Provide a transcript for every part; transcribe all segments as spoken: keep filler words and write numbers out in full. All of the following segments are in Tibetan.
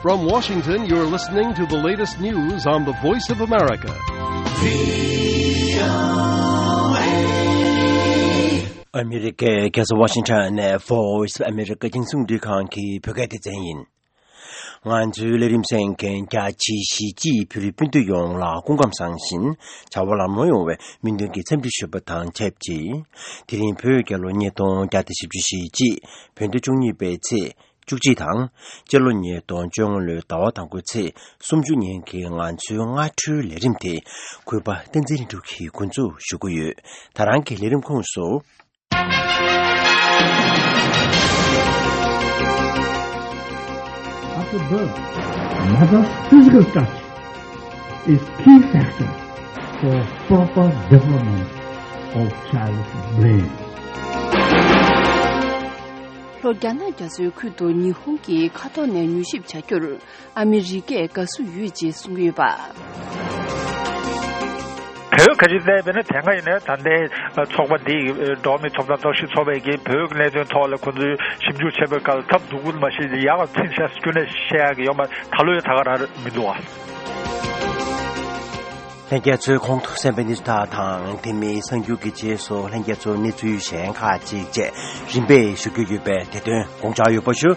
From Washington, you're listening to the latest news on the Voice of America. ཨ་མི་རི་ཀའི་རྒྱལ་ས་ཝ་ཤིང་ཊོན་ནས་Voice of America་རྒྱང་སྲིང་རླུང་འཕྲིན་ཁང་གི་བོད་སྐད་སྡེ་ཚན་ཡིན། ང་ཚོའི་ལས་རིམ་གསན་མཁན་རྒྱ་ཆེའི་གཞིས་བྱེས་བོད་རིགས་སྤུན་ཟླ་ཡོངས་ལ་སྐུ་ཁམས་བཟང་ཞིང་བྱ་བ་ལམ་ལྷོང་ཡོང་བའི་སྨོན་འདུན་གྱི་འཚམས་འདྲི་ཞུ་བ་དང་ཆབས་ཅིག་དེ་རིང་བོད་རྒྱལ་ལོ་ཉིས་སྟོང་བརྒྱ་དང་བཞི་བཅུ་ཞེ་གཅིག་བོད་ཟླ་བཅུ་གཉིས་པའི་ཚེས་བཅུ་གཅིག་དང་། སྤྱི་ལོ་ཉིས་སྟོང་བཅོ་ལྔ་ལོའི་ཟླ་བ་དང་པོའི་ཚེས་སུམ་ཅུ་ཉིན་གྱི་ང་ཚོའི་སྔ་དྲོའི་ལས་རིམ་དེ་གུས་པ་བསྟན་འཛིན་ལྷུན་གྲུབ་ཀྱིས་འགོ་འཛུགས་ཞུ་གི་ཡོད། ད་རང་གི་ལས་རིམ་ཁོངས་སུ། After birth, mother's physical touch is key factor for proper development of child's brain. ལྷོ་རྒྱ་ནག་རྒྱ་མཚོའི་ཁུལ་དུ་ཉི་ཧོང་གིས་མཁའ་ཐོག་ནས་མྱུལ་ཞིབ་བྱ་རྒྱུར་ཨ་མི་རི་ཀས་དགའ་བསུ་ཡོད་ཅེས་གསུངས་ཡོད་པ། བོད་ཁ་ཆེ་བལྟས་པས་ན་དེ་སྔ་ཡིན་ན་ད་ལྟའི་ཚོགས་པ་འདི་འགྲོ་བ་མིའི་ཐོབ་ཐང་རྟོག་ཞིབ་ཚོགས་པས་ཀྱིས་བོད་ཀྱི་གནད་དོན་ཐོག་ལ་ཁོང་ཚོས་ཞིབ་འཇུག་བྱས་པའི་སྐབས་ཐབས་སྡུག་པོ་མ་ཤེས་ཡག་ཚིག་བཤད་སྐྱོན་ནས་བཤད་ཡག་གི་ཡོད་མ་ད་ལོ་ཡང་ད་ག་རང་མི་འདུག་ཨ། ལྷན་རྒྱས་ཚོས་གོང་དུ་གསན་པའི་གནས་ཚུལ་དག་དང་དེ་མིན་གསར་འགྱུར་གྱི་རྗེས་སུ་ལྷན་རྒྱས་ཚོས་གནས་ཚུལ་གཞན་ཁག་ཅིག་བཅས་རིམ་པས་ཞུ་རྒྱུ་ཡོད་པས་དེ་དོན་དགོངས་འཇགས་ཡོད་པ་ཞུ།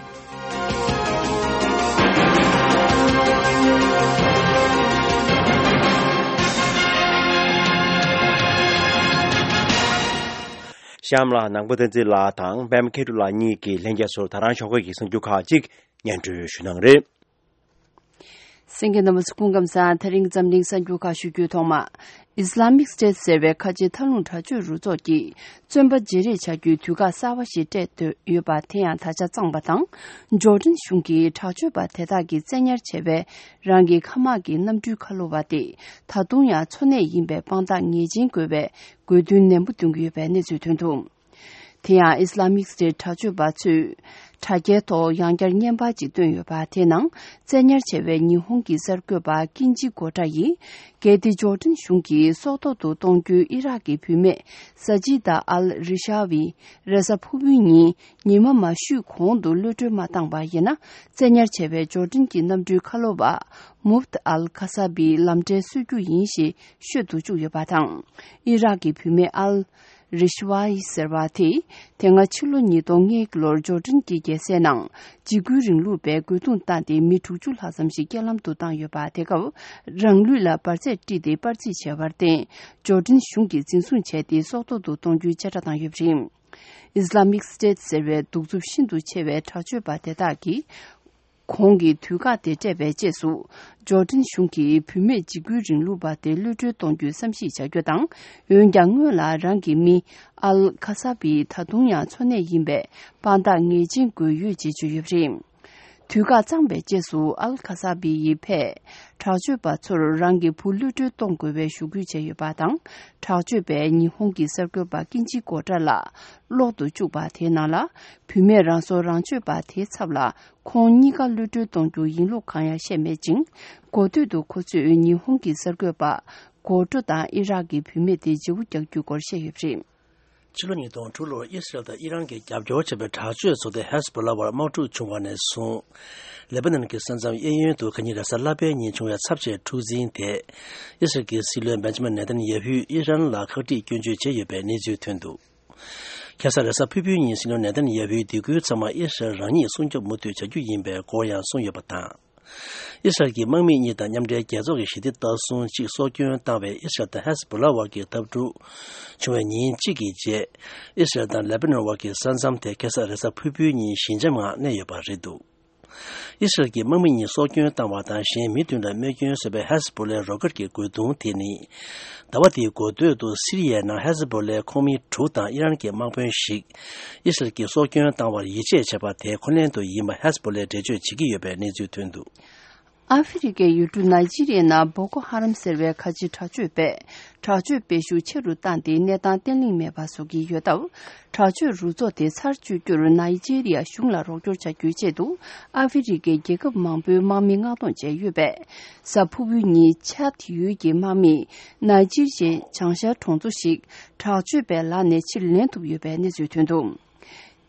གཤམ་ལ་ནང་པ་བསྟན་འཛིན་ལགས་དང་པད་མ་མཁས་གྲུབ་ལགས་གཉིས་ཀྱིས་ལྷན་རྒྱས་ཚོར་ད་རང་ཞོགས་ཀས་ཀྱི་གསར་འགྱུར་ཁག་ཅིག་སྙན་སྒྲོན་ཞུ་གནང་རེད། གསན་མཁན་རྣམ་པ་ཚོ་སྐུ་ཁམས་བཟང་། དེ་རིང་འཛམ་གླིང་གསར་འགྱུར་ཁག་ཞུ་རྒྱུའི་ཐོག་མ། ཨིས་ལ་མིག་སི་ཊེ་ཊི་ཟེར་བའི་ཁ་ཆེ་མཐའ་ལྷུང་དྲག་སྤྱོད་རུ་ཚོགས་ཀྱིས་བཙོན་པ་བརྗེ་རེས་བྱ་རྒྱུའི་དུས་བཀག་གསར་བ་ཞིག་སྤྲད་འདོད་ཡོད་པ་དེ་ཡང་ད་ཆ་གཙང་པ་དང་། ཇོར་ཌན་གཞུང་གིས་དྲག་སྤྱོད་པ་དེ་དག་གིས་བཙན་ཉར་བྱས་པའི་རང་གི་མཁའ་དམག་གི་གནམ་གྲུའི་ཁ་ལོ་བ་དེ་ད་དུང་ཡང་འཚོ་གནས་ཡིན་པའི་དཔང་རྟགས་ངེས་ཅན་དགོས་པའི་དགོས་འདུན་ནན་པོ་འདོན་གྱི་ཡོད་པའི་གནས་ཚུལ་ཐོན་འདུག་དེ་ཡང་ཨིས་ལ་མིག་སི་ཊེ་ཊི་དྲག་སྤྱོད་པ་ཚོས་དྲ་རྒྱའི་ཐོག་ཡང་བསྐྱར་བརྙན་པར་ཅིག་བཏོན་ཡོད་པ་དེའི་ནང་བཙན་ཉར་བྱས་པའི་ཉི་ཧོང་གི་གསར་འགོད་པ་ཀིན་ཇི་གོ་ཏྲ་ཡིས། གལ་ཏེ་ཇོར་ཌན་གཞུང་གིས་སྲོག་ཐོག་ཏུ་གཏོང་རྒྱུའི་ཨི་རག་གི་བུད་མེད་ས་ཇི་ད་ཨལ་རི་ཤ་བི་རེས་གཟའ་ཕུར་བུའི་ཉིན་ཉི་མ་མ་བཞུད་གོང་དུ་གློད་གྲོལ་མ་བཏང་པ་ཡིན་ན། བཙན་ཉར་བྱས་པའི་ཇོར་ཌན་གྱི་གནམ་གྲུའི་ཁ་ལོ་བ་མུབ་ཏ་ཨལ་ཁ་ས་བིའི་ལམ་འབྲས་གསོད་རྒྱུ་ཡིན་ཞེས་ཤོད་དུ་བཅུག་ཡོད་པ་དང་། ཨི་རག་གི་བུད་མེད་ཨལ། རི་ཤི་ཝ་ཡི་ཟེར་བ་དེས་དེ་སྔ་ཕྱི་ལོ་ཉིས་སྟོང་ལྔ་ལོར་ཇོར་ཌན་གྱི་རྒྱལ་སའི་ནང་འཇིགས་སྐུལ་རིང་ལུགས་པས་རྒོལ་རྡུང་བཏང་སྟེ་མི་དྲུག་ཅུ་ལྷག་ཙམ་ཞིག་རྐྱེན་ལམ་དུ་བཏང་ཡོད་པ། དེ་སྐབས་རང་ལུས་ལ་འབར་རྫས་དཀྲིས་ཏེ་པར་རྩིས་བྱས་པར་བརྟེན། ཇོར་ཌན་གཞུང་གིས་འཛིན་བཟུང་བྱས་ཏེ་སྲོག་ཐོག་ཏུ་གཏོང་རྒྱུའི་དཔྱད་བསྒྲགས་བཏང་ཡོད་པ་རེད། ཨིས་ལ་མིག་སི་ཊེ་ཊི་ཟེར་བའི་གདུག་རྩུབ་ཤིན་ཏུ་ཆེ་བའི་དྲག་སྤྱོད་པ་དེ་དག་གིས། གོང་གི་དུས་བཀག་དེ་སྤྲད་པའི་རྗེས་སུ། ཇོར་ཌན་གཞུང་གིས་བུད་མེད་འཇིགས་སྐུལ་རིང་ལུགས་པ་དེ་གློད་གྲོལ་གཏོང་རྒྱུའི་བསམ་གཞིག་བྱ་རྒྱུ་དང་། འོན་ཀྱང་སྔོན་ལ་རང་གི་མི་ཨལ་ཁ་ས་བི་ད་དུང་ཡང་འཚོ་གནས་ཡིན་པའི་དཔང་རྟགས་ངེས་ཅན་དགོས་ཡོད་ཅེས་བརྗོད་ཡོད་པ་རེད། དུས་བཀག་གཙང་པའི་རྗེས་སུ་ཨལ་ཁ་ས་བི་ཡི་ཕས་དྲག་སྤྱོད་པ་ཚོར་རང་གི་བུ་གློད་གྲོལ་གཏོང་དགོས་པའི་ཞུ་སྐུལ་བྱས་ཡོད་པ་དང་། དྲག་སྤྱོད་པས་ཉི་ཧོང་གི་གསར་འགོད་པ་ཀིན་ཇི་གོ་ཏྲ་ལགས་ལོག་ཏུ་བཅུག་པ་དེའི་ནང་ལ། བུད་མེད་རང་སྲོག་རང་གཅོད་པ་དེའི་ཚབ་ལ། ཁོང་གཉིས་ཀ་གློད་གྲོལ་གཏོང་རྒྱུ་ཡིན་ལུགས་གང་ཡང་བཤད་མེད་ཅིང་། གོ་ཐོས་དུ་ཁོ་ཚོས་ཉི་ཧོང་གི་གསར་འགོད་པ་གོ་ཏྲོ་དང་ཨི་རག་གི་བུད་མེད་དེ་བརྗེ་པོ་རྒྱག་རྒྱུའི་སྐོར་བཤད་ཡོད་པ་རེད། ཕྱི་ལོ་ཉིས་སྟོང་དྲུག་ལོར་ཨི་སི་རལ་དང་ཨི་རན་གྱིས་རྒྱབ་སྐྱོར་བྱས་པའི་དྲག་སྤྱོད་ཚོགས་སྡེ་ཧེ་ཟ་བྷོ་ལ་བར་དམག་འཁྲུག་བྱུང་བ་ནས་བཟུང་། ལེ་པ་ནན་གྱི་ས་མཚམས་གཡས་གཡོན་དུ་ཁ་ཉིན་རེས་གཟའ་ལྷག་པའི་ཉིན་བྱུང་བའི་ཚབས་ཆེའི་འཁྲུག་འཛིང་དེ། ཨི་སི་རལ་གྱི་སྲིད་བློན་བེན་ཇི་མིན་ནེ་ཐན་ཡ་ཧུས་ཨི་རན་ལ་ཁག་དཀྲིས་སྐྱོན་བརྗོད་བྱས་ཡོད་པའི་གནས་ཚུལ་ཐོན་འདུག་ཁ་སང་རེས་གཟའ་ཕུར་བུའི་ཉིན་སྲིད་བློན་ནེ་ཐན་ཡ་ཧུའི་སྡིགས་སྐུལ་ཚང་མ་ཨི་སི་རལ་རང་ཉིད་སྲུང་སྐྱོབ་མུ་མཐུད་བྱ་རྒྱུ་ཡིན་པའི་སྐོར་ཡང་གསུངས་ཡོད་པ་དང་། ཨི་སི་རལ་གྱི་དམག་མི་གཉིས་དང་མཉམ་འབྲེལ་རྒྱལ་ཚོགས་ཀྱི་ཞི་བདེ་ལྟ་སྲུང་གཅིག་སྲོག་སྐྱོན་བཏང་བའི་ཨི་སི་རལ་དང་ཧེ་ཟ་བྷོ་ལ་བར་གྱི་འཐབ་འཁྲུག་བྱུང་བའི་ཉིན་གཅིག་གི་རྗེས། ཨི་སི་རལ་དང་ལེ་པ་ནོན་བར་གྱི་ས་མཚམས་དེ་ཁ་སང་རེས་གཟའ་ཕུར་བུའི་ཉིན་ཞི་འཇམ་ངང་གནས་ཡོད་པ་རེད་འདུག་ཨི་སི་རལ་གྱི་དམག་མི་གཉིས་སྲོག་སྐྱོན་བཏང་བ་དང་གཞན་མི་བདུན་ལ་རྨས་སྐྱོན་བཟོས་པའི་ཧེ་ཟ་བྷོ་ལའི་རོ་ཀེད་ཀྱི་རྒོལ་རྡུང་དེ་ནི། ཟླ་བ་འདིའི་འགོ་སྟོད་དུ་སི་རི་ཡའི་ནང་ཧེ་ཟ་བྷོ་ལའི་ཁོངས་མི་དྲུག་དང་ཨི་རན་གྱི་དམག་དཔོན་ཞིག་ཨི་སི་རལ་གྱིས་སྲོག་སྐྱོན་བཏང་བར་ཡིད་ཆེས་བྱས་པ་དེ་ཁོ་ལན་དུ་ཡིན་པ་ཧེ་ཟ་བྷོ་ལས་འགྲེལ་བརྗོད་བྱེད་ཀྱི་ཡོད་པའི་གནས་ཚུལ་ཐོན་འདུག་ཨ་ཧྥེ་རི་ཀའི་ཡུལ་གྲུ་ནཱི་ཇི་རི་ཡའི་ནང་བོ་ཀོ་ཧ་རམ་ཟེར་བའི་ཁ་ཆེ་དྲག་སྤྱོད་པས་དྲག་སྤྱོད་སྤེལ་ཤུགས་ཆེ་རུ་བཏང་སྟེ་གནས་སྟངས་བརྟན་ལྷིང་མེད་པ་བཟོ་གི་ཡོད་སྟབས། དྲག་སྤྱོད་རུ་ཚོགས་དེ་ཚར་གཅོད་རྒྱུར་ནཱི་ཇི་རི་ཡ་གཞུང་ལ་རོགས་སྐྱོར་བྱ་རྒྱུའི་ཆེད་དུ་ཨ་ཧྥེ་རི་ཀའི་རྒྱལ་ཁབ་མང་པོའི་དམག་མི་མངགས་གཏོང་བྱས་ཡོད་པས། གཟའ་ཕུར་བུའི་ཉིན་ཆཱད་ཡུལ་གྱི་དམག་མིས་ནཱི་ཇི་རི་ཡའི་བྱང་ཤར་གྲོང་ཚོ་ཞིག་དྲག་སྤྱོད་པའི་ལག་ནས་ཕྱིར་ལེན་ཐུབ་ཡོད་པའི་གནས་ཚུལ་ཐོན་འདུག་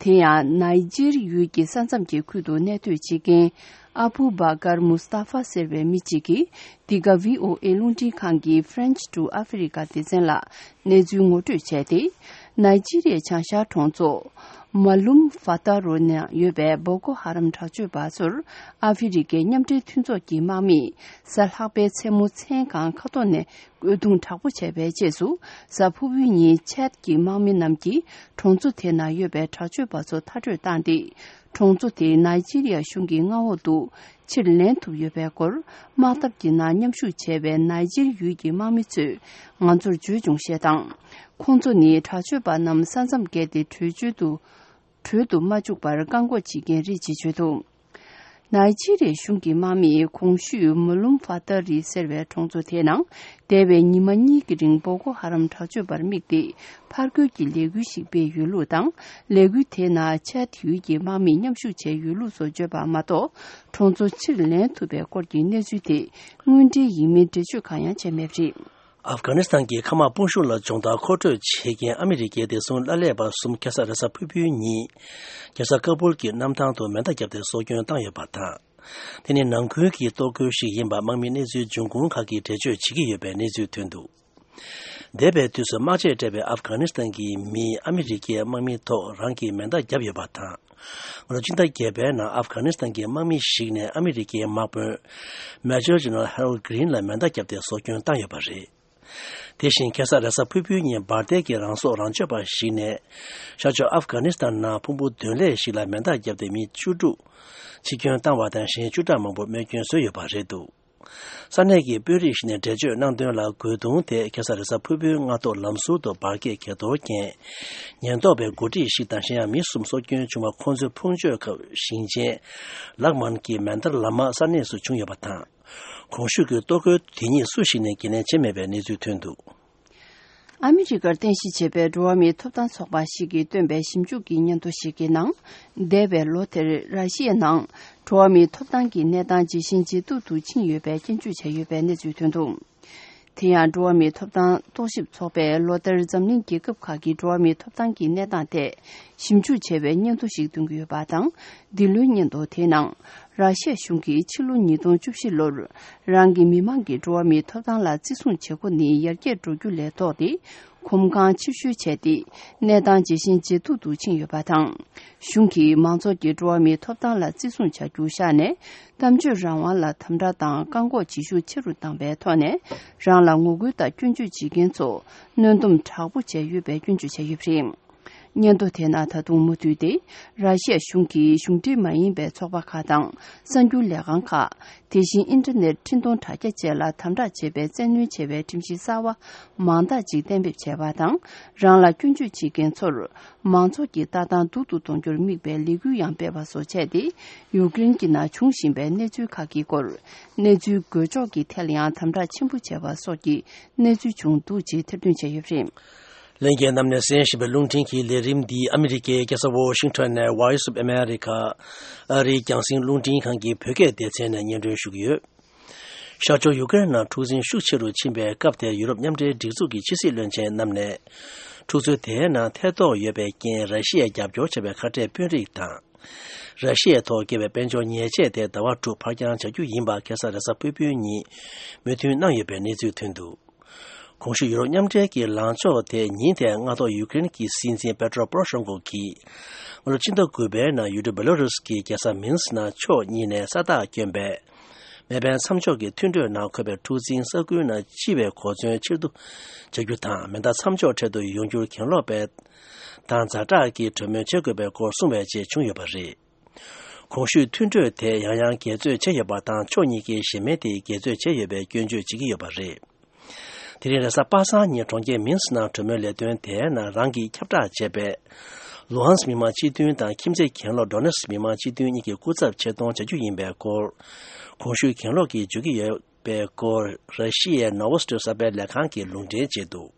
དེ་ཡང་ནཱི་ཇེར་ཡུལ་གྱི་ས་མཚམས་ཀྱི་ཁུལ་དུ་གནས་སྡོད་བྱེད་མཁན་ ཨ་བུ་བྷ་ཀར་མུ་སྟ་ཧྥ་ཟེར་བའི་མི་གཅིག་གིས། འདི་ག་བྷི་ཨོ་ཨེ་རླུང་འཕྲིན་ཁང་གི་French to Africa སྡེ་ཚན་ལ་གནས་ཚུལ་ངོ་སྤྲོད་བྱས་ཏེ། ནཱི་ཇི་རི་ཡའི་བྱང་ཤར་གྲོང་ཚོ་མ་ལུམ་ཧྥ་ཏ་རོ་ནང་ཡོད་པའི་བོ་ཀོ་ཧ་རམ་དྲག་སྤྱོད་པ་ཚོར་ཨ་ཧྥེ་རི་ཁའི་མཉམ་འབྲེལ་མཐུན་ཚོགས་ཀྱི་དམག་མིས་གཟའ་ལྷག་པའི་མཚན་མོ་མཚན་གང་མཁའ་ཐོག་ནས་རྐོས་རྡུང་དྲག་པོ་བྱས་པའི་རྗེས་སུ། གཟའ་ཕུར་བུའི་ཉིན་ཆད་ཀྱི་དམག་མི་རྣམས་ཀྱིས་གྲོང་ཚོ་དེ་ན་ཡོད་པའི་དྲག་སྤྱོད་པ་ཚོ་མཐར་སྐྲོད་བཏང་སྟེ། གྲོང་ཚོ་དེ་ནཱི་ཇི་རི་ཡ་གཞུང་གི་མངའ་འོག་ཏུ་ཕྱིར་ལེན་ཐུབ་ཡོད་པའི་སྐོར། དམག་འཐབ་ཀྱི་ནང་མཉམ་ཞུགས་བྱས་པའི་ནཱི་ཇིར་ཡུལ་གྱི་དམག་མི་ཚོས་ང་ཚོར་བརྗོད་བྱུང་ཞེས་དང་། ཁོང་ཚོ་ནི་དྲག་སྤྱོད་པ་རྣམས་ས་མཚམས་བརྒལ་ཏེ་བྲོས་བྱོལ་དུ་བྲོས་དུ་མ་བཅུག་པར་བཀག་འགོག་བྱེད་མཁན་རེད་ཅེས་བརྗོད་འདུག་ནཱི་ཇི་རི་ཡའི་གཞུང་གི་དམག་མིས་གོང་ཞུས་མུ་ལུམ་ཧྥ་ཏ་རི་ཟེར་བའི་གྲོང་ཚོ་དེའི་ནང་འདས་པའི་ཉི་མ་གཉིས་ཀྱི་རིང་བོ་ཀོ་ཧ་རམ་དྲག་སྤྱོད་པར་དམིགས་ཏེ། ཕར་རྒོལ་གྱི་ལས་འགུལ་ཞིག་སྤེལ་ཡོད་ལུགས་དང་། ལས་འགུལ་དེའི་ནང་ཆད་ཡུལ་གྱི་དམག་མིས་མཉམ་ཞུགས་བྱས་ཡོད་ལུགས་སོགས་བརྗོད་པ་མ་གཏོགས། གྲོང་ཚོ་ཕྱིར་ལེན་ཐུབ་པའི་སྐོར་གྱི་གནས་ཚུལ་དེ་དངོས་འབྲེལ་ཡིན་མིན་འགྲེལ་བརྗོད་གང་ཡང་བྱས་མེད་པ་རེད། ཨབ་གྷ་ནི་སི་ཐན་གྱི་མཁའ་དམག་དཔུང་ཤུགས་ལ་སྦྱོང་བརྡར་མཁོ་སྤྲོད་བྱེད་མཁན་ཨ་མི་རི་ཀའི་བདེ་སྲུང་བླ་ལས་པ་གསུམ་ཁ་ས་རེས་གཟའ་ཕུར་བུའི་ཉིན་རྒྱལ་ས་ཀ་བུལ་གྱི་གནམ་ཐང་དུ་མེ་མདའ་བརྒྱབ་སྟེ་སྲོག་སྐྱོན་བཏང་ཡོད་པ་དང་། དེ་ནི་ནང་ཁུལ་གྱི་གཏོར་རྒོལ་ཞིག་ཡིན་པ་དམག་མི་གནས་ཚུལ་འབྱུང་ཁུངས་ཁག་གིས་འགྲེལ་བརྗོད་བྱེད་ཀྱི་ཡོད་པའི་གནས་ཚུལ་ཐོན་འདུག་འདས་པའི་དུས་སུ་དམག་ཆས་སྤྲས་པའི་ཨབ་གྷ་ནི་སི་ཐན་གྱི་མིས་ཨ་མི་རི་ཀའི་དམག་མིའི་ཐོག་རང་གི་མེ་མདའ་བརྒྱབ་ཡོད་པ་དང་། ལོ་སྤྱི་ཟླ་བརྒྱད་པའི་ནང་ཨབ་གྷ་ནི་སི་ཐན་གྱི་དམག་མི་ཞིག་ནས་ཨ་མི་རི་ཀའི་དམག་དཔོན་Major General Harold Greene ལ་མེ་མདའ་བརྒྱབ་སྟེ་སྲོག་སྐྱོན་བཏང་ཡོད་པ་རེད། དེ་བཞིན་ཁ་ས་རེས་གཟའ་ཕུར་བུའི་ཉིན་འབར་མདེལ་གྱི་རང་སྲོག་རང་གཅོད་པ་ཞིག་ནས་ཤར་ཕྱོགས་ཨབ་གྷ་ནི་སི་ཐན་ནང་ཕུང་པོ་གདོན་ལས་ཤིག་ལ་མེ་མདའ་བརྒྱབ་སྟེ་མི་བཅུ་དྲུག་འཆི་སྐྱོན་བཏང་བ་དང་གཞན་བཅུ་ཕྲག་མང་པོ་རྨས་སྐྱོན་བཟོས་ཡོད་པ་རེད་འདུག་ས་གནས་ཀྱི་དཔོན་རིགས་ཤིག་ནས་འགྲེལ་བརྗོད་གནང་དོན་ལ། རྒོལ་རྡུང་དེ་ཁ་ས་རེས་གཟའ་ཕུར་བུའི་སྔ་ཐོག་ལམ་ཟུར་དུ་འབར་གས་གས་གཏོར་མཁན་ཉེན་རྟོག་པའི་འགོ་ཁྲིད་ཞིག་དང་གཞན་ཡང་མི་གསུམ་སྲོག་སྐྱོན་བྱུང་བ་ཁོང་ཚོའི་ཕུང་མཆོད་ཁབ་ཞིང་ཆེན་ལག་མན་གྱི་མན་དར་ལ་མ་ས་གནས་སུ་བྱུང་ཡོད་པ་དང་། གོང་ཞུས་ཀྱི་གཏོར་རྒོལ་དེ་ཉིད་སུ་ཞིག་ནས་འགན་ལེན་བྱས་མེད་པའི་གནས་ཚུལ་ཐོན་འདུག་ཨ་མི་རི་ཀར་རྟེན་གཞི་བྱས་པའི་འགྲོ་བ་མིའི་ཐོབ་ཐང་ཚོགས་པ་ཞིག་གིས་བཏོན་པའི་ཞིབ་འཇུག་གི་སྙན་ཐོ་ཞིག་གི་ནང་། འདས་པའི་ལོ་དེར་ར་ཤི་ཡའི་ནང་འགྲོ་བ་མིའི་ཐོབ་ཐང་གི་གནས་སྟངས་ཇེ་ཞན་ཇེ་སྡུག་ཏུ་ཕྱིན་ཡོད་པའི་སྐྱོན་བརྗོད་བྱས་ཡོད་པའི་གནས་ཚུལ་ཐོན་འདུག་དེ་ཡང་འགྲོ་བ་མིའི་ཐོབ་ཐང་རྟོག་ཞིབ་ཚོགས་པས་ལོ་ལྟར་འཛམ་གླིང་རྒྱལ་ཁབ་ཁག་གི་འགྲོ་བ་མིའི་ཐོབ་ཐང་གི་གནས་སྟངས་ཐད་ཞིབ་འཇུག་བྱས་པའི་སྙན་ཐོ་ཞིག་འདོན་གྱི་ཡོད་པ་དང་། འདི་ལོའི་སྙན་ཐོ་དེའི་ནང་། ར་ཤི་ཡ་གཞུང་གིས་ཕྱི་ལོ་ཉིས་སྟོང་བཅུ་བཞི་ལོར་རང་གི་མི་མང་གི་འགྲོ་བ་མིའི་ཐོབ་ཐང་ལ་བརྩི་སྲུང་བྱེད་སྒོ་ནི་ཡར་རྒྱས་འགྲོ་རྒྱུ་ལས་ལྡོག་སྟེ། གོམ་གང་ཕྱིར་བཤོལ་བྱས་ཏེ། གནས་སྟངས་ཇེ་ཞན་ཇེ་སྡུག་ཏུ་ཕྱིན་ཡོད་པ་དང་། གཞུང་གིས་མང་ཚོགས་ཀྱི་འགྲོ་བ་མིའི་ཐོབ་ཐང་ལ་བརྩི་སྲུང་བྱ་རྒྱུ་བཞག་ནས། གཏམ་བརྗོད་རང་དབང་ལ་དམ་དྲག་དང་བཀག་འགོག་བྱེད་ཤུགས་ཆེ་རུ་བཏང་པའི་ཐོག་ནས། རང་ལ་ངོ་རྒོལ་དང་སྐྱོན་བརྗོད་བྱེད་མཁན་ཚོ་གནོན་སྡོམ་དྲག་པོ་བྱས་ཡོད་པའི་སྐྱོན་བརྗོད་བྱས་ཡོད་པ་རེད། སྙན་ཐོ་དེ་ནང་ད་དུང་མུ་མཐུད་དེ། ར་ཤི་ཡ་གཞུང་གིས་གཞུང་འབྲེལ་མ་ཡིན་པའི་ཚོགས་པ་ཁག་དང་གསར་འགྱུར་ལས་ཁང་ཁག་དེ་བཞིན་ཨིན་ཊར་ནེཊ་འཕྲིན་གཏོང་དྲ་རྒྱ་བཅས་ལ་དམ་དྲག་བྱེད་པའི་བཙན་གནོན་བྱས་པའི་ཁྲིམས་གཞི་གསར་བ་མང་དག་ཅིག་གཏན་འབེབས་བྱས་པ་དང་། རང་ལ་སྐྱོན་བརྗོད་བྱེད་མཁན་ཚོར་མང་ཚོགས་ཀྱི་ལྟ་སྟངས་སྡུག་ཏུ་གཏོང་རྒྱུར་དམིགས་པའི་ལས་འགུལ་ཡང་སྤེལ་བ་སོགས་བྱས་ཏེ། ཡུཀ་རེན་གྱི་ནང་བྱུང་བཞིན་པའི་གནས་ཚུལ་ཁག་གི་སྐོར། གནས་ཚུལ་འགོས་འཇོག་གི་ཐད་ལ་ཡང་དམ་དྲག་ཆེན་པོ་བྱས་པ་སོགས་ཀྱི་གནས་ཚུལ་བྱུང་འདུག་ཅེས་ཐེར་འདོན་བྱས་ཡོད་པ་རེད། ལྷན་རྒྱས་རྣམས་ནས་གསན་བཞིན་པའི་རླུང་འཕྲིན་གྱི་ལས་རིམ་འདི་ཨ་མི་རི་ཀའི་རྒྱལ་ས་ཝོ་ཤིང་ཊོན་ནས་Voice of America ཨ་རིའི་རྒྱང་སྲིང་རླུང་འཕྲིན་ཁང་གི་བོད་སྐད་སྡེ་ཚན་ནས་སྙན་སྒྲོན་ཞུ་གི་ཡོད། ཤར་ཕྱོགས་ཡུ་ཀེ་རེན་ནང་འཁྲུག་འཛིང་ཤུགས་ཆེ་རུ་ཕྱིན་པའི་སྐབས་དེར་ཡུ་རོབ་མཉམ་འབྲེལ་སྒྲིག་འཛུགས་ཀྱི་ཕྱི་སྲིད་བློན་ཆེན་རྣམས་ནས། འཁྲུག་རྩོད་དེའི་ནང་ཐེ་གཏོགས་ཡོད་པའི་རྐྱེན་ར་ཤི་ཡས་རྒྱབ་སྐྱོར་བྱས་པའི་ཁ་བྲལ་དཔོན་རིགས་དང་། ར་ཤི་ཡའི་ཐོག་བཀལ་བའི་དཔལ་འབྱོར་ཉེས་ཆད་དེ་ཟླ་བ་དྲུག་ཕར་འགྱངས་བྱ་རྒྱུ་ཡིན་པ་ཁ་སང་རེས་གཟའ་ཕུར་བུའི་ཉིན་མོས་མཐུན་གནང་ཡོད་པའི་གནས་ཚུལ་ཐོན་འདུག་གོང་ཞུས་ཡུ་རོབ་མཉམ་འབྲེལ་གྱི་ལངས་ཕྱོགས་དེ་ཉིན་དེའི་སྔ་ཐོག་ཡུ་ཀེ་རེན་གྱི་སྲིད་འཛིན་པེ་ཏྲོ་པོ་རོ་ཤེན་ཀོ་གིས། སྔ་ལོ་ཕྱི་ཟླ་དགུ་པའི་ནང་ཡུལ་གྲུ་བེ་ལོ་རུས་ཀྱི་རྒྱལ་ས་མིན་སི་ནང་ཕྱོགས་གཉིས་ནས་ས་རྟགས་བསྐྱོན་པའི་མེ་འཕེན་མཚམས་འཇོག་གི་མཐུན་གྲོས་ནང་འཁོད་པའི་འཁྲུག་འཛིང་ས་ཁུལ་ནང་སྤྱི་བའི་གོ་མཚོན་ཕྱིར་བསྡུ་བྱ་རྒྱུ་དང་། མེ་མདའ་མཚམས་འཇོག་འཕྲལ་དུ་ཡོང་རྒྱུར་གྱེན་ལོག་པའི་དང་ཛ་དྲག་གི་གྲོས་མོལ་བྱེད་དགོས་པའི་སྐོར་གསུངས་པའི་རྗེས་བྱུང་ཡོད་པ་རེད། གོང་ཞུས་མཐུན་གྲོས་དེ་ཡང་ཡང་འགལ་རྩོད་བྱས་ཡོད་པ་དང་། ཕྱོགས་གཉིས་ཀས་གཞན་མི་དེ་འགལ་རྩོད་བྱས་ཡོད་པའི་སྐྱོན་བརྗོད་བྱེད་ཀྱི་ཡོད་པ་རེད། དེ་རིང་རེས་གཟའ་པ་སངས་ཉིན་གྲོང་ཁྱེར་མིན་སི་ནང་གྲོས་མོལ་ལས་དོན་དེའི་ནང་རང་གིས་ཁྱབ་བསྒྲགས་བྱས་པའི་ལུ་ཧན་སི་མི་དམངས་སྤྱི་མཐུན་དང་ཁྱིམ་མཚེས་གྱེན་ལོག་ཌོ་ནེ་སི་མི་དམངས་སྤྱི་མཐུན་གཉིས་ཀྱི་སྐུ་ཚབ་ཆེད་གཏོང་བྱ་རྒྱུ་ཡིན་པའི་སྐོར། གོང་ཞུས་གྱེན་ལོག་གིས་བརྗོད་ཀྱི་ཡོད་པའི་སྐོར་ར་ཤི་ཡའི་ནོ་ཝོ་སི་ཏི་གསར་སྤེལ་ལས་ཁང་གིས་ལུང་འདྲེན་བྱས་འདུག་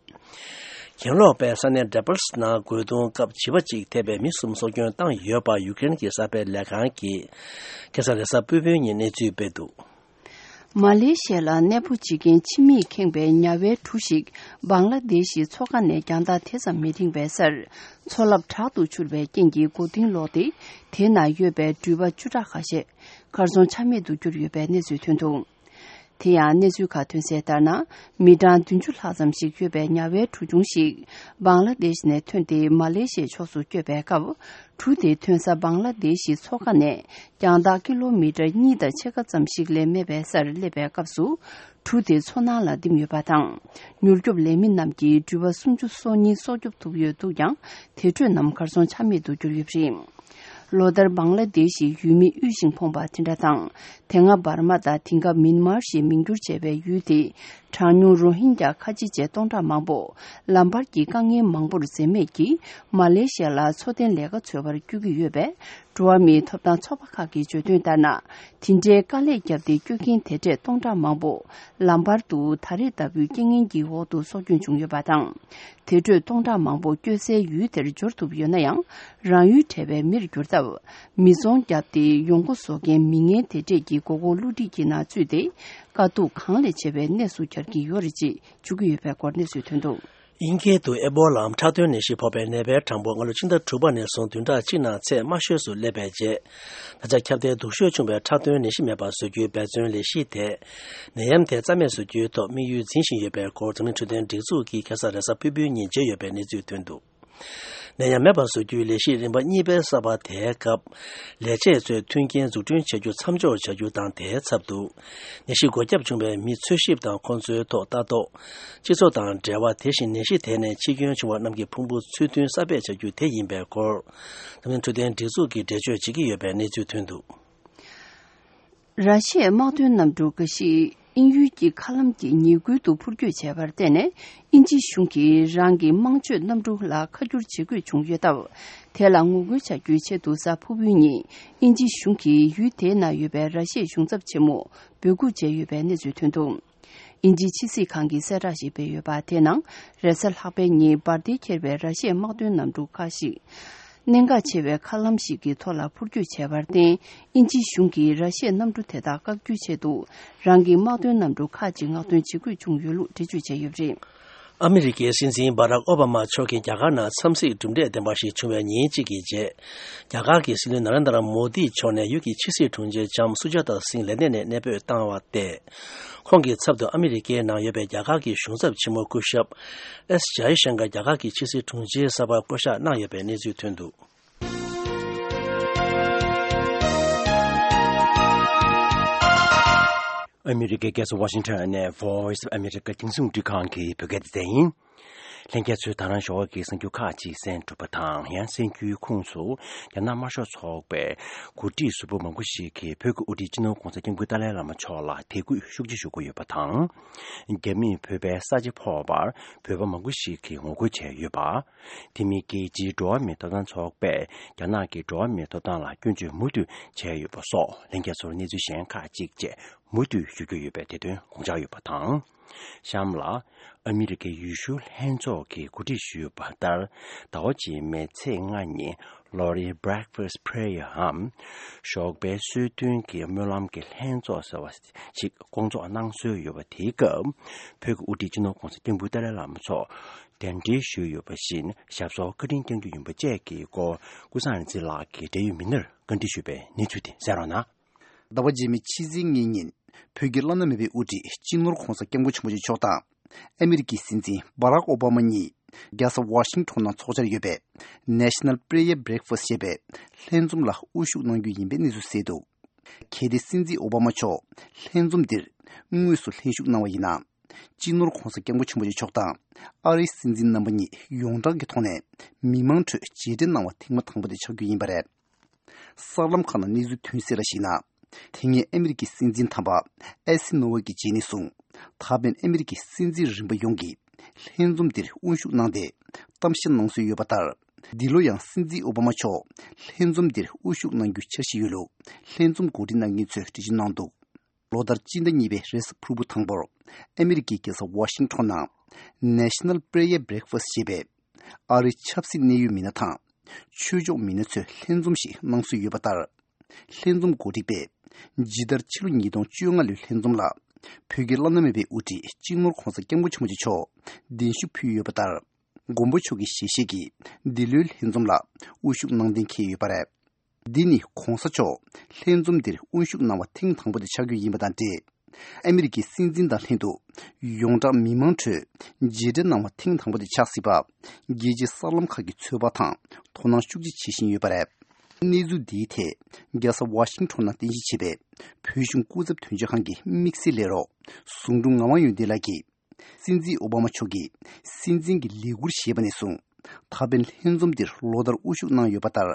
གྱེན་ལོག་པས་ས་གནས་ཌེ་བལ་སི་ནང་རྒོལ་རྡུང་སྐབས་བྱིས་པ་གཅིག་ཐེ་བའི་མི་གསུམ་སྲོག་སྐྱོན་བཏང་ཡོད་པ་ཡུ་ཀེ་རེན་གྱི་གསར་སྤེལ་ལས་ཁང་གིས་ཁ་སང་རེས་གཟའ་ཕུར་བུའི་ཉིན་གནས་ཚུལ་སྤེལ་འདུག་མ་ལེ་ཤི་ཡ་ལ་གནས་སྤོ་བྱེད་མཁན་ཕྱི་མིས་ཁེངས་པའི་ཉ་བའི་གྲུ་ཞིག་བང་ལ་དེ་ཤི་མཚོ་ཁ་ནས་རྒྱང་ཐག་དེ་ཙམ་མི་འཕྲིན་པའི་སར། མཚོ་རླབས་དྲག་ཏུ་འཕྱུར་བའི་རྐྱེན་གྱིས་མགོ་རྟིང་ལོག་སྟེ། དེ་ན་ཡོད་པའི་འགྲུལ་པ་བཅུ་ཕྲག་ཁ་ཤས་གར་སོང་ཆ་མེད་དུ་གྱུར་ཡོད་པའི་གནས་ཚུལ་ཐོན་འདུག་དེ་ཡང་གནས་ཚུལ་ཁག་ཐོན་གསལ་ལྟར་ན། མི་གྲངས་བདུན་ཅུ་ལྷག་ཙམ་ཞིག་ཡོད་པའི་ཉ་བའི་གྲུ་ཆུང་ཞིག་བང་ལ་དེ་ཤི་ནས་ཐོན་ཏེ་མ་ལེ་ཤི་ཡའི་ཕྱོགས་སུ་བསྐྱོད་པའི་སྐབས། གྲུ་དེ་ཐོན་ས་བང་ལ་དེ་ཤི་མཚོ་ཁ་ནས་རྒྱང་ཐག་ཀི་ལོ་མི་ཊར་གཉིས་དང་ཕྱེད་ཀ་ཙམ་ཞིག་ལས་མེད་པའི་སར་སླེབས་པའི་སྐབས་སུ། གྲུ་དེ་མཚོ་ནང་ལ་ལྡིམ་ཡོད་པ་དང་། མྱུར་སྐྱོབ་ལས་མི་རྣམས་ཀྱིས་འགྲུལ་པ་སུམ་ཅུ་སོ་གཉིས་སྲོག་སྐྱོབ་ཐུབ་ཡོད་འདུག་ཀྱང་། དེ་འཕྲོས་རྣམས་གར་སོང་ཆ་མེད་དུ་གྱུར་ཡོད་པ་རེད། ལོ་ལྟར་བང་ལ་དེ་ཤི་ཡུལ་མི་དབུལ་ཞིང་ཕོངས་པ་དེ་འདྲ་དང་། དེ་སྔ་འབར་མ་དང་དེང་སྐབས་མིན་མར་ཞེས་མིང་བསྒྱུར་བྱས་པའི་ཡུལ་དེའི་གྲངས་ཉུང་རོ་ཧིན་རྒྱ་ཁ་ཆེ་བཅས་སྟོང་ཕྲག་མང་པོ་ལམ་བར་གྱི་དཀའ་ངལ་མང་པོར་འཛེམས་མེད་ཀྱིས་མ་ལེ་ཤི་ཡ་ལ་འཚོ་རྟེན་ལས་ཀ་འཚོལ་བར་བསྐྱོད་ཀྱི་ཡོད་པས། འགྲོ་བ་མིའི་ཐོབ་ཐང་ཚོགས་པ་ཁག་གིས་བརྗོད་དོན་ལྟར་ན། དེ་འདྲའི་དཀའ་ལས་བརྒྱབ་སྟེ་བསྐྱོད་མཁན་དེ་འདྲས་སྟོང་ཕྲག་མང་པོ་ལམ་བར་དུ་ད་རེས་ལྟ་བུའི་རྐྱེན་ངན་གྱི་འོག་ཏུ་སྲོག་སྐྱོན་བྱུང་ཡོད་པ་དང་། དེ་འཕྲོས་སྟོང་ཕྲག་མང་པོ་སྐྱོད་སའི་ཡུལ་དེར་འབྱོར་ཐུབ་ཡོད་ན་ཡང་། རང་ཡུལ་བྲལ་བའི་མིར་གྱུར་སྟབས། མི་ཚོང་བརྒྱབ་སྟེ་ཡོང་སྒོ་བཟོ་མཁན་མི་ངན་དེ་འདྲས་ཀྱི་མགོ་སྐོར་བསླུ་བྲིད་ཀྱི་ནང་ཚུད་དེ། དཀའ་སྡུག་གང་ལས་ཆེ་བའི་གནས་སུ་གྱར་གྱི་ཡོད་རེད་ཅེས་བརྗོད་ཀྱི་ཡོད་པའི་སྐོར་གནས་ཚུལ་ཐོན་འདུག་དབྱིན་སྐད་དུ་ཨེ་བོ་ལའམ་ཁྲག་འཐུང་ནད་གཞི་ཕོག་པའི་ནད་པའི་གྲངས་འབོར་སྔ་ལོ་ཕྱི་ཟླ་དྲུག་པ་ནས་བཟུང་བདུན་ཕྲག་གཅིག་ནང་ཚད་དམའ་ཤོས་སུ་སླེབས་པའི་རྗེས། ད་ཆ་ཁྱབ་གདལ་སྡུག་ཤོས་བྱུང་བའི་ཁྲག་འཐུང་ནད་གཞི་མེད་པར་བཟོ་རྒྱུའི་འབད་བརྩོན་ལས་གཞི་དེས། ནད་ཡམས་དེ་རྩ་མེད་བཟོ་རྒྱུའི་ཐོག་དམིགས་ཡུལ་འཛིན་བཞིན་ཡོད་པའི་སྐོར་འཛམ་གླིང་འཕྲོད་བསྟེན་སྒྲིག་འཛུགས་ཀྱིས་ཁ་སང་རེས་གཟའ་ཕུར་བུའི་ཉིན་བརྗོད་ཡོད་པའི་གནས་ཚུལ་ཐོན་འདུག་ནད་ཡམས་མེད་པར་བཟོ་རྒྱུའི་ལས་གཞི་རིམ་པ་གཉིས་པའི་གསར་པ་དེའི་སྐབས། ལས་བྱེད་ཚོས་མཐུན་རྐྱེན་འཛུགས་སྐྲུན་བྱ་རྒྱུ་མཚམས་འཇོག་བྱ་རྒྱུ་དང་། དེའི་ཚབ་ཏུ། ནད་གཞི་འགོས་ཁྱབ་བྱུང་བའི་མི་འཚོལ་ཞིབ་དང་ཁོང་ཚོའི་ཐོག་ལྟ་རྟོག་སྤྱི་ཚོགས་དང་འབྲེལ་བ། དེ་བཞིན་ནད་གཞི་དེ་ནས་འཆི་སྐྱོན་བྱུང་བ་རྣམས་ཀྱི་ཕུང་པོ་ཚུལ་མཐུན་གསར་སྤེལ་བྱ་རྒྱུ་དེ་ཡིན་པའི་སྐོར། འཛམ་གླིང་འཕྲོད་བསྟེན་སྒྲིག་འཛུགས་ཀྱིས་འགྲེལ་བརྗོད་བྱེད་ཀྱི་ཡོད་པའི་གནས་ཚུལ་ཐོན་འདུག་ར་ཤི་ཡའི་དམག་དོན་གནམ་གྲུ་འགའ་ཞིག་དབྱིན་ཡུལ་གྱི་མཁའ་ལམ་གྱི་ཉེ་ཁུལ་དུ་འཕུར་སྐྱོད་བྱས་པར་བརྟེན་ནས། དབྱིན་ཇི་གཞུང་གིས་རང་གི་དམངས་སྤྱོད་གནམ་གྲུ་ལ་ཁ་བསྒྱུར་བྱེད་དགོས་བྱུང་ཡོད་སྟབས། དེ་ལ་ངོ་རྒོལ་བྱ་རྒྱུའི་ཆེད་དུ་གཟའ་ཕུར་བུའི་ཉིན་དབྱིན་ཇི་གཞུང་གིས་ཡུལ་དེའི་ནང་ཡོད་པའི་ར་ཤི་ཡའི་གཞུང་ཚབ་ཆེན་མོ་འབོད་འགུག་བྱས་ཡོད་པའི་གནས་ཚུལ་ཐོན་འདུག་དབྱིན་ཇིའི་ཕྱི་སྲིད་ཁང་གིས་གསལ་བསྒྲགས་ཤིག་སྤེལ་ཡོད་པ་དེའི་ནང་། རེས་གཟའ་ལྷག་པའི་ཉིན་འབར་མདེལ་འཁྱེར་བའི་ར་ཤི་ཡའི་དམག་དོན་གནམ་གྲུ་ཁག་ཞིག་གནད་འགག་ཆེ་བའི་མཁའ་ལམ་ཞིག་གི་ཐོག་ལ་འཕུར་སྐྱོད་བྱས་པར་བརྟེན། དབྱིན་ཇིའི་གཞུང་གིས་ར་ཤི་ཡའི་གནམ་གྲུ་དེ་དག་བཀག་རྒྱུའི་ཆེད་དུ། རང་གི་དམག་དོན་གནམ་གྲུ་ཁག་ཅིག་མངགས་ཐོན་བྱེད་དགོས་བྱུང་ཡོད་ལུགས་འགྲེལ་བརྗོད་བྱས་ཡོད་པ་རེད། ཨ་མི་རི་ཀའི་སྲིད་འཛིན་སྦ་རག་ཨོ་བྷ་མ་མཆོག་གིས་རྒྱ་གར་ནང་འཚམས་གཟིགས་གྲུབ་འབྲས་ལྡན་པ་ཞིག་བྱུང་བའི་ཉིན་གཅིག་གི་རྗེས། རྒྱ་གར་གྱི་སྲིད་བློན་ན་རེན་དྲ་མོ་དི་མཆོག་ནས་ཡུལ་གྱི་ཕྱི་སྲིད་དྲུང་ཆེ་ལྕམ་སུ་ཇཱ་ཏཱ་སིང་ལན་ཏན་ནས་གནས་སྤོས་བཏང་བ་སྟེ། ཁོང་གི་ཚབ་ཏུ་ཨ་མི་རི་ཀའི་ནང་ཡོད་པའི་རྒྱ་གར་གྱི་གཞུང་ཚབ་ཆེན་མོ་སྐུ་ཞབས་ཨེས་ཇཱ་ཡེ་ཤང་ཀར་རྒྱ་གར་གྱི་ཕྱི་སྲིད་དྲུང་ཆེའི་གསར་པར་བསྐོ་གཞག་གནང་ཡོད་པའི་གནས་ཚུལ་ཐོན་འདུག་ཨ་མི་རི་ཀའི་རྒྱལ་ས་ཝ་ཤིང་ཊོན་ནས་Voice of America་རྒྱང་སྲིང་རླུང་འཕྲིན་ཁང་གི་བོད་སྐད་སྡེ་ཚན་ཡིན། ལྷན་རྒྱས་ཚོས་ད་རང་ཞོགས་ཀྱི་གསར་འགྱུར་ཁག་ཅིག་གསན་གྲུབ་པ་དང་། ཡང་གསར་འགྱུར་ཁོངས་སུ། རྒྱ་ནག་དམར་ཤོག་ཚོགས་པའི་འགོ་ཁྲིད་ཟུར་པ་མང་པོ་ཞིག་གིས་བོད་ཀྱི་དབུ་ཁྲིད་སྤྱི་ནོར་༧གོང་ས་༧སྐྱབས་མགོན་ཏཱ་ལའི་བླ་མ་མཆོག་ལ་དད་གུས་ཤུགས་ཆེ་ཞུ་གི་ཡོད་པ་དང་། རྒྱ་མིས་བོད་པའི་ས་ཆ་ཕོག་པར་བོད་པ་མང་པོ་ཞིག་གིས་ངོ་རྒོལ་བྱས་ཡོད་པ། དེ་མིན་རྒྱལ་སྤྱིའི་འགྲོ་བ་མིའི་ཐོབ་ཐང་ཚོགས་པས་རྒྱ་ནག་གི་འགྲོ་བ་མིའི་ཐོབ་ཐང་ལ་སྐྱོན་བརྗོད་མུ་མཐུད་བྱས་ཡོད་པ་སོགས། ལྷན་རྒྱས་ཚོར་གནས་ཚུལ་གཞན་ཁག་ཅིག་བཅས་མུ་མཐུད་ཞུ་རྒྱུ་ཡོད་པའི་དེ་དོན་དགོངས་འཇགས་ཡོད་པ་དང་། གཤམ་ལ། ཨ་མི་རི་ཀའི་ཡུལ་ཤུལ་ལྷན་ཚོགས་ཀྱིས་གོ་སྒྲིག་ཞུས་པ་ལྟར། ཟླ་བ་རྗེས་མའི་ཚེས་ལྔ་ཉིན་ལོ་རེའི་Breakfast Prayer འམ། ཞོགས་པའི་གསོལ་སྟོན་གྱི་སྨོན་ལམ་གྱི་ལྷན་ཚོགས་ཟེར་བ་ཞིག་སྐོང་ཚོགས་གནང་སྲོལ་ཡོད་པ། དེའི་སྐབས་བོད་ཀྱི་དབུ་ཁྲིད་སྤྱི་ནོར་༧གོང་ས་༧སྐྱབས་མགོན་ཏཱ་ལའི་བླ་མ་མཆོག་གདན་འདྲེན་ཞུས་ཡོད་པ་བཞིན་ཞབས་སོར་བཀའ་དྲིན་བསྐྱང་རྒྱུ་ཡིན་པ་བཅས་ཀྱི་སྐོར་ཀུན་བཟང་རིག་འཛིན་ལགས་ཀྱིས་འབྲེལ་ཡོད་མི་སྣར་བཀའ་འདྲི་ཞུས་པའི་གནས་ཚུལ་དེ་གསན་རོགས་གནང་། ཟླ་བ་རྗེས་མའི་ཕྱི་ཚེས་ལྔའི་ཉིན། བོད་ཀྱི་བླ་ན་མེད་པའི་དབུ་ཁྲིད་སྤྱི་ནོར་༧གོང་ས་༧སྐྱབས་མགོན་ཆེན་པོ་མཆོག་དང་། ཨ་མི་རི་ཀའི་སྲིད་འཛིན་སྦ་རག་ཨོ་བྷ་མ་གཉིས། རྒྱལ་ས་ཝ་ཤིང་ཊོན་ནང་འཚོགས་འཆར་ཡོད་པའི་National Prayer Breakfast ཞེས་པའི་ལྷན་འཛོམས་ལ་དབུ་བཞུགས་གནང་རྒྱུ་ཡིན་པའི་གནས་ཚུལ་གསལ་འདུག་གལ་ཏེ་སྲིད་འཛིན་ཨོ་བྷ་མ་མཆོག་ལྷན་འཛོམས་འདིར་དངོས་སུ་ལྷན་ཞུགས་གནང་བ་ཡིན་ན། སྤྱི་ནོར་༧གོང་ས་༧སྐྱབས་མགོན་ཆེན་པོ་མཆོག་དང་། ཨ་རིའི་སྲིད་འཛིན་རྣམ་པ་གཉིས་ཡོངས་གྲགས་ཀྱི་ཐོག་ནས་མི་མང་ཁྲོད་མཇལ་འཕྲད་གནང་བ་ཐེངས་མ་དང་པོ་དེ་ཆགས་རྒྱུ་ཡིན་པ་རེད། གསར་ལམ་ཁག་ནང་གནས་ཚུལ་ཐོན་གསལ་ལ་གཞིགས་ན། དེ་སྔའི་ཨ་མི་རི་ཀའི་སྲིད་འཛིན་དམ་པ་ཨེ་སི་ནོ་ཝེ་གི་རྗེས་ནས་བཟུང་། ད་ཕན་ཨ་མི་རི་ཀའི་སྲིད་འཛིན་རིམ་པ་ཡོངས་ཀྱིས་ལྷན་འཛོམས་འདིར་དབུ་བཞུགས་གནང་སྟེ་གཏམ་བཤད་གནང་སྲོལ་ཡོད་པ་ལྟར། འདི་ལོ་ཡང་སྲིད་འཛིན་ཨོ་བྷ་མ་མཆོག་ལྷན་འཛོམས་འདིར་དབུ་བཞུགས་གནང་རྒྱུའི་འཆར་གཞི་ཡོད་ལུགས་ལྷན་འཛོམས་གོ་སྒྲིག་གནང་མཁན་ཚོས་འགྲེལ་བརྗོད་གནང་འདུག་ལོ་ལྟར་སྤྱི་ཟླ་གཉིས་པའི་རེས་གཟའ་ཕུར་བུ་དང་པོར། ཨ་མི་རི་ཀའི་རྒྱལ་ས་ཝ་ཤིང་ཊོན་ནང་། National Prayer Breakfast ཞེས་པའི། ཨ་རིའི་ཆབ་སྲིད་གནད་ཡོད་མི་སྣ་དང་། ཆོས་ཕྱོགས་མི་སྣ་ཚོས་ལྷན་འཛོམས་ཤིག་གནང་སྲོལ་ཡོད་པ་ལྟར། ལྷན་འཛོམས་གོ་སྒྲིག་པས། ཇི་ལྟར་ཕྱི་ལོ་ཉིས་སྟོང་བཅོ་ལྔ་ལོའི་ལྷན་འཛོམས་ལ། བོད་ཀྱི་བླ་ན་མེད་པའི་དབུ་ཁྲིད་སྤྱི་ནོར་༧གོང་ས་༧སྐྱབས་མགོན་ཆེན་པོ་མཆོག་མཆོག་གདན་ཞུ་ཕུལ་ཡོད་པ་ལྟར། མགོན་པོ་མཆོག་གི་ཞལ་བཞེས་ཀྱིས་འདི་ལོའི་ལྷན་འཛོམས་ལ་དབུ་བཞུགས་གནང་གཏན་འཁེལ་ཡོད་པ་རེད། འདི་ནི་༧གོང་ས་མཆོག་ལྷན་འཛོམས་འདིར་དབུ་བཞུགས་གནང་བ་ཐེངས་དང་པོ་དེ་ཆགས་རྒྱུ་ཡིན་པ་དང་འབྲེལ། ཨ་མི་རི་ཀའི་སྲིད་འཛིན་དང་ལྷན་དུ་ཡོངས་གྲགས་མི་མང་ཁྲོད་མཇལ་འཕྲད་གནང་བ་ཐེངས་དང་པོ་དེ་ཆགས་སྲིད་པ། རྒྱལ་སྤྱིའི་གསར་ལམ་ཁག་གིས་ཚོད་དཔག་དང་དོ་སྣང་ཤུགས་ཆེ་བྱེད་བཞིན་ཡོད་པ་རེད། གནས་ཚུལ་འདིའི་ཐད་རྒྱལ་ས་ཝ་ཤིང་ཊོན་ནང་རྟེན་གཞི་བྱས་པའི་བོད་གཞུང་སྐུ་ཚབ་དོན་གཅོད་ཁང་གི་དམིགས་བསལ་ལས་རོགས་ཟུང་དྲུང་ངག་དབང་ཡོན་ཏན་ལགས་ཀྱིས། སྲིད་འཛིན་ཨོ་བྷ་མ་མཆོག་གིས་སྲིད་འཛིན་གྱི་ལས་འཁུར་བཞེས་པ་ནས་བཟུང་ད་ཕན་ལྷན་འཛོམས་འདིར་ལོ་ལྟར་དབུ་བཞུགས་གནང་ཡོད་པ་ལྟར།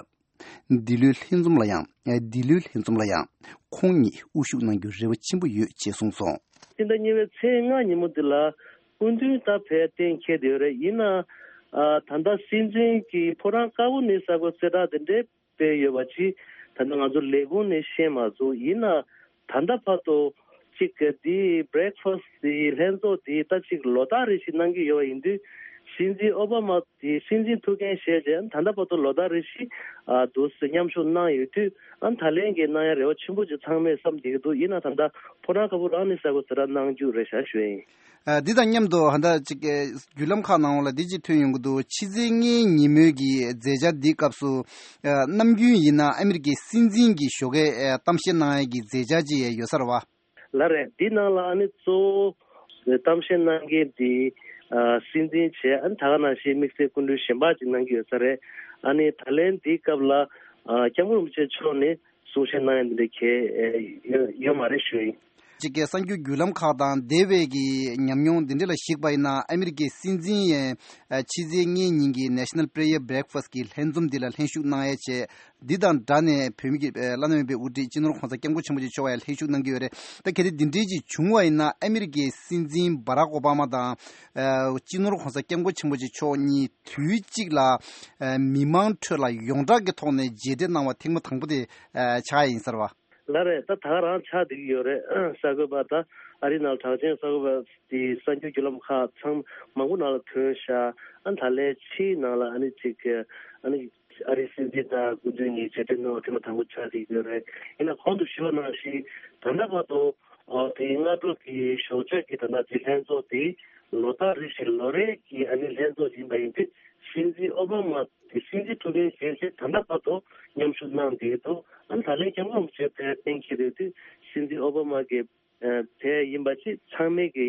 འདི་ལོའི་ལྷན་འཛོམས་ལ་ཡང་འདི་ལོའི་ལྷན་འཛོམས་ལ་ཡང་ཁོང་ཉིད་དབུ་བཞུགས་གནང་རྒྱུའི་རེ་བ་ཆེན་པོ་ཡོད་ཅེས་གསུངས་སོང་། སྤྱི་ཟླ་གཉིས་པའི་ཚེས་ལྔ་ཉིན་མོ་འདི་ལ་སྐུ་མདུན་ད་ཕེབས་གཏན་འཁེལ་བསྡད་ཡོད་རེད། ཡིན་ནའང་ད་ལྟ་སྲིད་འཛིན་གྱི་ཕོ་བྲང་དཀར་པོ་ནས་གསར་འགོད་གསལ་བསྒྲགས་དེ་འདྲའི་སྤེལ་ཡོད་པ་ཅིག་ད་ལྟ་ང་ཚོ་ལས་ཁུངས་ནས་ཤེས་མ་སོང་། ཡིན་ན་ད་ལྟ་བར་དུ་ཅིག་གི་འདི་བྷི་རེག་ཕ་སི་འདི་ལྷན་ཚོགས་འདི་ད་ཅིག་ལོ་ལྟར་རེ་བཞིན་གནང་གི་ཡོད་པ་ཡིན་དུས། སྲིད་འཛིན་ཨོ་བྷ་མ་འདི་སྲིད་འཛིན་ཐུགས་འགན་བཞེས་རྗེས་ད་ལྟ་བར་དུ་ལོ་ལྟར་རེ་བཞིན་འདུག་སེ་མཉམ་ཞུགས་གནང་ཡོད་དུས། ཨ་ད་ལན་གྱི་གནང་ཡ་རེ་བ་ཆེན་པོ་ཅིག་ཚང་མས་བསམ་བསྡད་ཀྱི་འདུག་ཡིན་ན་ད་ལྟ་ཕོ་བྲང་དཀར་པོ་རང་ནས་གསར་འགོད་གསལ་བསྒྲགས་གནང་རྒྱུ་རེད་ཤག་ཞུ་ཡ་ཡིན། ཨ་འདི་དང་མཉམ་དུ་ཧ་ད་ཅིག་བརྒྱུད་ལམ་ཁག་ནང་ལ་འདི་ཅིག་ཐོན་ཡོང་གི་འདུག་ཕྱི་ཚེས་ལྔའི་ཉིན་མོའི་གི་མཛད་འཆར་འདིའི་སྐབས་སུ། ཨ་ནམ་རྒྱུན་ཡིན་ན་ཨ་མི་རི་ཀའི་སྲིད་འཛིན་གྱི་ཞོགས་ཀས་ཨ་གཏམ་བཤད་གནང་ཡ་གི་མཛད་འཆར་ཅིག་ཡོད་ས་རེད་བ། ལགས་རེད། འདི་ནང་ལ་ཨ་ནི་གཙོ་བོ་གཏམ་བཤད་གནང་མཁན་འདི་ཨ་སྲིད་འཛིན་བྱས། ཨ་ནི་ད་ག་ནང་བཞིན་དམིགས་བསལ་སྐུ་མགྲོན་གཞན་པ་ཅིག་གནང་གི་ཡོད་ས་རེད། ཨ་ནི་ད་ལན་འདིའི་སྐབས་ལ་ཨ་སྐྱབས་མགོན་རིན་པོ་ཆེ་མཆོག་ནས་གསུང་བཤད་གནང་ཡ་འདི་འདྲ་གལ་ཡོད་ཡོད་མ་རེད་ཞུ་ཡིན། གཅིག་གི་གསར་འགྱུར་བརྒྱུད་ལམ་ཁག་དང་འདས་པའི་གི་ཉམས་མྱོང་འདི་འདྲ་ལ་གཞིགས་པ་ཡིན་ན་ཨ་མི་རི་ཀའི་སྲིད་འཛིན་ཡང་ཕྱི་ཚེས་ལྔའི་ཉིན་གྱི་National Prayer Breakfast གི་ལྷན་འཛོམས་འདི་ལ་ལྷན་ཞུགས་གནང་ཡ་བྱས། འདི་དང་སྦྲགས་ནས་བོད་མི་གི་བླ་ན་མེད་པའི་དབུ་ཁྲིད་སྤྱི་ནོར་༧གོང་ས་༧སྐྱབས་མགོན་ཆེན་པོ་མཆོག་ཡང་ལྷན་ཞུགས་གནང་གི་ཡོད་རེད། ད་གལ་ཏེ་འདི་འདྲའི་ཅིག་བྱུང་བ་ཡིན་ན་ཨ་མི་རི་ཀའི་སྲིད་འཛིན་བྷ་རག་ཨོ་བྷ་མ་དང་སྤྱི་ནོར་༧གོང་ས་༧སྐྱབས་མགོན་ཆེན་པོ་མཆོག་གཉིས་དུས་གཅིག་ལ་མི་མང་ཁྲོད་ལ་ཡོངས་གྲགས་ཀྱི་ཐོག་ནས་མཇལ་འཕྲད་གནང་བ་ཐེངས་མ་དང་པོ་དེ་ཆགས་ཡ་ཡིན་ས་རེད་བ། ལགས་རེད། ད་ད་ག་རང་ཆགས་བསྡད་ཀྱི་ཡོད་རེད། གསར་འགོད་པ་ད་ཨ་རིའི་ནང་གྲགས་ཅན་གསར་འགོད་པ་དེ་གསར་འགྱུར་བརྒྱུད་ལམ་ཁག་ཚང་མང་པོ་ནང་ལ་ཐོན་ཤག་ཨ་ད་ལན་ཕྱིའི་ནང་ལ་ཨ་ནི་ཅིག་ཨ་ནི་ཨ་རིའི་སྲིད་འཛིན་དང་སྐུ་མདུན་གཉིས་མཇལ་འཕྲད་གནང་བ་དེ་མ་དང་པོ་ཆགས་བསྡད་ཀྱི་ཡོད་རེད། ཡིན་ན་གོང་དུ་ཞུས་པ་ནང་བཞིན་ད་ལྟ་བར་དུ་ཨོ་དེ་སྔ་དྲོ་གི་ཞོགས་ཇ་གི་ད་ལྟ་དེ་ལྷན་ཚོགས་དེ་ལོ་ལྟར་རེ་བཞིན་ལོ་རེ་གི་ཨ་ནི་ལྷན་ཚོགས་ཡིན་པ་ཡིན་དུས་སྲིད་འཛིན་ཨོ་བྷ་མ་དེ་སྲིད་འཛིན་ཐུགས་འགན་བཞེས་རྗེས་ད་ལྟ་བར་དུ་མཉམ་ཞུགས་གནང་བསྡད་ཀྱི་འདུག་ཨ་ནི་ད་ལན་སྐྱབས་མགོན་རིན་པོ་ཆེ་ཕེབས་གཏན་འཁེལ་ཡོད་དུས་སྲིད་འཛིན་ཨོ་བྷ་མ་གི་ཨ་ཕེབས་ཡིན་པ་ཅིག་ཚང་མས་ཀྱི་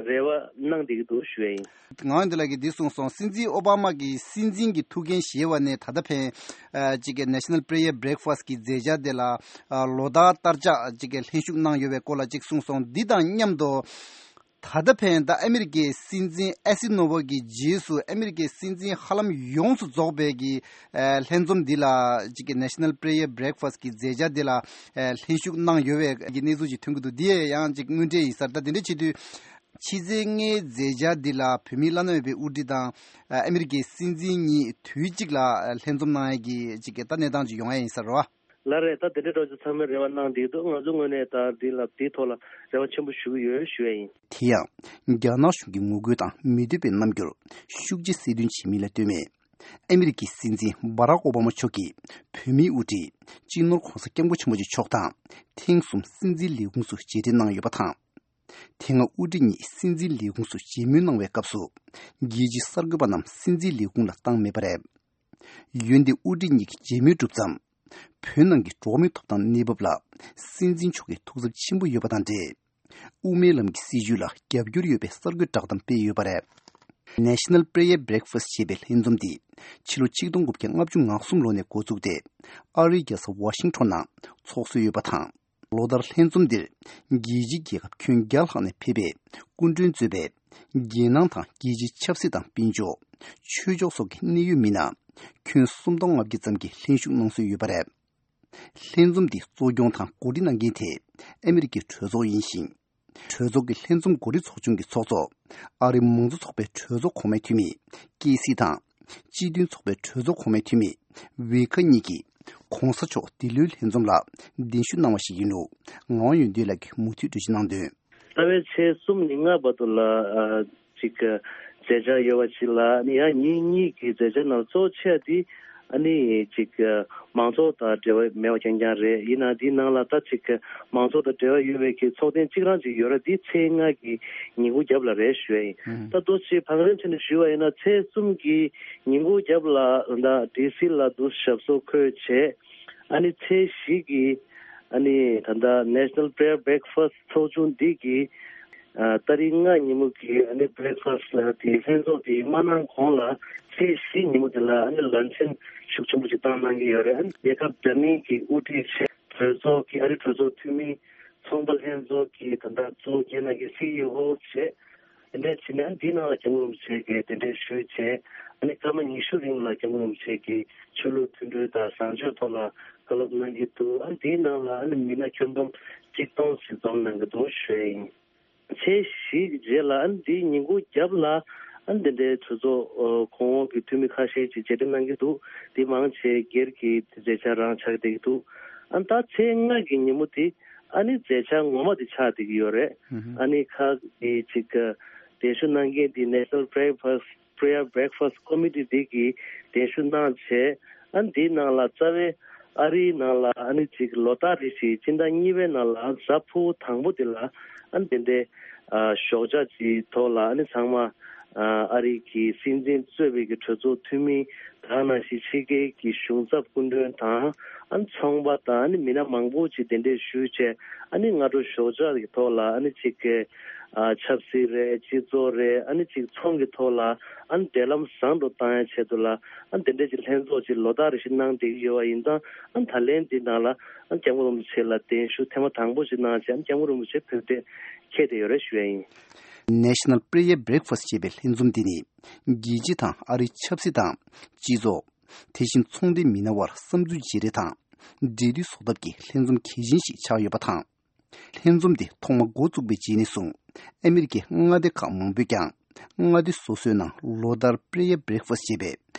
རེ་བ་གནང་བསྡད་ཀྱི་འདུག་ཞུ་ཡ་ཡིན། ངག་དབང་ཡོན་ཏན་ལགས་ཀྱིས་འདི་གསུངས་སོང་། སྲིད་འཛིན་ཨོ་བྷ་མ་གིས་སྲིད་འཛིན་གྱི་ཐུགས་འགན་བཞེས་པ་ནས་ད་ལྟ་ཕན་ཨ་ཅིག་གི་National Prayer Breakfast གི་མཛད་འཆར་དེ་ལ་ཨ་ལོ་ལྟར་ལྟར་ཆགས་ཅིག་གི་ལྷན་ཞུགས་གནང་ཡོད་པའི་སྐོར་ལ་ཅིག་གསུངས་སོང་། འདི་དང་མཉམ་དུ། ད་ལྟ་ཕན་ད་ཨ་མི་རི་ཀའི་སྲིད་འཛིན་ཨེ་སི་ནོ་ཝེ་གི་རྗེས་སུ་ཨ་མི་རི་ཀའི་སྲིད་འཛིན་ཧ་ལམ་ཡོངས་སུ་རྫོགས་པའི་གི་ཨ་ལྷན་འཛོམས་འདི་ལ་ཅིག་གི་National Prayer Breakfast གི་མཛད་འཆར་འདི་ལ་ཨ་ལྷན་ཞུགས་གནང་ཡོད་པའི་གི་གནས་ཚུལ་ཅིག་ཐོན་གྱི་འདུག་འདི་ཡང་ཅིག་དངོས་འབྲེལ་ཡིན་ས་རེད། ད་དེ་འདྲ་བྱེད་དུས་ཕྱི་ཚེས་ལྔའི་མཛད་འཆར་འདི་ལ་བོད་མིའི་བླ་ན་མེད་པའི་དབུ་ཁྲིད་དང་ཨ་ཨ་མི་རི་ཀའི་སྲིད་འཛིན་གཉིས་དུས་གཅིག་ལ་ལྷན་འཛོམས་གནང་ཡ་གི་ཅིག་གི་ད་གནས་སྟངས་ཅིག་ཡོང་ཡ་ཡིན་ས་རེད་བ། ལགས་རེད། ད་དེ་འདྲའི་འགྲོ་རྒྱུ་ཚང་མས་རེ་བ་གནང་བསྡད་འདུག་ང་ཚོ་ངོས་ནས་ད་འདི་ལ་འདིའི་ཐོག་ལ་རེ་བ་ཆེན་པོ་ཞུ་གི་ཡོད་ཞུ་ཡ་ཡིན། དེ་ཡང་རྒྱ་ནག་གཞུང་གི་ངོ་རྒོལ་དང་མི་འདོད་པའི་རྣམ་འགྱུར་ཤུགས་ཆེ་གསལ་སྟོན་བྱེད་མིན་ལ་ལྟོས་མེད། ཨ་མི་རི་ཀའི་སྲིད་འཛིན་བྷ་རག་ཨོ་བྷ་མ་མཆོག་གིས་བོད་མིའི་དབུ་ཁྲིད་སྤྱི་ནོར་༧གོང་ས་༧སྐྱབས་མགོན་ཆེན་པོ་མཆོག་དང་ཐེངས་གསུམ་སྲིད་འཛིན་ལས་ཁུངས་སུ་མཇལ་འཕྲད་གནང་ཡོད་པ་དང་། དེ་སྔ་དབུ་ཁྲིད་གཉིས་སྲིད་འཛིན་ལས་ཁུངས་སུ་མཇལ་མོལ་གནང་བའི་སྐབས་སུ། རྒྱལ་སྤྱིའི་གསར་འགོད་པ་རྣམས་སྲིད་འཛིན་ལས་ཁུངས་ལ་བཏང་མེད་པ་རེད། འོན་ཏེ་དབུ་ཁྲིད་གཉིས་ཀྱི་མཇལ་མོལ་གྲུབ་ཙམ། བོད་ནང་གི་འགྲོ་བ་མིའི་ཐོབ་ཐང་གནས་བབ་ལ་སྲིད་འཛིན་མཆོག་གི་ཐུགས་འཚབ་ཆེན་པོ་ཡོད་པ་དང་འབྲེལ། དབུ་མའི་ལམ་གྱི་སྲིད་བྱུས་ལ་རྒྱབ་སྐྱོར་ཡོད་པའི་གསར་འགོད་བསྒྲགས་གཏམ་སྤེལ་ཡོད་པ་རེད། National Prayer Breakfast ཞེས་པའི་ལྷན་འཛོམས་འདི་ཕྱི་ལོ་ཆིག་སྟོང་དགུ་བརྒྱ་ལྔ་བཅུ་ང་གསུམ་ལོ་ནས་འགོ་བཙུགས་ཏེ། ཨ་རིའི་རྒྱལ་ས་ཝ་ཤིང་ཊོན་ནང་ཚོགས་སྲོལ་ཡོད་པ་དང་། ལོ་ལྟར་ལྷན་འཛོམས་འདིར་རྒྱལ་སྤྱིའི་རྒྱལ་ཁབ་ཁྱོན་བརྒྱ་ལྷག་ནས་ཕེབས་པའི་སྐུ་མགྲོན་གཙོས་པའི་རྒྱལ་ནང་དང་རྒྱལ་སྤྱིའི་ཆབ་སྲིད་དང་དཔལ་འབྱོར། ཆོས་ཕྱོགས་སོགས་ཀྱི་གནད་ཡོད་མི་སྣ་ཁྱོན་སུམ་སྟོང་ལྔ་བརྒྱ་ཙམ་གྱིས་ལྷན་ཞུགས་གནང་སྲོལ་ཡོད་པ་རེད། ལྷན་འཛོམས་འདི་གཙོ་སྐྱོང་དང་གོ་སྒྲིག་གནང་མཁན་དེ་ཨ་མི་རི་ཀའི་གྲོས་ཚོགས་ཡིན་ཞིང་། གྲོས་ཚོགས་ཀྱི་ལྷན་འཛོམས་གོ་སྒྲིག་ཚོགས་ཆུང་གི་ཚོགས་གཙོ་ཨ་རིའི་མང་གཙོ་ཚོགས་པའི་གྲོས་ཚོགས་གོང་མའི་འཐུས་མི་ཀེ་སི་དང་། སྤྱི་མཐུན་ཚོགས་པའི་གྲོས་ཚོགས་གོང་མའི་འཐུས་མི་ཝེ་ཁ་གཉིས་ཀྱིས་༧གོང་ས་མཆོག་འདི་ལོའི་ལྷན་འཛོམས་ལ་གདན་ཞུ་གནང་བ་ཞིག་ཡིན་ལུགས་ངག་དབང་ཡོན་ཏན་ལགས་ཀྱིས་མུ་མཐུད་འགྲེལ་བརྗོད་གནང་དོན། ཟླ་བའི་ཚེས་གསུམ་ནས་ལྔ་བར་དུ་ལ་ཨ་ཅིག་མཛད་འཆར་ཡོད་པ་ཞིག་ལ་ནི་ཡང་ཉིན་གཉིས་ཀྱི་མཛད་འཆར་ནང་གཙོ་ཆེ་བ་དེ་ ཨ་ནི་ཅིག་མང་ཚོགས་དང་འབྲེལ་བ་མེད་པ་རྐྱང་རྐྱང་རེད། ཡིན་ནའང་འདིའི་ནང་ལ་ད་ཅིག་མང་ཚོགས་དང་འབྲེལ་བ་ཡོད་པའི་གི་ཚོགས་ཐེངས་གཅིག་རང་ཅིག་ཡོད་རེད། འདི་ཚེས་ལྔ་གི་ཉིན་གུང་རྒྱབ་ལ་རེད་ཞུ་ཡ་ཡིན། ད་ལྟོ་ཅིག་བང་རིམ་བྱས་ནས་ཞུས་པ་ཡིན་ན། ཚེས་གསུམ་གི་ཉིན་གུང་རྒྱབ་ལ་ད་ལྟ་ཌི་སི་ལ་འདུག་ཞབས་སོར་འཁོད་བྱས། ཨ་ནི་ཚེས་བཞི་གི་ཨ་ནི་ད་ལྟ་National Prayer Breakfast ཚོགས་ཆུང་འདི་གི་ཨ་ཏ་རིག་ལྔ་ཉིན་མོ་གི་ཨ་ནི་Breakfast་ལ་དེ་ལྷན་ཚོགས་དེ་མ་གནང་གོང་ལ་ཚེས་བཞི་ཉིན་མོ་དེ་ལ་ཨ་ནི་luncheon་ཤུགས་ཆེན་པོ་ཞིག་བཏང་གནང་གི་ཡོད་རེད། ཨ་ནི་རྒྱལ་ཁབ་འདྲ་མིན་གྱི་དབུ་ཁྲིད་བྱས། གྲོས་ཚོགས་ཀྱི་ཨ་རི་གྲོས་ཚོགས་འཐུས་མི། ཚོང་པ་ལྷན་ཚོགས་ཀྱི་ད་ལྟ་གཙོ་བོ་རྒྱལ་ནང་གི་སི་ཨི་ཨོ་བྱས། དེ་འདྲ་བྱས་ནས་ཨ་ནི་དེའི་ནང་ལ་སྐྱབས་མགོན་རིན་པོ་ཆེ་གིས་གདན་འདྲེན་ཞུས་བྱས། ཨ་ནི་སྐར་མ་ཉི་ཤུ་རིང་ལ་སྐྱབས་མགོན་རིན་པོ་ཆེ་གིས་ཆོས་ལུགས་མཐུན་སྒྲིལ་དང་བཟང་སྤྱོད་ཐོག་ལ་བཀའ་སློབ་གནང་གི་འདུག་ཨ་ནི་དེའི་ནང་ལ་ཨ་ནི་མི་སྣ་ཁྱོན་བསྡོམས་གཅིག་སྟོང་ཞིག་འཛོམས་གནང་གི་འདུག་ཞུ་ཡ་ཡིན། ཚེས་བཞི་གི་རྗེས་ལ་ཨ་ནི་འདིའི་ཉིན་གུང་རྒྱབ་ལ་ཨ་ནི་འདི་འདྲའི་གྲོས་ཚོགས་ཨ་གོང་འོག་གི་འཐུས་མི་ཁ་ཤས་ཀྱིས་མཇལ་འཕྲད་གནང་གི་འདུག་འདི་མང་ཆེ་སྒེར་གྱི་མཛད་འཆར་རང་ཆགས་བསྡད་ཀྱི་འདུག་ཨ་ནི་ད་ཚེས་ལྔ་གི་ཉིན་མོ་དེ་ཨ་ནི་མཛད་འཆར་ངོ་མ་དེ་ཆགས་བསྡད་ཀྱི་ཡོད་རེད། ཨ་ནི་ཁག་གི་ཅིག་གདན་ཞུ་གནང་མཁན་དེ་National Breakfast Prayer Breakfast Committee་འདི་གིས་གདན་ཞུ་གནང་བྱས། ཨ་ནི་འདིའི་ནང་ལ་རྩ་བའི་ཨ་རིའི་ནང་ལ་ཨ་ནི་ཅིག་ལོ་ལྟར་རེ་བཞིན་སྤྱི་ཟླ་གཉིས་པའི་ནང་ལ་གཟའ་ཕུར་བུ་དང་པོ་དེ་ལ་ཨ་ནི་དེ་འདྲའི་ཨ་ཞོགས་ཇ་ཅིག་ཐོག་ལ་ཨ་ནི་ཚང་མ་ཨ་ཨ་རི་གི་སྲིད་འཛིན་གཙོས་པའི་གི་གྲོས་ཚོགས་འཐུས་མི་དེ་ག་ནང་བཞིན་ཕྱི་རྒྱལ་གྱི་གཞུང་ཚབ་སྐུ་མགྲོན་དང་ཨ་ནི་ཚོང་པ་དང་ཨ་ནི་མི་སྣ་མང་པོ་ཅིག་གདན་འདྲེན་ཞུས་བྱས། ཨ་ནི་སྔ་དྲོ་ཞོགས་ཇ་གི་ཐོག་ལ་ཨ་ནི་ཅིག་གི་ཨ་ཆབ་སྲིད་རེད། སྤྱི་ཚོགས་རེད། ཨ་ནི་ཅིག་ཚོང་གི་ཐོག་ལ་ཨ་ནི་འབྲེལ་ལམ་བཟང་དུ་བཏང་ཡ་ཆེད་དུ་ལ་ཨ་ནི་དེ་འདྲའི་ཅིག་ལྷན་ཚོགས་ཅིག་ལོ་ལྟར་རེ་བཞིན་གནང་བསྡད་ཀྱི་ཡོད་པ་ཡིན་ཙང་། ཨ་ནི་ད་ལན་འདི་ནང་ལ་ཨ་ནི་སྐྱབས་མགོན་རིན་པོ་ཆེ་ལ་གདན་ཞུ་ཐེངས་མ་དང་པོ་ཞིག་གནང་བྱས། ཨ་ནི་སྐྱབས་མགོན་རིན་པོ་ཆེ་བོད་དུ་ཕེབས་བསྡད་ཡོད་རེད་ཞུ་ཡ་ཡིན། National Prayer Breakfast་ཅེས་པའི་ལྷན་འཛོམས་འདི་ནི་རྒྱལ་སྤྱི་དང་ཨ་རིའི་ཆབ་སྲིད་དང་སྤྱི་ཚོགས། དེ་བཞིན་ཚོང་སྡེའི་མི་སྣ་དབར་བསམ་ཚུལ་བརྗེ་རེས་དང་འབྲེལ་མཐུད་བཟོ་ཐབས་ཀྱི་ལྷན་འཛོམས་གལ་ཆེན་ཞིག་ཆགས་ཡོད་པ་དང་། ལྷན་འཛོམས་འདི་ཐོག་མ་འགོ་བཙུགས་པའི་རྗེས་ནས་བཟུང་ཨ་མི་རི་ཀའི་མངའ་སྡེ་ཁག་མང་པོས་ཀྱང་མངའ་སྡེ་སོ་སོའི་ནང་ལོ་ལྟར་Prayer Breakfast་ཅེས་པའི་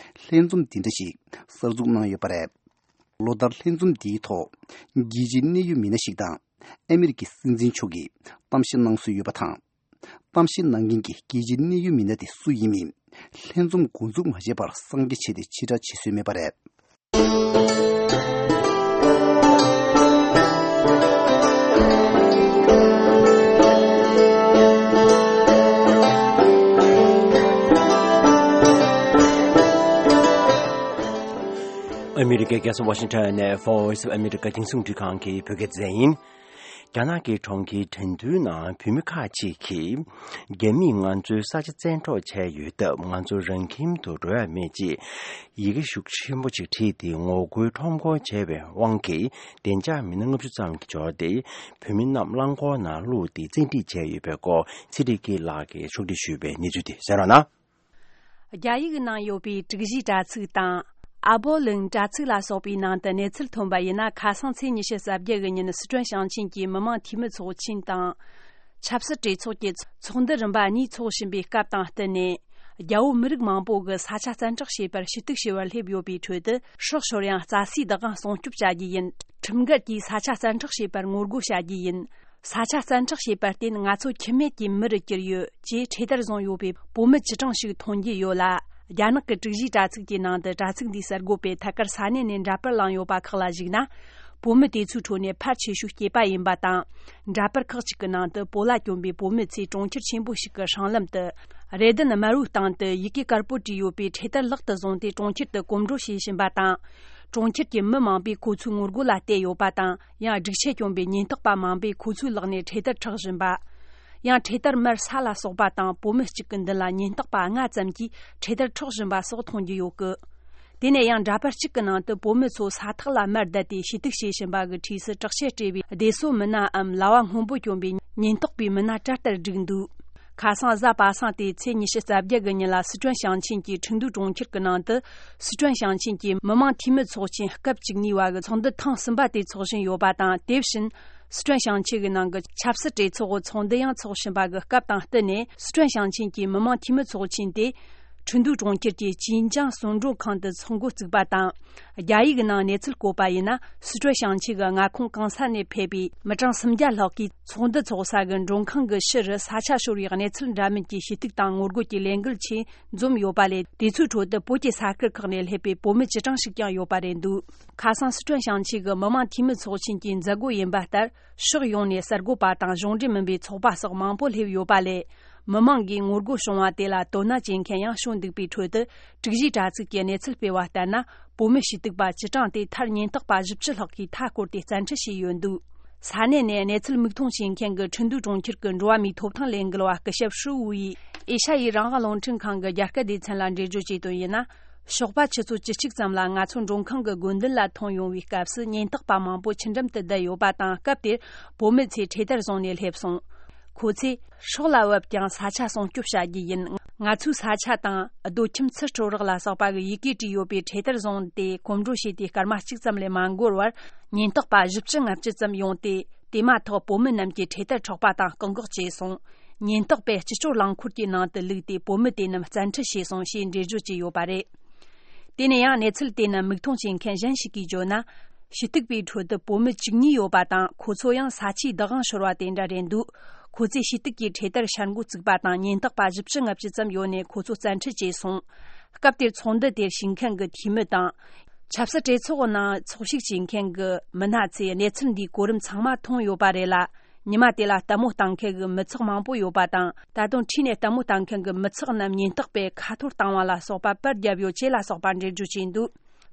ལྷན་འཛོམས་འདི་འདྲ་ཞིག་གསར་འཛུགས་གནང་ཡོད་པ་རེད། ལོ་ལྟར་ལྷན་འཛོམས་འདིའི་ཐོག་རྒྱལ་སྤྱིའི་གནད་ཡོད་མི་སྣ་ཞིག་དང་ཨ་མི་རི་ཀའི་སྲིད་འཛིན་མཆོག་གིས་གཏམ་བཤད་གནང་སྲོལ་ཡོད་པ་དང་། གཏམ་བཤད་གནང་མཁན་གྱི་རྒྱལ་སྤྱིའི་གནད་ཡོད་མི་སྣ་དེ་སུ་ཡིན་མིན་ལྷན་འཛོམས་འགོ་འཛུགས་མ་བྱས་པར་གསང་རྒྱ་བྱས་ཏེ་ཕྱིར་བསྒྲགས་བྱེད་སྲོལ་མེད་པ་རེད། ཨ་མི་རི་ཀའི་རྒྱལ་ས་ཝ་ཤིང་ཊོན་ནས་Voice of America་རྒྱང་སྲིང་རླུང་འཕྲིན་ཁང་གི་བོད་སྐད་སྡེ་ཚན་ཡིན། རྒྱ་ནག་གི་གྲོང་ཁྱེར་ཁྲེང་ཏུའུ་ནང་བོད་མི་ཁག་ཅིག་གིས་རྒྱ་མིས་ང་ཚོའི་ས་ཆ་བཙན་འཕྲོག་བྱས་ཡོད་སྟབས། ང་ཚོ་རང་ཁྱིམ་དུ་འགྲོ་ཡ་མེད་ཅེས་ཡི་གེ་ཤུགས་ཆེན་པོ་ཅིག་བྲིས་ཏེ་ངོ་རྒོལ་ཁྲོམ་སྐོར་བྱས་པའི་དབང་གིས་བདེ་འཇགས་མི་སྣ་ལྔ་བཅུ་ཙམ་གྱིས་འབྱོར་ཏེ་བོད་མི་རྣམས་རླངས་འཁོར་ནང་བླུགས་ཏེ་བཙན་ཁྲིད་བྱས་ཡོད་པའི་སྐོར་ཚེ་རིང་སྐྱིད་ལགས་ཀྱིས་ཕྱོགས་སྒྲིག་ཞུས་པའི་གནས་ཚུལ་དེ་གསན་རོགས་གནང་། རྒྱ་ཡིག་ནང་ཡོད་པའི་དྲུག་བཞིའི་དྲ་ཚིགས་དང་། ཨ་བོ་ལུང་དྲ་ཚིགས་ལ་སོགས་པའི་ནང་དུ་གནས་ཚུལ་ཐོན་པ་ཡིན་ན། ཁ་སང་ཚེས་ཉི་ཤུ་རྩ་བརྒྱད་གི་ཉིན་སི་ཁྲོན་ཞིང་ཆེན་གྱི་མི་དམངས་འཐུས་མི་ཚོགས་ཆེན་དང་། ཆབ་སྲིད་གྲོས་ཚོགས་ཀྱི་ཚོགས་འདུ་རིམ་པ་གཉིས་འཚོགས་བཞིན་པའི་སྐབས་དང་བསྟུན་ནས། རྒྱ་བོད་མི་རིགས་མང་པོ་གི་ས་ཆ་བཙན་འཕྲོག་བྱས་པར་ཞུ་གཏུག་བྱེད་པར་སླེབས་ཡོད་པའི་ཁྲོད་དུ། སྲོག་ཤོར་ཡང་རྩ་སའི་བདག་དབང་སྲུང་སྐྱོབ་བྱ་རྒྱུ་ཡིན། ཁྲིམས་འགལ་གྱིས་ས་ཆ་བཙན་འཕྲོག་བྱས་པར་ངོ་རྒོལ་བྱ་རྒྱུ་ཡིན། ས་ཆ་བཙན་འཕྲོག་བྱས་པར་བརྟེན་ང་ཚོ་ཁྱིམ་མེད་ཀྱི་མི་རུ་གྱུར་ཡོད་ཅེས་འཕྲེད་དར་བཟུང་ཡོད་པའི་བོད་མི་བཅུ་གྲངས་ཤིག་ཐོན་གྱི་ཡོད་ལ། རྒྱ་ནག་གི་དྲུག་བཞིའི་དྲ་ཚིགས་ཀྱི་ནང་དུ་དྲ་ཚིགས་འདིའི་གསར་འགོད་པས་ཐད་ཀར་ས་གནས་ནས་འདྲ་པར་བླངས་ཡོད་པ་ཁག་ལ་གཞིགས་ན། བོད་མི་དེ་ཚོའི་ཁྲོད་ནས་ཕལ་ཆེ་ཤོས་སྐྱེས་པ་ཡིན་པ་དང་། འདྲ་པར་ཁག་ཅིག་གི་ནང་དུ་བོད་ལ་གྱོན་པའི་བོད་མི་ཚོས་གྲོང་ཁྱེར་ཆེན་པོ་ཞིག་གི་སྲང་ལམ་དུ། རེ་ལྡན་དམར་པོའི་སྟེང་དུ་ཡི་གེ་དཀར་པོ་བྲིས་ཡོད་པའི་འཕྲེད་དར་ལག་ཏུ་བཟུང་སྟེ་གྲོང་ཁྱེར་དུ་གོམ་བགྲོད་བྱེད་བཞིན་པ་དང་། གྲོང་ཁྱེར་གྱི་མི་མང་པོས་ཁོ་ཚོའི་ངོ་རྒོལ་ལ་བལྟས་ཡོད་པ་དང་། ཡང་སྒྲིག་ཆས་གྱོན་པའི་ཉེན་རྟོག་པ་མང་པོས་ཁོ་ཚོའི་ལག་ནས་འཕྲེད་དར་འཕྲོག་བཞིན་པ། ཡང་འཕྲེད་དར་མར་ས་ལ་ཟགས་པ་དང་། བོད་མི་གཅིག་གི་མདུན་ལ་ཉེན་རྟོག་པ་ལྔ་ཙམ་གྱིས་འཕྲེད་དར་འཕྲོག་བཞིན་པ་སོགས་མཐོང་རྒྱུ་ཡོད་སྐད། དེ་ནས་ཡང་འདྲ་པར་གཅིག་གི་ནང་དུ་བོད་མི་ཚོ་ས་ཐག་ལ་མར་བསྡད་དེ་ཞུ་གཏུག་བྱེད་བཞིན་པ་གི་འཁྲིས་སུ་དྲག་ཆས་སྤྲས་པའི་བདེ་སྲུང་མི་སྣའམ་ལྭ་བ་སྔོན་པོ་གྱོན་པའི་ཉེན་རྟོག་པའི་མི་སྣ་གྲལ་ལྟར་བསྒྲིགས་འདུག་ཁ་སང་གཟའ་པ་སངས་ཏེ་ཚེས་ཉི་ཤུ་རྩ་བརྒྱད་གི་ཉིན་ལ་སི་ཁྲོན་ཞིང་ཆེན་གྱི་ཁྲིན་ཏུའུ་གྲོང་ཁྱེར་གྱི་ནང་དུ། སི་ཁྲོན་ཞིང་ཆེན་གྱི་མི་དམངས་འཐུས་མི་ཚོགས་ཆེན་སྐབས་བཅུ་གཉིས་པ་གི་ཚོགས་འདུ་ཐེངས་གསུམ་པ་དེ་འཚོགས་བཞིན་ཡོད་པ་དང་། དེ་བཞིན་སི་ཁྲོན་ཞིང་ཆེན་གྱི་ནང་གི་ཆབ་སྲིད་གྲོས་ཚོགས་ཀྱི་ཚོགས་འདུ་ཡང་འཚོགས་བཞིན་པ་གི་སྐབས་དང་བསྟུན་ནས། སི་ཁྲོན་ཞིང་ཆེན་གྱི་མི་དམངས་འཐུས་མི་ཚོགས་ཆེན་དེ། ཁྲིན་ཏུའུ་གྲོང་ཁྱེར་གྱི་ཅིན་ཅང་གསོལ་མགྲོན་ཁང་དུ་ཚོགས་འགོ་བཙུགས་པ་དང་། རྒྱ་ཡིག་ནང་གནས་ཚུལ་བཀོད་པ་ཡིན་ན། སི་ཁྲོན་ཞིང་ཆེན་གྱི་མངའ་ཁོངས་གང་ས་ནས་ཕེབས་པའི་མི་གྲངས་སུམ་བརྒྱ་ལྷག་གིས་ཚོགས་འདུ་འཚོགས་ས་གི་མགྲོན་ཁང་གི་ཕྱི་རུ་ས་ཆ་ཤོར་བའི་གནས་ཚུལ་འདྲ་མིན་གྱི་ཞུ་གཏུག་དང་ངོ་རྒོལ་གྱི་ལས་འགུལ་ཆེད་འཛོམས་ཡོད་པ་ལས། དེ་ཚོའི་ཁྲོད་དུ་བོད་ཀྱི་ས་ཁུལ་ཁག་ནས་སླེབས་པའི་བོད་མི་བཅུ་གྲངས་ཤིག་ཀྱང་ཡོད་པ་རེད་འདུག་ཁ་སང་སི་ཁྲོན་ཞིང་ཆེན་གྱི་མི་དམངས་འཐུས་མི་ཚོགས་ཆེན་གྱི་མཛད་སྒོ་ཡིན་པ་ལྟར། ཕྱོགས་ཡོངས་ནས་གསར་འགོད་པ་དང་གཞུང་འབྲེལ་མིན་པའི་ཚོགས་པ་སོགས་མང་པོ་སླེབས་ཡོད་པ་ལས། མི་མང་གིས་ངོ་རྒོལ་བྱུང་བ་དེ་ལ་དོ་སྣང་བྱེད་མཁན་ཡང་བྱུང་འདུག་པའི་ཁྲོད་དུ། དྲུག་བཞིའི་དྲ་ཚིགས་ཀྱིས་གནས་ཚུལ་སྤེལ་བ་ལྟར་ན། བོད་མི་ཞུ་གཏུག་པ་བཅུ་གྲངས་དེ་མཐར་ཉེན་རྟོག་པ་བཞི་བཅུ་ལྷག་གིས་མཐའ་བསྐོར་ཏེ་བཙན་ཁྲིད་བྱས་ཡོད་འདུག་ས་གནས་ནས་གནས་ཚུལ་མིག་མཐོང་བྱེད་མཁན་གྱི་ཁྲིན་ཏུའུ་གྲོང་ཁྱེར་གྱི་འགྲོ་བ་མིའི་ཐོབ་ཐང་ལས་འགུལ་བ་སྐུ་ཞབས་ཧྲུའུ་ཝུའུ་ཡིས་ཨེ་ཤ་ཡའི་རང་དབང་རླུང་འཕྲིན་ཁང་གི་རྒྱ་སྐད་སྡེ་ཚན་ལ་འགྲེལ་བརྗོད་བྱས་དོན་ཡིན་ན། ཞོགས་པ་ཆུ་ཚོད་བཅུ་གཅིག་ཙམ་ལ་ང་ཚོ་མགྲོན་ཁང་གི་དགོན་མདུན་ལ་ཐོན་ཡོང་བའི་སྐབས་སུ་ཉེན་རྟོག་པ་མང་པོ་ཆུ་འགྲམ་དུ་བསྡད་ཡོད་པ་དང་། སྐབས་དེར་བོད་མི་ཚོས་འཕྲེད་དར་བཟུང་ནས་སླེབས་སོང་། ཁོ་ཚོས་སྲོག་ལ་བབ་ཀྱང་ས་ཆ་སྲུང་སྐྱོབ་བྱ་རྒྱུ་ཡིན། ང་ཚོའི་ས་ཆ་དང་། རྡོ་ཁྱིམ་ཚུར་སྤྲོད་རོགས་ལ་སོགས་པ་གི་ཡི་གེ་བྲིས་ཡོད་པའི་འཕྲེད་དར་བཟུང་སྟེ་གོམ་བགྲོད་བྱས་ཏེ་སྐར་མ་གཅིག་ཙམ་ལས་མ་འགོར་བར། ཉེན་རྟོག་པ་བཞི་བཅུ་ལྔ་བཅུ་ཙམ་ཡོང་སྟེ། དེ་མ་ཐག་བོད་མི་རྣམས་ཀྱིས་འཕྲེད་དར་འཕྲོག་པ་དང་བཀག་འགོག་བྱས་སོང་། ཉེན་རྟོག་པས་སྤྱི་སྤྱོད་རླངས་འཁོར་གྱི་ནང་དུ་བླུགས་ཏེ་བོད་མི་དེ་རྣམས་བཙན་ཁྲིད་བྱས་སོང་ཞེས་འགྲེལ་བརྗོད་བྱས་ཡོད་པ་རེད། དེ་ནས་ཡང་གནས་ཚུལ་དེ་རྣམས་མིག་མཐོང་བྱེད་མཁན་གཞན་ཞིག་གིས་བརྗོད་ན། ཞུ་གཏུག་པའི་ཁྲོད་དུ་བོད་མི་བཅུ་གཉིས་ཡོད་པ་དང་། ཁོ་ཚོ་ཡང་ས་ཆའི་བདག་དབང་ཤོར་བ་དེ་འདྲ་རེད་འདུག་ཁོ་ཚོས་ཞུ་གཏུག་གི་འཕྲེད་དར་ཤར་འགོ་བཙུགས་པ་དང་། ཉེན་རྟོག་པ་བཞི་བཅུ་ལྔ་བཅུ་ཙམ་ཡོད་ནས་ཁོ་ཚོ་བཙན་ཁྲིད་བྱས་སོང་། སྐབས་དེར་ཚོགས་འདུ་དེར་ཞུགས་མཁན་གྱི་འཐུས་མི་དང་། ཆབ་སྲིད་གྲོས་ཚོགས་ནང་ཚོགས་ཞུགས་བྱེད་མཁན་གྱི་མི་སྣ་ཚོས་གནས་ཚུལ་འདིའི་གོ་རིམ་ཚང་མ་མཐོང་ཡོད་པ་རེད་ལ། ཉི་མ་དེ་ལ་ལྟད་མོ་ལྟ་མཁན་གྱི་མི་ཚོགས་མང་པོ་ཡོད་པ་དང་། ད་དུང་འཁྲིས་ནས་ལྟད་མོ་ལྟ་མཁན་གྱི་མི་ཚོགས་རྣམས་ཉེན་རྟོག་པས་ཁ་འཐོར་བཏང་བ་ལ་སོགས་པ་པར་བརྒྱབ་ཡོད་ཅེས་ལ་སོགས་པ་འགྲེལ་བརྗོད་བྱས་འདུག་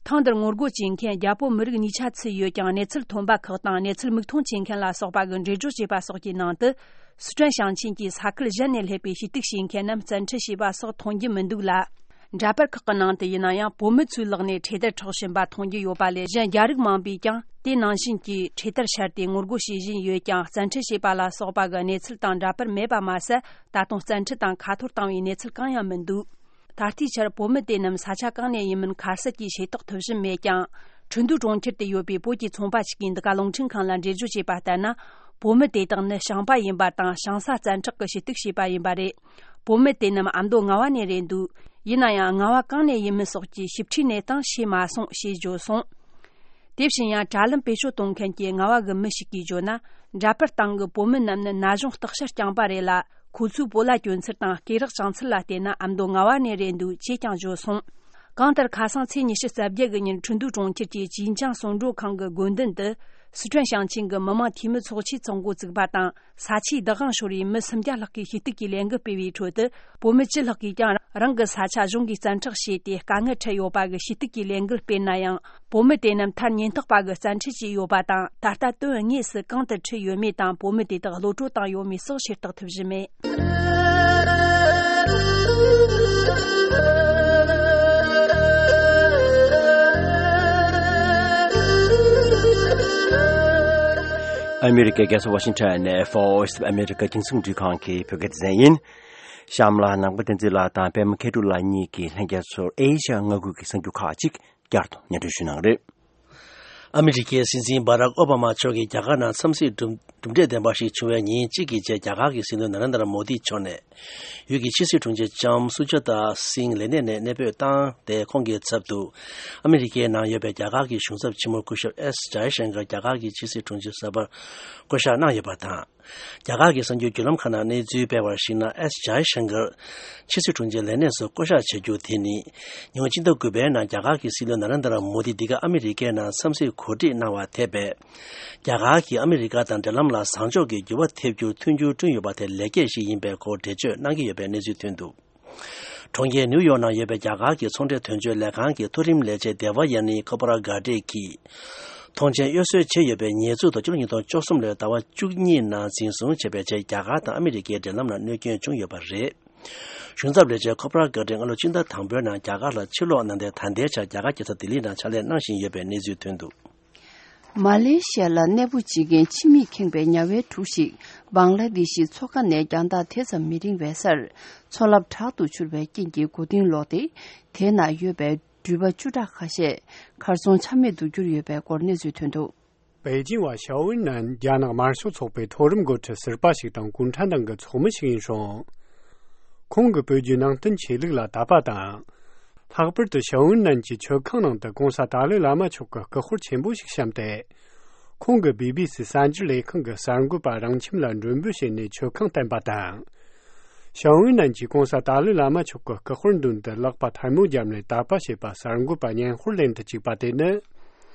ཐེངས་འདིར་ངོ་རྒོལ་བྱེད་མཁན་རྒྱ་བོད་མི་རིགས་གཉིས་ཆ་ཚུད་ཡོད་ཀྱང་། གནས་ཚུལ་ཐོན་པ་ཁག་དང་གནས་ཚུལ་མིག་མཐོང་བྱེད་མཁན་ལ་སོགས་པ་གིས་འགྲེལ་བརྗོད་བྱས་པ་སོགས་ཀྱི་ནང་དུ། སི་ཁྲོན་ཞིང་ཆེན་གྱི་ས་ཁུལ་གཞན་ནས་སླེབས་པའི་ཞུ་གཏུག་བྱེད་མཁན་རྣམས་བཙན་ཁྲིད་བྱས་པ་སོགས་མཐོང་རྒྱུ་མི་འདུག་ལ། འདྲ་པར་ཁག་གི་ནང་དུ་ཡིན་ན་ཡང་། བོད་མི་ཚོའི་ལག་ནས་འཕྲེད་དར་འཕྲོག་བཞིན་པ་མཐོང་རྒྱུ་ཡོད་པ་ལས། གཞན་རྒྱ་རིགས་མང་པོས་ཀྱང་དེ་ནང་བཞིན་གྱི་འཕྲེད་དར་ཤར་ཏེ་ངོ་རྒོལ་བྱེད་བཞིན་ཡོད་ཀྱང་། བཙན་ཁྲིད་བྱས་པ་ལ་སོགས་པ་གི་གནས་ཚུལ་དང་འདྲ་པར་མེད་པ་མ་ཟད། ད་དུང་བཙན་ཁྲིད་དང་ཁ་འཐོར་བཏང་བའི་གནས་ཚུལ་གང་ཡང་མི་འདུག་ད་ལྟའི་ཆར་བོད་མི་དེ་རྣམས་ས་ཆ་གང་ནས་ཡིན་མིན་ཁ་གསལ་གྱིས་ཤེས་རྟོགས་ཐུབ་བཞིན་མེད་ཀྱང་། ཁྲིན་ཏུའུ་གྲོང་ཁྱེར་དུ་ཡོད་པའི་བོད་ཀྱི་ཚོང་པ་ཞིག་གིས་འདི་ག་རླུང་འཕྲིན་ཁང་ལ་འགྲེལ་བརྗོད་བྱས་པ་ལྟར་ན། བོད་མི་དེ་དག་ནི་ཞིང་པ་ཡིན་པ་དང་། ཞིང་ས་བཙན་འཕྲོག་གི་ཞུ་གཏུག་བྱས་པ་ཡིན་པ་རེད། བོད་མི་དེ་རྣམས་ཨ་མདོ་རྔ་བ་ནས་རེད་འདུག་ཡིན་ན་ཡང་། རྔ་བ་གང་ནས་ཡིན་མིན་སོགས་ཀྱི་ཞིབ་ཕྲའི་གནས་སྟངས་ཤེས་མ་སོང་ཞེས་བརྗོད་སོང་། དེ་བཞིན་ཡང་། དྲ་ལམ་བེད་སྤྱོད་གཏོང་མཁན་གྱི་རྔ་བ་གི་མི་ཞིག་གིས་བརྗོད་ན། འདྲ་པར་སྟེང་གི་བོད་མི་རྣམས་ནི་ན་གཞོན་སྟག་ཤར་རྐྱང་པ་རེད་ལ། ཁོ་ཚོའི་སྤོ་ལོ་གྱོན་ཚུལ་དང་སྐེ་རགས་བཅིངས་ཚུལ་ལ་བལྟས་ན། ཨ་མདོ་རྔ་བ་ནས་རེད་འདུག་ཅེས་ཀྱང་བརྗོད་སོང་། གང་ལྟར། ཁ་སང་ཚེས་ཉི་ཤུ་རྩ་བརྒྱད་གི་ཉིན། ཁྲིན་ཏུའུ་གྲོང་ཁྱེར་གྱི་ཅིན་ཅང་གསོལ་མགྲོན་ཁང་གི་དགོན་མདུན་དུ། སི་ཁྲོན་ཞིང་ཆེན་གྱི་མི་དམངས་འཐུས་མི་ཚོགས་ཆེན་ཚོགས་འགོ་བཙུགས་པ་དང་། ས་ཆའི་བདག་དབང་ཤོར་བའི་མི་སུམ་བརྒྱ་ལྷག་གིས་ཞུ་གཏུག་གི་ལས་འགུལ་སྤེལ་བའི་ཁྲོད་དུ། བོད་མི་བཅུ་ལྷག་གིས་ཀྱང་རང་གི་ས་ཆ་གཞུང་གིས་བཙན་འཕྲོག་བྱས་ཏེ་དཀའ་ངལ་འཕྲད་ཡོད་པ་གི་ཞུ་གཏུག་གི་ལས་འགུལ་སྤེལ་ན་ཡང་། བོད་མི་དེ་རྣམས་མཐར་ཉེན་རྟོག་པ་གིས་བཙན་ཁྲིད་བྱས་ཡོད་པ་དང་། ད་ལྟ་དོན་དངོས་སུ་གང་དུ་ཁྲིད་ཡོད་མེད་དང་། བོད་མི་དེ་དག་གློད་གྲོལ་བཏང་ཡོད་མེད་སོགས་ཤེས་རྟོགས་ཐུབ་བཞིན་མེད། ཨ་མེ་རི་ཀའི་རྒྱལ་ས་ཝ་ཤིང་ཊོན་ནས་Voice of America རྒྱང་སྲིང་འཕྲིན་ཁང་གི་བོད་སྐད་སྡེ་ཚན་ཡིན། གཤམ་ལ་ནང་པ་བསྟན་འཛིན་ལགས་དང་པད་མ་མཁས་གྲུབ་ལགས་གཉིས་ཀྱིས་ལྷན་རྒྱས་ཚོར་ཨེ་ཤ་ཡ་མངའ་ཁུལ་གྱི་གསར་འགྱུར་ཁག་ཅིག་བསྐྱར་དུ་སྙན་སྒྲོན་ཞུ་གནང་རེད། ཨ་མི་རི་ཀའི་སྲིད་འཛིན་སྦ་རག་ཨོ་བྷ་མ་མཆོག་གིས་རྒྱ་གར་ནང་འཚམས་གཟིགས་གྲུབ་གྲུབ་འབྲས་ལྡན་པ་ཞིག་བྱུང་བའི་ཉིན་གཅིག་གི་རྗེས། རྒྱ་གར་གྱི་སྲིད་བློན་ན་རེན་དྲ་མོ་དི་མཆོག་ནས་ཡུལ་གྱི་ཕྱི་སྲིད་དྲུང་ཆེ་ལྕམ་སུ་ཇཱ་ཏཱ་སིང་ལས་གནས་ནས་གནས་སྤོས་བཏང་སྟེ། ཁོང་གི་ཚབ་ཏུ་ཨ་མི་རི་ཀའི་ནང་ཡོད་པའི་རྒྱ་གར་གྱི་གཞུང་ཚབ་ཆེན་མོ་སྐུ་ཞབས་ཨེས་ཇའི་ཤང་ཀར་རྒྱ་གར་གྱི་ཕྱི་སྲིད་དྲུང་ཆེ་གསར་པར་བསྐོ་གཞག་གནང་ཡོད་པ་དང་། རྒྱ་གར་གྱི་གསར་འགྱུར་བརྒྱུད་ལམ་ཁག་ནང་གནས་ཚུལ་སྤེལ་བར་གཞིགས་ན། ཨེས་ཇའི་ཤང་ཀར་ཕྱི་སྲིད་དྲུང་ཆེ་ལས་གནས་སུ་བསྐོ་གཞག་བྱ་རྒྱུ་དེ་ནི། ཉེ་བའི་ཕྱི་ཟླ་དགུ་པའི་ནང་རྒྱ་གར་གྱི་སྲིད་བློན་ན་རེན་དྲ་མོ་དི་འདི་ག་ཨ་མི་རི་ཀའི་ནང་འཚམས་གཟིགས་གོ་སྒྲིག་གནང་བ་དེ་བས། རྒྱ་གར་གྱིས་ཨ་མི་རི་ཀ་དང་འབྲེལ་ལམ་ལ་བཟང་ཕྱོགས་ཀྱི་འགྱུར་བ་ཐེབས་རྒྱུར་མཐུན་འགྱུར་བསྐྲུན་ཡོད་པ་དེ་ལེགས་སྐྱེས་ཤིག་ཡིན་པའི་སྐོར་འགྲེལ་བརྗོད་གནང་གི་ཡོད་པའི་གནས་ཚུལ་ཐོན་འདུག་གྲོང་ཁྱེར་ནིའུ་ཡོག་ནང་ཡོད་པའི་རྒྱ་གར་གྱི་ཚོང་འབྲེལ་དོན་གཅོད་ལས་ཁང་གི་མཐོ་རིམ་ལས་བྱེད་སྡེ་བ་ཡ་ནི་ཁོ་པ་ར་གྷ་ཏེ་གིས། ཐོངས་མཆན་གཡོ་ཟོལ་བྱས་ཡོད་པའི་ཉེས་འཛུགས་དང་། སྤྱི་ལོ་ཉིས་སྟོང་བཅུ་གསུམ་ལོའི་ཟླ་བ་བཅུ་གཉིས་ནང་འཛིན་བཟུང་བྱས་པའི་རྗེས། རྒྱ་གར་དང་ཨ་མི་རི་ཀའི་འབྲེལ་ལམ་ལ་གནོད་སྐྱོན་བྱུང་ཡོད་པ་རེད། གཞུང་ཚབ་ལས་བྱེད་ཁོ་པ་ར་གྷ་ཏེ་སྔ་ལོ་སྤྱི་ཟླ་དང་པོའི་ནང་རྒྱ་གར་ལ་ཕྱིར་ལོག་གནང་སྟེ། ད་ལྟའི་ཆར་རྒྱ་གར་རྒྱལ་ས་ལྡི་ལི་ནང་ཕྱག་ལས་གནང་བཞིན་ཡོད་པའི་གནས་ཚུལ་ཐོན་འདུག་མ་ལེ་ཤི་ཡ་ལ་གནས་སྤོ་བྱེད་མཁན་ཕྱི་མིག་ཁེངས་པའི་ཉ་དབྱེ་དྲུག་ཞིག་བང་ལ་དེ་ཤི་མཚོ་ཁ་ནས་རྒྱང་ཐག་དེ་ཙམ་མི་རིང་བའི་སར་མཚོ་རླབས་དྲག་ཏུ་འཕྱུར་བའི་རྐྱེན་གྱིས་མགོ་རྟིང་ལོག་སྟེ། དེའི་ནང་ཡོད་པའི་འགྲུལ་པ་བཅུ་ཕྲག་ཁ་ཤས་གར་སོང་ཆ་མེད་དུ་གྱུར་ཡོད་པའི་སྐོར་གནས་ཚུལ་ཐོན་འདུག་པེ་ཅིང་བ་ཞའོ་ཝིན་ནན་རྒྱ་ནག་དམར་ཤོག་ཚོགས་པའི་མཐོ་རིམ་འགོ་ཁྲིད་ཟུར་པ་ཞིག་དང་གུང་ཁྲན་ཏང་གི་ཚོགས་མི་ཞིག་ཡིན་སོང་། ཁོང་གིས་བོད་བརྒྱུད་ནང་བསྟན་ཆོས་ལུགས་ལ་དད་པ་དང་། ལྷག་པར་དུ་ཤའོ་ཝུན་ནན་གྱི་མཆོད་ཁང་ནང་དུ་གོང་ས་ཏཱ་ལའི་བླ་མ་མཆོག་གི་སྐུ་དཔེར་ཆེན་པོ་ཞིག་བཤམས་ཏེ། ཁོང་གིས་བི་བི་སི་གསར་འགྱུར་ལས་ཁང་གི་གསར་འགོད་པ་རང་ཁྱིམ་ལ་མགྲོན་འབོད་བྱས་ནས་མཆོད་ཁང་བསྟན་པ་དང་། ཤའོ་ཝུན་ནན་གྱིས་གོང་ས་ཏཱ་ལའི་བླ་མ་མཆོག་གི་སྐུ་དཔེར་མདུན་དུ་ལག་པ་ཐལ་མོ་བརྒྱབ་ནས་དད་པ་བྱས་པ་གསར་འགོད་པ་སྙན་ཧོར་ལེན་དུ་བཅུག་པ་དེ་ནི།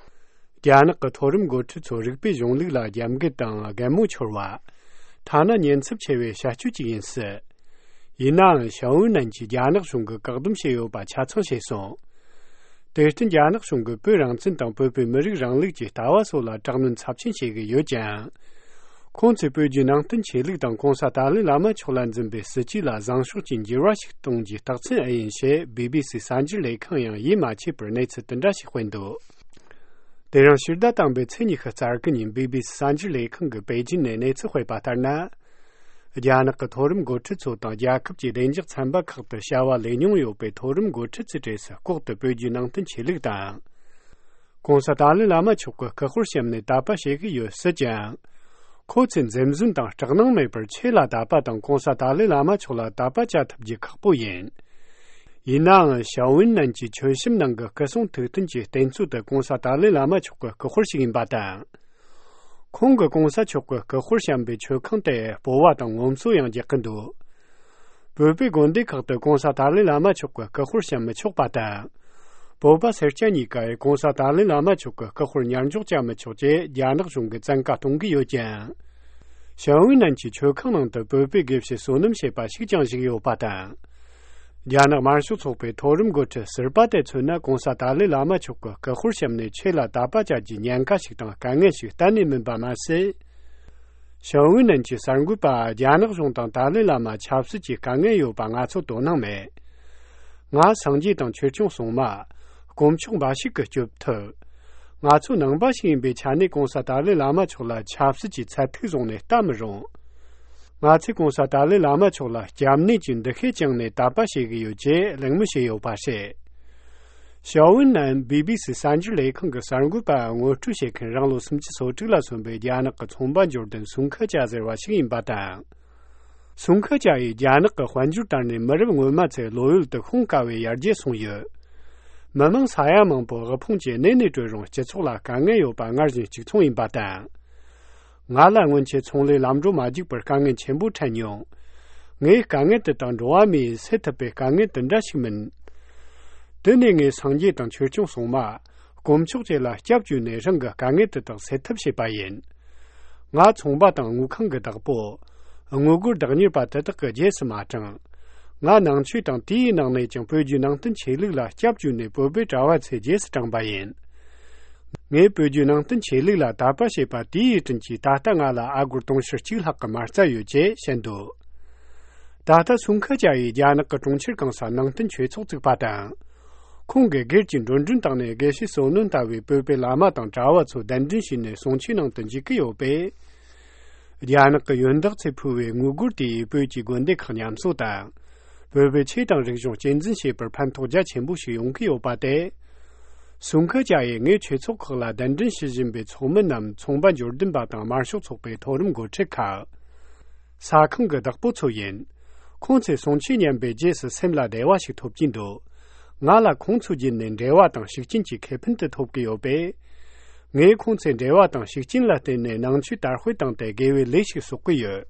རྒྱ་ནག་གི་མཐོ་རིམ་འགོ་ཁྲིད་ཚོ་རིག་པའི་གཞུང་ལུགས་ལ་རྒྱབ་འགལ་དང་རྒན་མོ་འཁྱོར་བ། ཐ་ན་ཉེན་ཚབས་ཆེ་བའི་བྱ་སྤྱོད་ཅིག་ཡིན་སྲིད། ཡིན་ནའང་ཤའོ་ཝུན་ནན་གྱིས་རྒྱ་ནག་གཞུང་གིས་བཀག་སྡོམ་བྱས་ཡོད་པ་ཆ་ཚང་ཤེས་སོང་། དེར་བརྟེན་རྒྱ་ནག་གཞུང་གིས་བོད་རང་བཙན་དང་བོད་པའི་མི་རིགས་རིང་ལུགས་ཀྱི་ལྟ་བ་སོགས་ལ་དྲག་གནོན་ཚབས་ཆེན་བྱེད་ཀྱི་ཡོད་ཀྱང་། ཁོང་ཚོས་བོད་བརྒྱུད་ནང་བསྟན་ཆོས་ལུགས་དང་གོང་ས་ཏཱ་ལའི་བླ་མ་མཆོག་ལ་འཛིན་པའི་སྲིད་བྱུས་ལ་བཟང་ཕྱོགས་ཀྱི་འགྱུར་བ་ཞིག་གཏོང་རྒྱུའི་རྟགས་མཚན་ཨེ་ཡིན་ཞེས་བི་བི་སི་གསར་འགྱུར་ལས་ཁང་ཡང་ཡིད་མ་ཆེས་པར་གནས་ཚུལ་དེ་འདྲ་ཞིག་སྤེལ་འདུག་དེ་རིང་ཕྱི་ཟླ་དང་པོའི་ཚེས་ཉི་ཤུ་རྩ་དགུ་ཉིན་བི་བི་སི་གསར་འགྱུར་ལས་ཁང་གིས་པེ་ཅིན་ནས་གནས་ཚུལ་སྤེལ་བ་ལྟར་ན། རྒྱ་ནག་གི་མཐོ་རིམ་འགོ་ཁྲིད་ཚོ་དང་རྒྱལ་ཁབ་ཀྱི་བདེ་འཇགས་ཚན་པ་ཁག་ཏུ་བྱ་བ་ལས་མྱོང་ཡོད་པའི་མཐོ་རིམ་འགོ་ཁྲིད་ཚོའི་གྲས་སུ་ལྐོག་ཏུ་བོད་བརྒྱུད་ནང་བསྟན་ཆོས་ལུགས་དང་། གོང་ས་ཏཱ་ལའི་བླ་མ་མཆོག་གི་སྐུ་དཔེར་བཤམས་ནས་དད་པ་བྱེད་ཀྱི་ཡོད་སྲིད་ཀྱང་། ཁོ་ཚོས་འཛེམ་ཟོན་དང་སྐྲག་སྣང་མེད་པར་ཆོས་ལ་དད་པ་དང་གོང་ས་ཏཱ་ལའི་བླ་མ་མཆོག་ལ་དད་པ་བྱ་ཐུབ་རྒྱུ་ཁག་པོ་ཡིན། ཡིན་ནའང་ཤའོ་ཝུན་ནན་གྱི་མཆོད་བཤམས་ནང་གི་སྐུ་གསུང་ཐུགས་རྟེན་གྱི་རྟེན་གཙོ་དེ་གོང་ས་ཏཱ་ལའི་བླ་མ་མཆོག་གི་སྐུ་དཔེར་ཞིག་ཡིན་པ་དང་། ཁོང་གིས་གོང་ས་མཆོག་གི་སྐུ་དཔེར་བཤམས་པའི་མཆོད་ཁང་དེ་སྤོ་བ་དང་ངོ་སོ་ཡང་རྒྱག་གི་འདུག་བོད་པའི་དགོན་སྡེ་ཁག་ཏུ་གོང་ས་ཏཱ་ལའི་བླ་མ་མཆོག་གི་སྐུ་དཔེར་བཤམས་མི་ཆོག་པ་དང་། བོད་པ་སེར་སྐྱ་གཉིས་ཀས་གོང་ས་ཏཱ་ལའི་བླ་མ་མཆོག་གི་སྐུ་དཔེར་ཉར་འཇོག་བྱ་མི་ཆོག་ཅེས་རྒྱ་ནག་གཞུང་གིས་བཙན་བཀའ་གཏོང་གི་ཡོད་ཀྱང་། ཤའོ་ཝུན་ནན་གྱིས་མཆོད་ཁང་ནང་དུ་བོད་པའི་དགེ་བཤེས་བསོད་ནམས་ཞེས་པ་ཞིག་ཀྱང་བཞུགས་ཡོད་པ་དང་། རྒྱ་ནག་དམར་ཤོག་ཚོགས་པའི་མཐོ་རིམ་འགོ་ཁྲིད་ཟུར་པ་དེ་མཚོན་ན་གོང་ས་ཏཱ་ལའི་བླ་མ་མཆོག་གི་སྐུ་དཔེར་བཤམས་ནས་ཆོས་ལ་དད་པ་བྱ་རྒྱུའི་ཉེན་ཁ་ཞིག་དང་དཀའ་ངལ་ཞིག་གཏན་ནས་མིན་པ་མ་ཟད། ཤའོ་ཝུན་ནན་གྱི་གསར་འགོད་པ་རྒྱ་ནག་གཞུང་དང་ཏཱ་ལའི་བླ་མ་ཆབ་སྲིད་ཀྱི་དཀའ་ངལ་ཡོད་པ་ང་ཚོར་དོ་སྣང་མེད། ང་སངས་རྒྱས་དང་ཆོས་སྐྱོང་སྲུང་མ། དཀོན་མཆོག་འབའ་ཞིག་གིས་སྐྱོབ་ཐུབ། ང་ཚོ་ནང་པ་ཞིག་ཡིན་པའི་ཆ་ནས་གོང་ས་ཏཱ་ལའི་བླ་མ་མཆོག་ལ་ཆབ་སྲིད་ཀྱི་ཚད་ཐིག་བཟུང་ནས་ལྟ་མི་རུང་། ང་ཚོས་གོང་ས་ཏཱ་ལའི་བླ་མ་མཆོག་ལ་སྐྱབས་གནས་ཀྱི་འདུ་ཤེས་བཅངས་ནས་དད་པ་བྱེད་ཀྱི་ཡོད་ཅེས་གླེང་མོལ་བྱས་ཡོད་པ་རེད། ཤའོ་ཝུན་ནན་བི་བི་སི་གསར་འགྱུར་ལས་ཁང་གི་གསར་འགོད་པ་ངོ་སྤྲོད་བྱེད་མཁན་རང་ལོ་སུམ་ཅུ་སོ་དྲུག་ལ་སོན་པའི་རྒྱ་ནག་གི་ཚོང་པ་འབྱོར་ལྡན་སུང་ཁ་ཅཱ་ཟེར་བ་ཞིག་ཡིན་པ་དང་། སུང་ཁ་ཅཱ་ཡིས་རྒྱ་ནག་གི་དཔལ་འབྱོར་དར་ནས་མི་རབས་སྔོན་མ་ཚོའི་བློ་ཡུལ་དུ་ཤོང་དཀའ་བའི་ཡར་རྒྱས་སོང་ཡོད། མི་མང་ས་ཡ་མང་པོ་དབུལ་ཕོངས་ཀྱི་གནས་ནས་གྲོལ་རུང་སྤྱི་ཚོགས་ལ་དཀའ་ངལ་ཡོད་པ་སྔར་བཞིན་གཅིག་མཚུངས་ཡིན་པ་དང་། ང་ལ་སྔོན་ཆད་ཚོང་ལས་ལམ་འགྲོ་མ་རྒྱུག་པར་དཀའ་ངལ་ཆེན་པོ་འཕྲད་མྱོང་། ངའི་དཀའ་ངལ་དེ་དག་འགྲོ་བ་མིའི་སེལ་ཐུབ་པའི་དཀའ་ངལ་དེ་འདྲ་ཞིག་མིན། དེ་ནས་ངས་སངས་རྒྱས་དང་ཆོས་སྐྱོང་སྲུང་མ། དཀོན་མཆོག་བཅས་ལ་སྐྱབས་བཅོལ་ནས་རང་གི་དཀའ་ངལ་དེ་དག་སེལ་ཐབས་བྱས་པ་ཡིན། ང་ཚོང་པ་དང་དངུལ་ཁང་གི་བདག་པོ། དངུལ་སྒོར་བདག་གཉེར་པ་དེ་དག་གི་རྗེས་སུ་མ་འབྲངས། ང་ནང་ཆོས་དང་དེའི་ནང་ནས་ཀྱང་བོད་བརྒྱུད་ནང་བསྟན་ཆོས་ལུགས་ལ་སྐྱབས་བཅོལ་ནས་བོད་པའི་གྲྭ་བ་ཚོའི་རྗེས་སུ་འབྲངས་པ་ཡིན། ངས་བོད་བརྒྱུད་ནང་བསྟན་ཆོས་ལུགས་ལ་དད་པ་བྱེད་པ་དེའི་དྲིན་གྱིས་ད་ལྟ་ང་ལ་ཨ་སྒོར་དུང་ཕྱུར་གཅིག་ལྷག་གི་མ་རྩ་ཡོད་ཅེས་བཤད་འདུག་ད་ལྟ་སུང་ཁ་ཅཱ་ཡིས་རྒྱ་ནག་གི་གྲོང་ཁྱེར་གང་སར་ནང་བསྟན་ཆོས་ཚོགས་བཙུགས་པ་དང་། ཁོང་གིས་སྒེར་གྱི་འགྲོ་གྲོན་བཏང་ནས་དགེ་བཤེས་བསོད་ནམས་ལྟ་བུའི་བོད་པའི་བླ་མ་དང་གྲྭ་བ་ཚོ་གདན་འདྲེན་བྱས་ནས་གསུང་ཆོས་གནང་དུ་འཇུག་གི་ཡོད་པས། རྒྱ་ནག་གི་ཡོན་བདག་ཚོས་ཕུལ་བའི་དངུལ་སྒོར་དེས་བོད་ཀྱི་དགོན་སྡེ་ཁག་ཉམས་གསོ་དང་། བོད་པའི་ཆོས་དང་རིག་གཞུང་གཅེས་འཛིན་བྱེད་པར་ཕན་ཐོགས་རྒྱ་ཆེན་པོ་ཞིག་ཡོང་གི་ཡོད་པ་དེ། སུང་ཁ་ཅཱ་ཡིས་ངས་ཆོས་ཚོགས་ཁག་ལ་གདན་འདྲེན་ཞུ་བཞིན་པའི་ཚོགས་མི་རྣམས་ཚོང་པ་འབྱོར་ལྡན་པ་དང་དམར་ཤོག་ཚོགས་པའི་མཐོ་རིམ་འགོ་ཁྲིད་ཁག་ས་ཁང་གི་བདག་པོ་ཚོ་ཡིན། ཁོང་ཚོས་གསུང་ཆོས་ཉན་པའི་རྗེས་སུ་སེམས་ལ་བདེ་བ་ཞིག་ཐོབ་ཀྱིན་འདུག་ང་ལ་ཁོང་ཚོའི་བརྒྱུད་ནས་འབྲེལ་བ་དང་ཤུགས་རྐྱེན་གྱི་ཁེ་ཕན་དེ་ཐོབ་ཀྱི་ཡོད་པས། ངས་ཁོང་ཚོའི་འབྲེལ་བ་དང་ཤུགས་རྐྱེན་ལ་བརྟེན་ནས་ནང་ཆོས་དར་སྤེལ་བཏང་སྟེ་དགེ་བའི་ལས་ཤིག་གསོག་གི་ཡོད།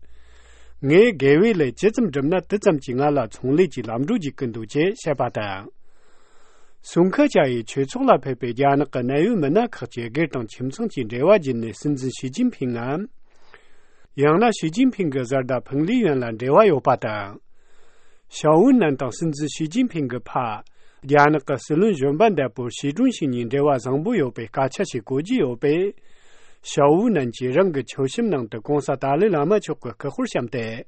ངས་དགེ་བའི་ལས་ཇི་ཙམ་བསྒྲུབས་ན་དེ་ཙམ་གྱིས་ང་ལ་ཚོང་ལས་ཀྱི་ལམ་འགྲོ་རྒྱུག་གི་འདུག་ཅེས་བཤད་པ་དང་། སུང་ཁ་ཅཱ་ཡིས་ཆོས་ཚོགས་ལ་ཕེབས་པའི་རྒྱ་ནག་གི་གནད་ཡོད་མི་སྣ་ཁག་ཅིག་སྒེར་དང་ཁྱིམ་ཚང་གི་འབྲེལ་བ་བརྒྱུད་ནས་སྲིད་འཛིན་ཞི་ཅིན་ཕིང་ངམ། ཡང་ན་ཞི་ཅིན་ཕིང་གི་བཟའ་ཟླ་ཕུང་ལི་ཡོན་ལ་འབྲེལ་བ་ཡོད་པ་དང་། ཤའོ་ཝུན་ནན་དང་སྲིད་འཛིན་ཞི་ཅིན་ཕིང་གི་ཕ། རྒྱ་ནག་གི་སྲིད་བློན་གཞོན་པ་འདས་པོ་ཞི་ཀྲུང་ཞི་གཉིས་འབྲེལ་བ་བཟང་པོ་ཡོད་པའི་སྐད་ཆ་ཞིག་གོ་རྒྱུ་ཡོད་པས། ཤའོ་ཝུན་ནན་གྱིས་རང་གི་མཆོད་བཤམས་ནང་དུ་གོང་ས་ཏཱ་ལའི་བླ་མ་མཆོག་གི་སྐུ་དཔེར་བཤམས་ཏེ།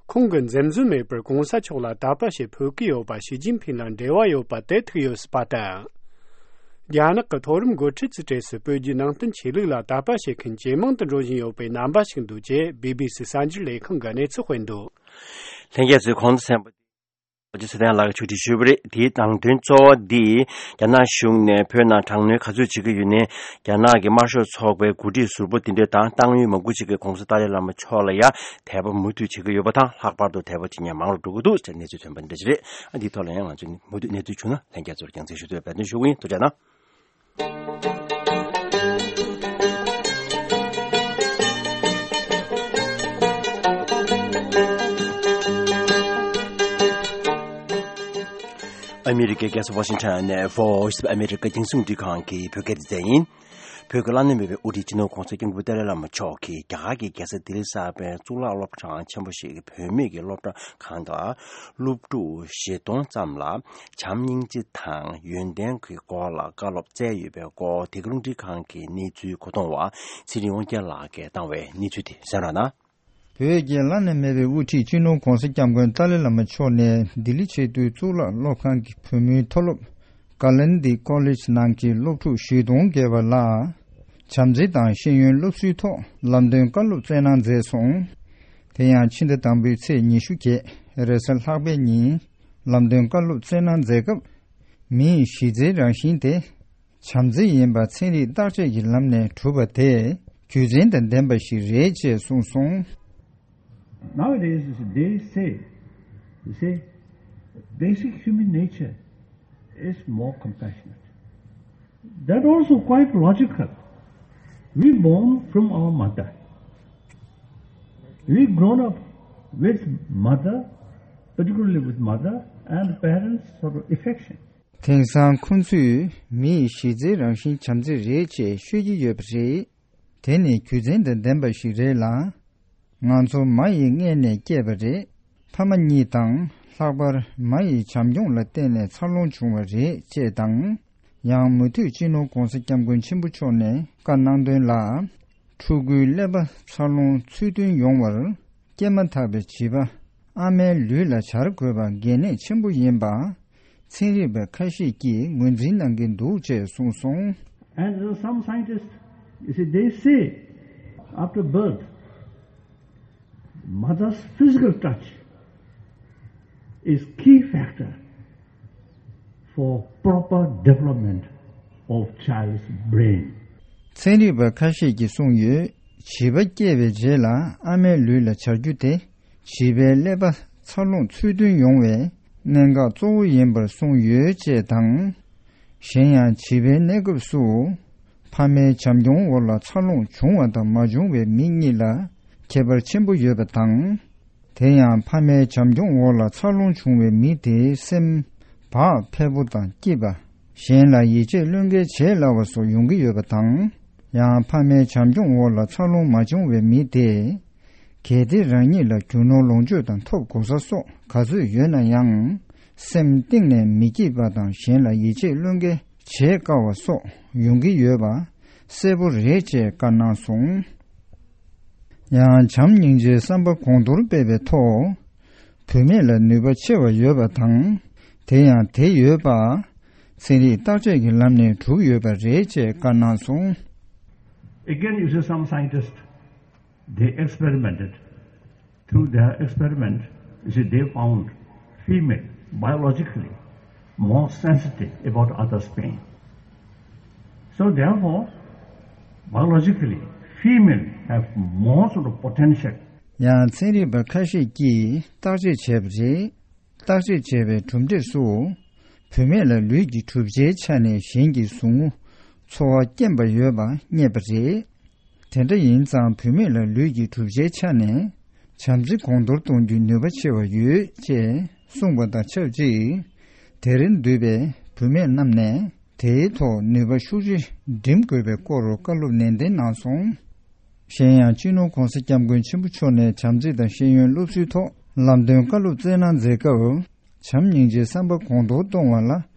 ཁོང་གིས་འཛེམ་ཟོན་མེད་པར་གོང་ས་མཆོག་ལ་དད་པ་བྱེད་ཕོད་ཀྱི་ཡོད་པ་ཞི་ཅིན་ཕིང་ལ་འབྲེལ་བ་ཡོད་པ་དེ་ཐུག་ཡོད་སྲིད་པ་དང་། རྒྱ་ནག་གི་མཐོ་རིམ་འགོ་ཁྲིད་ཚོའི་གྲས་སུ་བོད་བརྒྱུད་ནང་བསྟན་ཆོས་ལུགས་ལ་དད་པ་བྱེད་མཁན་ཇེ་མང་དུ་འགྲོ་བཞིན་ཡོད་པའི་རྣམ་པ་ཞིག་འདུག་ཅེས་བི་བི་སི་གསར་འགྱུར་ལས་ཁང་གིས་གནས་ཚུལ་སྤེལ་འདུག་ལྷན་རྒྱས་ཚོས་གོང་དུ་གསན་པ། ཨོ་ཅི་ཚེ་བརྟན་ལགས་ཀྱིས་ཕྱོགས་སྒྲིག་ཞུས་པ་རེད། དེའི་ནང་དོན་གཙོ་བོ་འདི། རྒྱ་ནག་གཞུང་ནས་བོད་ནང་དྲག་གནོན་ག་ཚོད་བྱེད་ཀྱི་ཡོད་ནའི། རྒྱ་ནག་གི་དམར་ཤོག་ཚོགས་པའི་འགོ་ཁྲིད་ཟུར་པ་དེ་འདྲས་དང་ཏང་ཡོན་མང་པོ་ཅིག་གིས་༸གོང་ས་ཏཱ་ལའི་བླ་མ་མཆོག་ལ་ཡང་དད་པ་མུ་མཐུད་བྱེད་ཀྱི་ཡོད་པ་དང་། ལྷག་པར་དུ་དད་པ་བྱེད་མཁན་མང་རུ་འགྲོ་གི་འདུག་ཅེས་གནས་ཚུལ་ཐོན་པ་འདི་འདྲ་ཞིག་རེད། ཨ། འདིའི་ཐོག་ལ་ཡང་ང་ཚོས་མུ་མཐུད་གནས་ཚུལ་བྱུང་ན་ལྷན་རྒྱས་ཚོར་རྒྱང་སྲིང་ཞུ་འདོད་པའི་འབད་བརྩོན་ཞུ་གི་ཡིན། ཐུགས་རྗེ་གནང་། ཨ་མི་རི་ཀའི་རྒྱལ་ས་ཝ་ཤིང་ཊོན་ནས་Voice of America རྒྱང་སྲིང་རླུང་འཕྲིན་ཁང་གི་བོད་སྐད་སྡེ་ཚན་ཡིན། བོད་ཀྱི་བླ་ན་མེད་པའི་དབུ་ཁྲིད་སྤྱི་ནོར་༸གོང་ས་༸སྐྱབས་མགོན་ཆེན་པོ་ཏཱ་ལའི་བླ་མ་མཆོག་གིས་རྒྱ་གར་གྱི་རྒྱལ་ས་ལྡི་ལི་གསར་པའི་གཙུག་ལག་སློབ་གྲྭ་ཆེན་པོ་ཞིག་གི་བུད་མེད་ཀྱི་སློབ་གྲྭ་ཁང་དུ་སློབ་ཕྲུག་བཞི་སྟོང་ཙམ་ལ་བྱམས་སྙིང་རྗེ་དང་ཡོན་ཏན་གྱི་སྐོར་ལ་བཀའ་སློབ་སྩལ་ཡོད་པའི་སྐོར། དེ་ག་རླུང་འཕྲིན་ཁང་གི་གནས་ཚུལ་གོ་བསྡུར་བ་ཚེ་རིང་དབང་རྒྱལ་ལགས་ཀྱིས་བཏང་བའི་གནས་ཚུལ་དེ་གསན་རོགས་གནང་། བོད་ཀྱི་བླ་ན་མེད་པའི་དབུ་ཁྲིད་སྤྱི་ནོར་༸གོང་ས་༸སྐྱབས་མགོན་ཏཱ་ལའི་བླ་མ་མཆོག་ནས་ལྡི་ལི་ཆེས་མཐོའི་གཙུག་ལག་སློབ་ཁང་གི་བུ་མོའི་མཐོ་སློབ་Kalindi College ནང་གི་སློབ་ཕྲུག་བཞི་སྟོང་བརྒལ་བ་ལ་བྱམས་བརྩེ་དང་ཤེས་ཡོན་སློབ་གསོའི་ཐོག་ལམ་སྟོན་བཀའ་སློབ་སྩལ་གནང་མཛད་སོང་། དེ་ཡང་ཕྱི་ཟླ་དང་པོའི་ཚེས་ཉི་ཤུ་བརྒྱད་རེས་གཟའ་ལྷག་པའི་ཉིན་ལམ་སྟོན་བཀའ་སློབ་སྩལ་གནང་མཛད་སྐབས། མིའི་གཞི་རྩའི་རང་བཞིན་དེ་བྱམས་བརྩེ་ཡིན་པ་ཚན་རིག་བརྟག་དཔྱད་ཀྱི་ལམ་ནས་གྲུབ་པ་དེ་རྒྱུ་མཚན་དང་ལྡན་པ་ཞིག་རེད་ཅེས་གསུངས་སོང་། Nowadays, they say, you see, basic human nature is more compassionate. That also quite logical. We born from our mother. We grown up with mother, particularly with mother and parents' sort of affection. དེང་སང་ཁོང་ཚོས་མིའི་གཞི་རྩའི་རང་བཞིན་བྱམས་བརྩེ་རེད་ཅེས་ཤོད་ཀྱི་ཡོད་པ་རེད། དེ་ནི་རྒྱུ་མཚན་དང་ལྡན་པ་ཞིག་རེད་ལ། ང་ཚོ་མ་ཡི་མངལ་ནས་སྐྱེས་པ་རེད། ཕ་མ་གཉིས་དང་ལྷག་པར་མ་ཡི་བྱམས་སྐྱོང་ལ་བརྟེན་ནས་འཚར་ལོངས་བྱུང་བ་རེད་ཅེས་དང་། ཡང་མུ་མཐུད་སྤྱི་ནོར་༸གོང་ས་༸སྐྱབས་མགོན་ཆེན་པོ་མཆོག་ནས་བཀའ་གནང་དོན་ལ། ཕྲུ་གུའི་ཀླད་པ་འཚར་ལོངས་ཚུལ་མཐུན་ཡོང་བར། སྐྱེས་མ་ཐག་པའི་བྱིས་པ་ཨ་མའི་ལུས་ལ་སྦྱར་དགོས་པ་གལ་གནད་ཆེན་པོ་ཡིན་པ། ཚན་རིག་པ་ཁ་ཤས་ཀྱིས་ངོས་འཛིན་གནང་གི་འདུག་ཅེས་གསུངས་སོང་། And there are some scientists, you see, they say after birth, mother's physical touch is key factor for proper development of child's brain. ཚན་རིག་པ་ཁ་ཤས་ཀྱིས་གསུངས་ཡོད། བྱིས་པ་སྐྱེས་པའི་རྗེས་ལ་ཨ་མའི་ལུས་ལ་སྦྱར་རྒྱུ་དེ། བྱིས་པའི་ཀླད་པ་འཚར་ལོངས་ཚུལ་མཐུན་ཡོང་བའི་གནད་འགག་གཙོ་བོ་ཡིན་པར་གསུངས་ཡོད་ཅེས་དང་། གཞན་ཡང་བྱིས་པའི་གནས་སྐབས་སུ་ཕ་མའི་བྱམས་སྐྱོང་འོག་ལ་འཚར་ལོངས་བྱུང་བ་དང་མ་བྱུང་བའི་མི་གཉིས་ལ་ཁྱད་པར་ཆེན་པོ་ཡོད་པ་དང་། དེ་ཡང་ཕ་མའི་བྱམས་སྐྱོང་འོག་ལ་འཚར་ལོངས་བྱུང་བའི་མི་དེའི་སེམས་བག་ཕེབས་པོ་དང་སྐྱིད་པ། གཞན་ལ་ཡིད་ཆེས་བློས་འགེལ་བྱེད་སླ་བ་སོགས་ཡོང་གི་ཡོད་པ་དང་། ཡང་ཕ་མའི་བྱམས་སྐྱོང་འོག་ལ་འཚར་ལོངས་མ་བྱུང་བའི་མི་དེས། གལ་ཏེ་རང་ཉིད་ལ་རྒྱུ་ནོར་ལོངས་སྤྱོད་དང་ཐོབ་གོ་ས་སོགས་ག་ཚོད་ཡོད་ན་ཡང་། སེམས་གཏིང་ནས་མི་སྐྱིད་པ་དང་གཞན་ལ་ཡིད་ཆེས་བློས་འགེལ་བྱེད་དཀའ་བ་སོགས་ཡོང་གི་ཡོད་པ་གསལ་པོ་རེད་ཅེས་བཀའ་གནང་སོང་། ཡང་བྱམས་སྙིང་རྗེའི་བསམ་པ་གོང་མཐོར་སྤེལ་བའི་ཐོག་བུད་མེད་ལ་ནུས་པ་ཆེ་བ་ཡོད་པ་དང་། དེ་ཡང་དེ་ཡོད་པ་ཚན་རིག་བརྟག་དཔྱད་ཀྱི་ལམ་ནས་གྲུབ་ཡོད་པ་རེད་ཅེས་བཀའ་གནང་སོང་། Again, you see, some scientists, they experimented. Through their experiment, you see, they found female biologically more sensitive about others' pain. So therefore, biologically, female have more sort of potential. ཡང་ཚན་རིག་པ་ཁ་ཤས་ཀྱིས་བརྟག་དཔྱད་བྱས་པ་རེད། བརྟག་དཔྱད་བྱས་པའི་གྲུབ་འབྲས་སུ། བུད་མེད་ལ་ལུས་ཀྱི་གྲུབ་ཆའི་ཆ་ནས་གཞན་གྱི་ཟུག་རྔུ་ཚོར་བ་སྐྱེན་པ་ཡོད་པ་རྙེད་པ་རེད། དེ་འདྲ་ཡིན་ཙང་བུད་མེད་ལ་ལུས་ཀྱི་གྲུབ་ཆའི་ཆ་ནས་བྱམས་བརྩེ་གོང་མཐོར་གཏོང་རྒྱུའི་ནུས་པ་ཆེ་བ་ཡོད་ཅེས་གསུངས་པ་དང་ཆབས་ཅིག་དེར་འདུས་པའི་བུད་མེད་རྣམས་ནས་དེའི་ཐོག་ནུས་པ་ཤུགས་ཆེ་སྒྲིམ་དགོས་པའི་སྐོར་བཀའ་སློབ་ནན་ཏན་གནང་སོང་། གཞན་ཡང་སྤྱི་ནོར་༸གོང་ས་༸སྐྱབས་མགོན་ཆེན་པོ་མཆོག་ནས་བྱམས་བརྩེ་དང་ཤེས་ཡོན་སློབ་གསོའི་ཐོག་ལམ་སྟོན་བཀའ་སློབ་སྩལ་གནང་མཛད་སྐབས། བྱམས་སྙིང་རྗེའི་བསམ་པ་གོང་མཐོར་གཏོང་བ་ལ་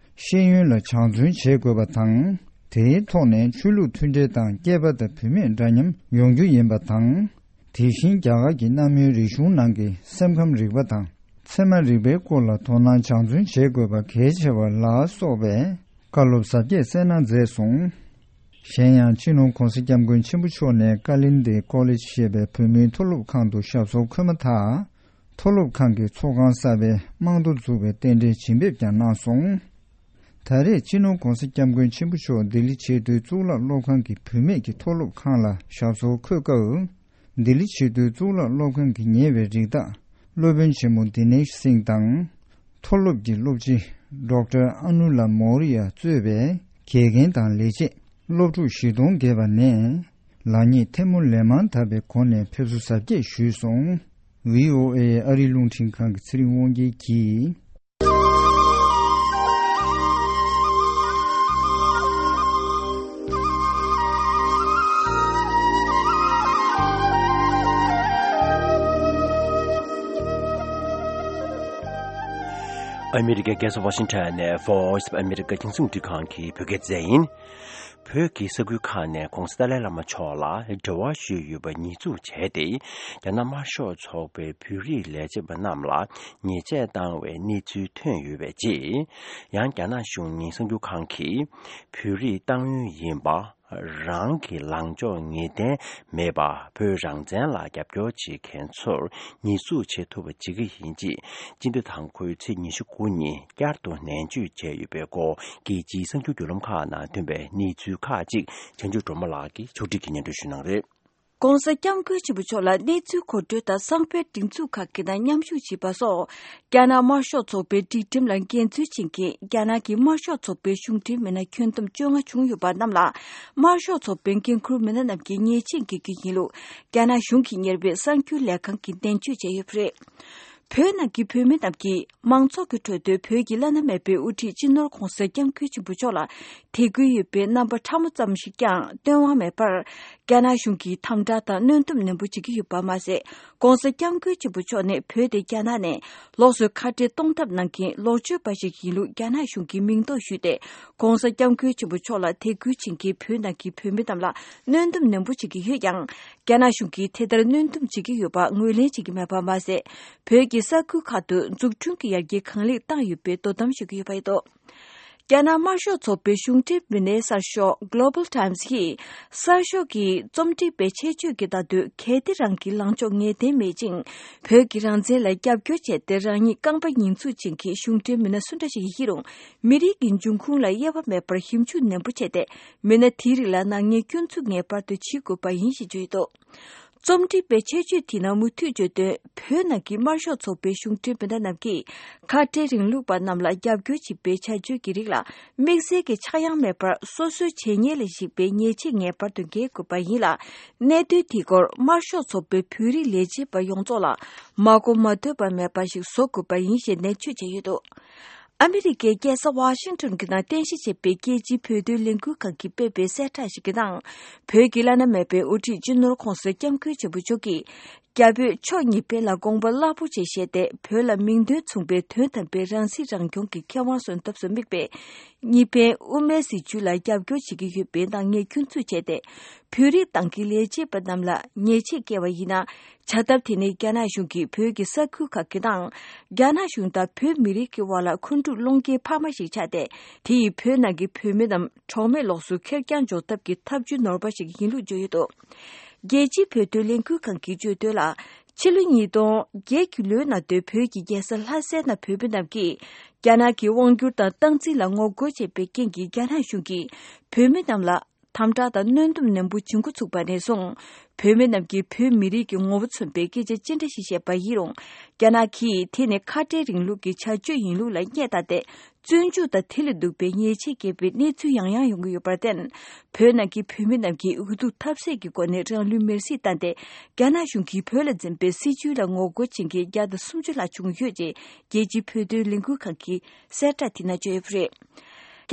ཤེས་ཡོན་ལ་སྦྱང་བརྩོན་བྱེད་དགོས་པ་དང་། དེའི་ཐོག་ནས་ཆོས་ལུགས་མཐུན་འབྲེལ་དང་སྐྱེས་པ་དང་བུད་མེད་འདྲ་མཉམ་ཡོང་རྒྱུ་ཡིན་པ་དང་། དེ་བཞིན་རྒྱ་གར་གྱི་གནའ་མིའི་རིག་གཞུང་ནང་གི་སེམས་ཁམས་རིག་པ་དང་ཚད་མ་རིག་པའི་སྐོར་ལ་དོ་སྣང་སྦྱང་བརྩོན་བྱེད་དགོས་པ་གལ་ཆེ་བ་ལ་སོགས་པའི་བཀའ་སློབ་ཟབ་རྒྱས་སྩལ་གནང་མཛད་སོང་། གཞན་ཡང་སྤྱི་ནོར་༸གོང་ས་༸སྐྱབས་མགོན་ཆེན་པོ་མཆོག་ནས་ཀ་ལིན་དེ་ཀོ་ལེཇ་ཞེས་པའི་བོད་མིའི་མཐོ་སློབ་ཁང་དུ་ཞབས་སོར་འཁོད་མ་ཐག་མཐོ་སློབ་ཁང་གི་ཚོགས་ཁང་གསར་པའི་རྨང་རྡོ་འཛུགས་པའི་རྟེན་འབྲེལ་བྱིན་འབེབས་ཀྱང་གནང་སོང་། ད་རེས་སྤྱི་ནོར་༧གོང་ས་༧སྐྱབས་མགོན་ཆེན་པོ་མཆོག་ལྡི་ལི་ཆེས་མཐོའི་གཙུག་ལག་སློབ་ཁང་གི་བུད་མེད་ཀྱི་མཐོ་སློབ་ཁང་ལ་ཞབས་སོར་འཁོད་སྐབས། ལྡི་ལི་ཆེས་མཐོའི་གཙུག་ལག་སློབ་ཁང་གི་ཉེ་བའི་རིགས་བདག་སློབ་དཔོན་ཆེན་མོ་དི་ནེཤ་སིང་དང་། མཐོ་སློབ་ཀྱི་སློབ་སྤྱི་ཌོག་ཊར་ཨ་ནུ་ལ་མོ་རི་ཡ་གཙོས་པའི་དགེ་རྒན་དང་ལས་བྱེད་སློབ་ཕྲུག་བཞི་སྟོང་བརྒལ་བ་ནས་ལག་གཉིས་ཐལ་མོ་ལས་མང་དག་པའི་སྒོ་ནས་ཕེབས་བསུ་གཟབ་རྒྱས་ཞུས་སོང་། བྷི་ཨོ་ཨེ་ཨ་རིའི་རླུང་འཕྲིན་ཁང་གི་ཚེ་རིང་དབང་རྒྱལ་གྱིས། ཨ་མི་རི་ཀའི་རྒྱལ་ས་ཝ་ཤིང་ཊོན་ནས་Voice of America རྒྱང་སྲིང་རླུང་འཕྲིན་ཁང་གི་བོད་སྐད་སྡེ་ཚན་ཡིན། བོད་ཀྱི་ས་ཁུལ་ཁག་ནས་༧གོང་ས་ཏཱ་ལའི་བླ་མ་མཆོག་ལ་འབྲེལ་བ་ཞུས་ཡོད་པ་ཉེས་འཛུགས་བྱས་ཏེ། རྒྱ་ནག་དམར་ཤོག་ཚོགས་པའི་བོད་རིགས་ལས་བྱེད་པ་རྣམས་ལ་ཉེས་ཆད་བཏང་བའི་གནས་ཚུལ་ཐོན་ཡོད་པའི་རྗེས། ཡང་རྒྱ་ནག་གཞུང་ཉེན་སྲུང་རྒྱུ་ཁང་གིས་བོད་རིགས་ཏང་ཡོན་ཡིན་པ། རང་གི་ལངས་ཕྱོགས་ངེས་གཏན་མེད་པར་བོད་རང་བཙན་ལ་རྒྱབ་སྐྱོར་བྱེད་མཁན་ཚོར་ཉེས་འཛུགས་བྱེད་ཐུབ་པ་བྱེད་ཀྱི་ཡིན་ཅེས། སྤྱི་ཟླ་དང་པོའི་ཚེས་ཉི་ཤུ་དགུ་ཉིན་བསྐྱར་དུ་ནན་བརྗོད་བྱས་ཡོད་པའི་སྐོར། རྒྱལ་སྤྱིའི་གསར་འགྱུར་བརྒྱུད་ལམ་ཁག་ནང་ཐོན་པའི་གནས་ཚུལ་ཁག་ཅིག་བྱང་ཆུབ་སྒྲོལ་མ་ལགས་ཀྱིས་ཕྱོགས་སྒྲིག་གིས་སྙན་སྒྲོན་ཞུ་གནང་རེད། ྋགོང་ས་ྋསྐྱབས་མགོན་ཆེན་པོ་མཆོག་ལ་གནས་ཚུལ་མཁོ་སྤྲོད་དང་གསང་བའི་སྒྲིག་འཛུགས་ཁག་གི་ནང་མཉམ་ཞུགས་བྱས་པ་སོགས། རྒྱ་ནག་དམར་ཤོག་ཚོགས་པའི་སྒྲིག་ཁྲིམས་ལ་འགལ་འཛོལ་བྱེད་མཁན་རྒྱ་ནག་གི་དམར་ཤོག་ཚོགས་པའི་གཞུང་འབྲེལ་མི་སྣ་ཁྱོན་བསྡོམས་བཅོ་ལྔ་བྱུང་ཡོད་པ་རྣམས་ལ། དམར་ཤོག་ཚོགས་པའི་འགན་འཁུར་མི་སྣ་རྣམས་ཀྱིས་ཉེས་ཆད་འགེལ་རྒྱུ་ཡིན་ལུགས། རྒྱ་ནག་གཞུང་གིས་གཉེར་བའི་གསར་འགྱུར་ལས་ཁང་གིས་འགྲེལ་བརྗོད་བྱས་ཡོད་པ་རེད། བོད་ནང་གི་བོད་མི་རྣམས་ཀྱིས་མང་ཚོགས་ཀྱི་ཁྲོད་དུ་བོད་ཀྱི་བླ་ན་མེད་པའི་དབུ་ཁྲིད་སྤྱི་ནོར་༧གོང་ས་༧སྐྱབས་མགོན་ཆེན་པོ་མཆོག་ལ་དད་གུས་ཡོད་པའི་རྣམ་པ་ཕྲ་མོ་ཙམ་ཞིག་ཀྱང་སྟོན་དབང་མེད་པར། རྒྱ་ནག་གཞུང་གིས་དམ་དྲག་དང་གནོན་སྡོམ་ནན་པོ་བྱེད་ཀྱི་ཡོད་པ་མ་ཟད། ྋགོང་ས་ྋསྐྱབས་མགོན་ཆེན་པོ་མཆོག་ནི་བོད་དེ་རྒྱ་ནག་ནས་ལོགས་སུ་ཁ་བྲལ་གཏོང་ཐབས་གནང་མཁན་ལོག་སྤྱོད་པ་ཞིག་ཡིན་ལུགས་རྒྱ་ནག་གཞུང་གིས་མིང་འདོགས་ཞུས་ཏེ། ྋགོང་ས་ྋསྐྱབས་མགོན་ཆེན་པོ་མཆོག་ལ་དད་གུས་བྱེད་མཁན་བོད་ནང་གི་བོད་མི་རྣམས་ལ་གནོན་སྡོམ་ནན་པོ་བྱེད་ཀྱི་ཡོད་ཀྱང་། རྒྱ་ནག་གཞུང་གིས་དེ་ལྟར་གནོན་སྡོམ་བྱེད་ཀྱི་ཡོད་པ་ངོས་ལེན་བྱེད་ཀྱི་མེད་པ་མ་ཟད། བོད་ཀྱི་ས་ཁུལ་ཁག་ཏུ་འཛུགས་སྐྲུན་གྱི་ཡར་རྒྱས་གང་ལེགས་བཏང་ཡོད་པའི་དོ་དམ་ཞུ་གི་ཡོད་པ་རེད་འདུག་རྒྱ་ནག་དམར་ཤོག་ཚོགས་པའི་གཞུང་འབྲེལ་མི་སྣའི་གསར་ཤོག་Global Times ཡིས། གསར་ཤོག་གི་རྩོམ་སྒྲིག་པའི་ཆེད་བརྗོད་ཀྱི་ལྟ་དུས། གལ་ཏེ་རང་གི་ལངས་ཕྱོགས་ངེས་གཏན་མེད་ཅིང་། བོད་ཀྱི་རང་བཙན་ལ་རྒྱབ་སྐྱོར་བྱས་ཏེ། རང་ཉིད་རྐང་པ་ཉེས་འཛུགས་བྱེད་མཁན་གཞུང་འབྲེལ་མི་སྣ་སུ་འདྲ་ཞིག་ཡིན་རུང་། མི་རིགས་ཀྱི་འབྱུང་ཁུངས་ལ་དབྱེ་བ་མེད་པར་ཞིབ་འཇུག་ནན་པོ་བྱས་ཏེ། མི་སྣ་དེའི་རིགས་ལ་ནག་ཉེས་སྐྱོན་འཛུགས་ངེས་པར་དུ་བྱེད་དགོས་པ་ཡིན་ཞེས་བརྗོད་ཡོད་འདུག་རྩོམ་སྒྲིག་པའི་ཆེད་བརྗོད་དེའི་ནང་མུ་མཐུད་བརྗོད་དོན། བོད་ནང་གི་དམར་ཤོག་ཚོགས་པའི་གཞུང་འབྲེལ་མི་སྣ་རྣམས་ཀྱིས། ཁ་བྲལ་རིང་ལུགས་པ་རྣམས་ལ་རྒྱབ་སྐྱོར་བྱེད་པའི་བྱ་སྤྱོད་ཀྱི་རིགས་ལ། དམིགས་བསལ་གྱི་ཆག་ཡང་མེད་པར། སོ་སོའི་བྱས་ཉེས་ལ་གཞིགས་པའི་ཉེས་ཆད་ངེས་པར་དུ་འགེལ་དགོས་པ་ཡིན་ལ། གནད་དོན་དེའི་སྐོར་དམར་ཤོག་ཚོགས་པའི་བོད་རིགས་ལས་བྱེད་པ་ཡོངས་རྫོགས་ལ། མ་གོ་མ་ཐོས་པ་མེད་པ་ཞིག་བཟོ་དགོས་པ་ཡིན་ཞེས་ནན་བརྗོད་བྱས་ཡོད་འདུག་ཨ་མི་རི་ཀའི་རྒྱལ་ས་ཝ་ཤིང་ཊོན་གྱི་ནང་རྟེན་གཞི་བྱས་པའི་རྒྱལ་སྤྱིའི་བོད་དོན་ལས་འགུལ་ཁང་གིས་སྤེལ་བའི་གསལ་བསྒྲགས་ཤིག་གི་ནང་། བོད་ཀྱི་བླ་ན་མེད་པའི་དབུ་ཁྲིད་སྤྱི་ནོར་ྋགོང་ས་ྋསྐྱབས་མགོན་ཆེན་པོ་མཆོག་གིས། རྒྱ་བོད་ཕྱོགས་གཉིས་ཕན་ལ་དགོངས་པ་རླབས་པོ་ཆེ་བཞེས་ཏེ། བོད་ལ་མིང་དོན་མཚུངས་པའི་དོན་དམ་པའི་རང་སྲིད་རང་སྐྱོང་གི་ཁེ་དབང་སོན་ཐབས་སུ་དམིགས་པའི་གཉིས་ཕན་དབུ་མའི་སྲིད་བྱུས་ལ་རྒྱབ་སྐྱོར་བྱེད་ཀྱི་ཡོད་པའི་ནག་ཉེས་སྐྱོན་འཛུགས་བྱས་ཏེ། བོད་རིགས་ཏང་གི་ལས་བྱེད་པ་རྣམས་ལ་ཉེས་ཆད་བཀལ་བ་ཡིན་ན། བྱ་ཐབས་དེ་ནི་རྒྱ་ནག་གཞུང་གིས་བོད་ཀྱི་ས་ཁུལ་ཁག་གི་ནང་། རྒྱ་ནག་གཞུང་དང་བོད་མི་རིགས་ཀྱི་དབར་ལ་འཁོན་འཁྲུག་སློང་རྐྱེན་འཕར་མ་ཞིག་ཆགས་ཏེ། དེ་ཡིས་བོད་ནང་གི་བོད་མི་རྣམས་གྲོགས་མེད་ལོགས་སུ་ཁེར་རྐྱང་འཇོག་ཐབས་ཀྱི་ཐབས་ཇུས་ནོར་བ་ཞིག་ཡིན་ལུགས་བརྗོད་ཡོད་འདུག་རྒྱལ་སྤྱིའི་བོད་དོན་ལས་འགུལ་ཁང་གིས་བརྗོད་དོན་ལ། ཕྱི་ལོ་ཉིས་སྟོང་བརྒྱད་ཀྱི་ལོའི་ནང་དུ་བོད་ཀྱི་རྒྱལ་ས་ལྷ་སའི་ནང་བོད་མི་རྣམས་ཀྱིས། རྒྱ་ནག་གི་དབང་སྒྱུར་དང་སྟངས་འཛིན་ལ་ངོ་རྒོལ་བྱས་པའི་རྐྱེན་གྱིས། རྒྱ་ནག་གཞུང་གིས་བོད་མི་རྣམས་ལ། དམ་དྲག་དང་གནོན་སྡོམ་ནན་པོ་བྱེད་འགོ་ཚུགས་པ་ནས་བཟུང་། བོད་མི་རྣམས་ཀྱིས་བོད་མི་རིགས་ཀྱི་ངོ་བོ་མཚོན་པའི་སྐད་ཆ་ཅི་འདྲ་ཞིག་བཤད་པ་ཡིན་རུང་། རྒྱ་ནག་གིས་དེ་ནི་ཁ་བྲལ་རིང་ལུགས་ཀྱི་བྱ་སྤྱོད་ཡིན་ལུགས་ལ་བསྙད་བཏང་སྟེ། བཙོན་འཇུག་དང་དེ་ལས་སྡུག་པའི་ཉེས་ཆད་འགེལ་བའི་གནས་ཚུལ་ཡང་ཡང་ཡོང་གི་ཡོད་པར་བརྟེན། བོད་ནང་གི་བོད་མི་རྣམས་ཀྱིས་འུ་ཐུག་ཐབས་ཟད་ཀྱི་སྒོ་ནས་རང་ལུས་མེར་སྲེག་བཏང་སྟེ། རྒྱ་ནག་གཞུང་གིས་བོད་ལ་འཛིན་པའི་སྲིད་བྱུས་ལ་ངོ་རྒོལ་བྱེད་མཁན་བརྒྱ་དང་སུམ་ཅུ་ལྷག་བྱུང་ཡོད་ཅེས་རྒྱལ་སྤྱིའི་བོད་དོན་ལས་འགུལ་ཁང་གིས་གསལ་བསྒྲགས་དེ་ནང་བརྗོད་ཡོད་པ་རེད།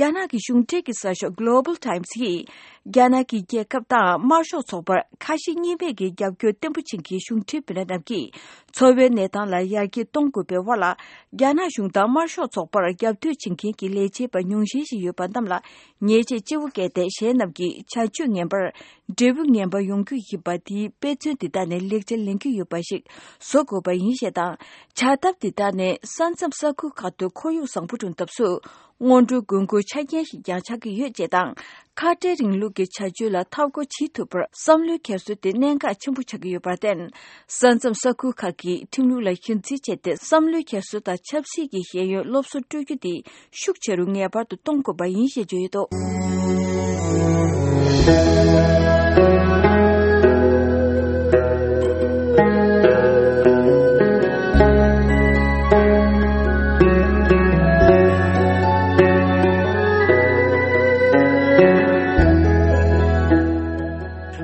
རྒྱ་ནག་གི་གཞུང་འབྲེལ་གྱི་གསར་ཤོག་Global Times ཡིས། རྒྱ་ནག་གི་རྒྱལ་ཁབ་དང་དམར་ཤོག་ཚོགས་པར་ཁ་ཞེ་གཉིས་མེད་ཀྱི་རྒྱབ་སྐྱོར་བརྟན་པོ་བྱེད་མཁན་གཞུང་འབྲེལ་མི་སྣ་རྣམས་ཀྱིས། འཚོ་བའི་གནས་སྟངས་ལ་ཡར་རྒྱས་གཏོང་དགོས་པའི་དབར་ལ། རྒྱ་ནག་གཞུང་དང་དམར་ཤོག་ཚོགས་པར་རྒྱབ་གཏོད་བྱེད་མཁན་གྱི་ལས་བྱེད་པ་ཉུང་ཤས་ཤིག་ཡོད་པ་རྣམས་ལ། ཉེས་ཆད་ལྕི་བོ་བཀལ་ཏེ། གཞན་རྣམས་ཀྱི་བྱ་སྤྱོད་ངན་པར། འབྲས་བུ་ངན་པ་ཡོང་རྒྱུ་ཡིན་པ། དེའི་དཔེ་མཚོན་འདི་དག་ནས་ལེགས་ཆ་ལེན་རྒྱུ་ཡོད་པ་ཞིག་བཟོ་དགོས་པ་ཡིན་ཞེས་དང་། བྱ་ཐབས་འདི་དག་ནི་ས་མཚམས་ས་ཁུལ་ཁག་ཏུ་ཁོར་ཡུག་བཟང་པོ་བསྐྲུན་ཐབས་སུ། སྔོན་འགྲོའི་དགོས་མཁོའི་ཆ་རྐྱེན་ཞིག་ཀྱང་ཆགས་ཀྱི་ཡོད་ཅེས་དང་། ཁ་བྲལ་རིང་ལུགས་ཀྱི་བྱ་སྤྱོད་ལ་འཐབ་རྒོལ་བྱེད་ཐུབ་པར་བསམ་བློའི་འཁྱེར་སོ་དེ་གནད་འགག་ཆེན་པོ་ཆགས་ཀྱི་ཡོད་པར་བརྟེན། ས་མཚམས་ས་ཁུལ་ཁག་གི་ཁྲིམས་ལུགས་ལ་གཞི་འཛིན་བྱས་ཏེ། བསམ་བློའི་འཁྱེར་སོ་དང་ཆབ་སྲིད་ཀྱི་ཤེས་ཡོན་སློབ་གསོ་སྤྲོད་རྒྱུ་དེ་ཤུགས་ཆེ་རུ་ངེས་པར་དུ་གཏོང་དགོས་པ་ཡིན་ཞེས་བརྗོད་ཡོད་འདུག་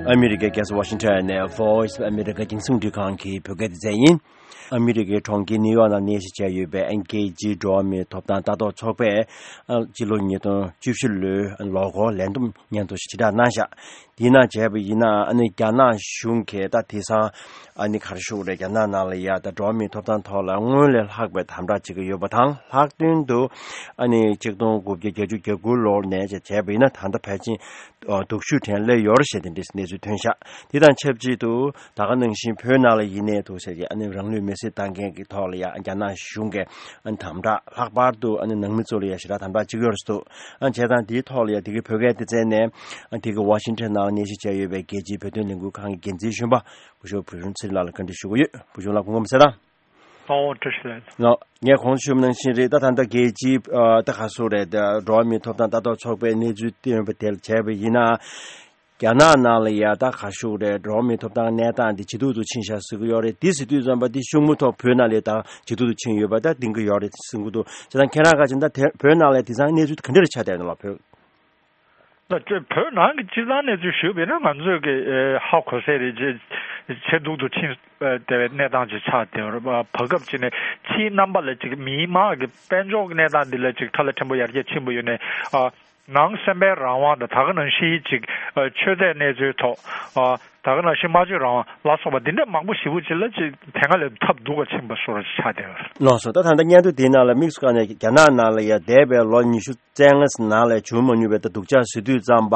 ཨ་མི་རི་ཀའི་རྒྱལ་ས་ཝ་ཤིང་ཊོན་ནས་Voice of America རྒྱང་སྲིང་རླུང་འཕྲིན་ཁང་གི་བོད་སྐད་སྡེ་ཚན་ཡིན། ཨ་མི་རི་ཀའི་གྲོང་ཁྱེར་ནིའུ་ཡོག་ནང་གནས་གཞི་བྱས་ཡོད་པའི་ཨ་ནི་རྒྱལ་སྤྱིའི་འགྲོ་བ་མིའི་ཐོབ་ཐང་ལྟ་རྟོག་ཚོགས་པས། ཨ། སྤྱི་ལོ་ཉིས་སྟོང་བཅུ་བཞི་ལོའི་ལོ་འཁོར་ལས་བསྡོམས་སྙན་ཐོ་ཞིག་ཕྱིར་བསྒྲགས་གནང་བཞག་དེའི་ནང་བྱས་པ་ཡིན་ན། ཨ་ནི་རྒྱ་ནག་གཞུང་གིས་ད་དེང་སང་ཨ་ནི་ག་རེ་ཞུ་དགོས་རེད། རྒྱ་ནག་ནང་ལ་ཡ་ད་འགྲོ་བ་མིའི་ཐོབ་ཐང་ཐོག་ལ་སྔོན་ལས་ལྷག་པའི་དམ་དྲག་བྱེད་ཀྱི་ཡོད་པ་དང་། ལྷག་དོན་དུ་ཨ་ནི་ཆིག་སྟོང་དགུ་བརྒྱ་བརྒྱད་ཅུ་གྱ་དགུ་ལོ་ནས་བྱས་པ་ཡིན་ན། ད་ལྟ་ཕལ་ཆེར་སྡུག་ཤོས་དྲན་སླེབས་ཡོད་རེད་ཞེས་དེ་འདྲའི་གནས་ཚུལ་ཐོན་ཤག་དེ་དང་ཆབས་ཅིག་ཏུ་ད་ག་ནང་བཞིན་བོད་ནང་ལ་ཡིན་ནའི་འདུག་ཟེར་གྱི། ཨ་ནི་རང་ལུས་མེར་སྲེག་བཏང་མཁན་གྱི་ཐོག་ལ་ཡ་རྒྱ་ནག་གཞུང་གིས་ཨ་ནི་དམ་དྲག། ལྷག་པར་དུ་ཨ་ནི་ནང་མི་ཚོ་ལ་ཡ་ཞེ་དྲག་དམ་དྲག་བྱེད་ཀྱི་ཡོད་རེད་འདུག་ཨ། བྱས་ཙང་དེའི་ཐོག་ལ་ཡ་དེ་གའི་བོད་སྐད་སྡེ་ཚན་ནས། ཨ། དེ་གའི་ཝ་ཤིང་ཊོན་ནང་གནས་གཞི་བྱས་ཡོད་པའི་རྒྱལ་སྤྱིའི་བོད་དོན་ལས་འགུལ་ཁང་གི་འགན་འཛིན་གཞོན་པ་བུ་ཤོག་བུ་ཆུང་ཚེ་རིང་ལགས་ལ་བཀའ་འདྲི་ཞུ་གི་ཡོད། བུ་ཆུང་ལགས་སྐུ་ཁམས་བཟང་། ཨོ། བཀྲ་ཤིས་བདེ་ལེགས། ལགས། ངས་གོང་དུ་ཞུས་པ་ནང་བཞིན་རེད། ད་ད་ལྟ་རྒྱལ་སྤྱིའི། ཨ། ད་ག་སུ་རེད། ད་འགྲོ་བ་མིའི་ཐོབ་ཐང་ལྟ་རྟོག་ཚོགས་པའི་གནས་ཚུལ་བཏོན་པ་དེ་ལ་བྱས་པ་ཡིན་ན། རྒྱ་ནག་ནང་ལ་ཡ་ད་ག་ཞུ་དགོས་རེད། འགྲོ་བ་མིའི་ཐོབ་ཐང་གནས་སྟངས་འདི་ཇེ་སྡུག་ཏུ་ཕྱིན་ཤག་ཟེར་གྱི་ཡོད་རེད། འདི་ཟེར་དུས་ཙམ་པ་འདི་ཤུགས་མུ་ཐོག་བོད་ནང་ལ་ད་ཇེ་སྡུག་ཏུ་ཕྱིན་ཡོད་པ་ད་གཏན་འཁེལ་ཡོད་རེད་ཟེར་གྱི་འདུག་བྱས་ཙང་ཁྱེད་རང་ག་ཅིག་ད་དེ་བོད་ནང་ལ་དེང་སང་གནས་ཚུལ་ག་འདྲ་རེ་ཆགས་བསྡད་ཡོད་ན་ལགས། བོད། ད་བོད་ནང་གི་སྤྱིར་བཏང་གནས་ཚུལ་ཞུས་པ་ཡིན་ན། ང་ཚོས་ཀྱི་ཨེ་ཧ་གོ་ས་རེད། ཇེ་ཇེ་སྡུག་ཏུ་ཕྱིན་ཨེ་བསྡད་པའི་གནས་སྟངས་ཅིག་ཆགས་བསྡད་ཡོད་རེད། བར་སྐབས་ཅིག་ནས་ཕྱིའི་རྣམ་པ་ལ་ཅིག་མིའི་དམངས་ཀྱི་དཔལ་འབྱོར་གྱི་གནས་སྟངས་འདི་ལ་ཅིག་ཁྲ་ལ་ཕྲན་བུ་ཡར་རྒྱས་ཕྱིན་པ་ཡོད་ནའི། ཨ། ནང་སེམས་པའི་རང་དབང་དང་། ད་ག་ནང་བཞིན་ཅིག་ཨ། ཆོས་དད་གནས་ཚུལ་ཐོག་ཨ། ད་ག་ནང་བཞིན་སྨྲ་བརྗོད་རང་དབང་ལ་སོགས་པ་འདི་འདྲ་མང་པོ་ཞེ་པོ་ཅིག་ལ་ཅིག་དེ་སྔ་ལས་ཐབས་སྡུག་པ་ཕྱིན་པ་བཟོ་འདྲ་ཅིག་ཆགས་བསྡད་ཡོད་རེད། ལགས་སོ། ད་ད་ལྟ་སྙན་ཐོ་འདིའི་ནང་ལ་དམིགས་སུ་བཀར་ནས་རྒྱ་ནག་ནང་ལ་ཡ་འདས་པའི་ལོ་ཉི་ཤུ་རྩ་ལྔ་ནང་ལ་བྱུང་མ་མྱོང་བའི་ད་སྡུག་ཅག་ཟེར་དུས་ཙམ་པ།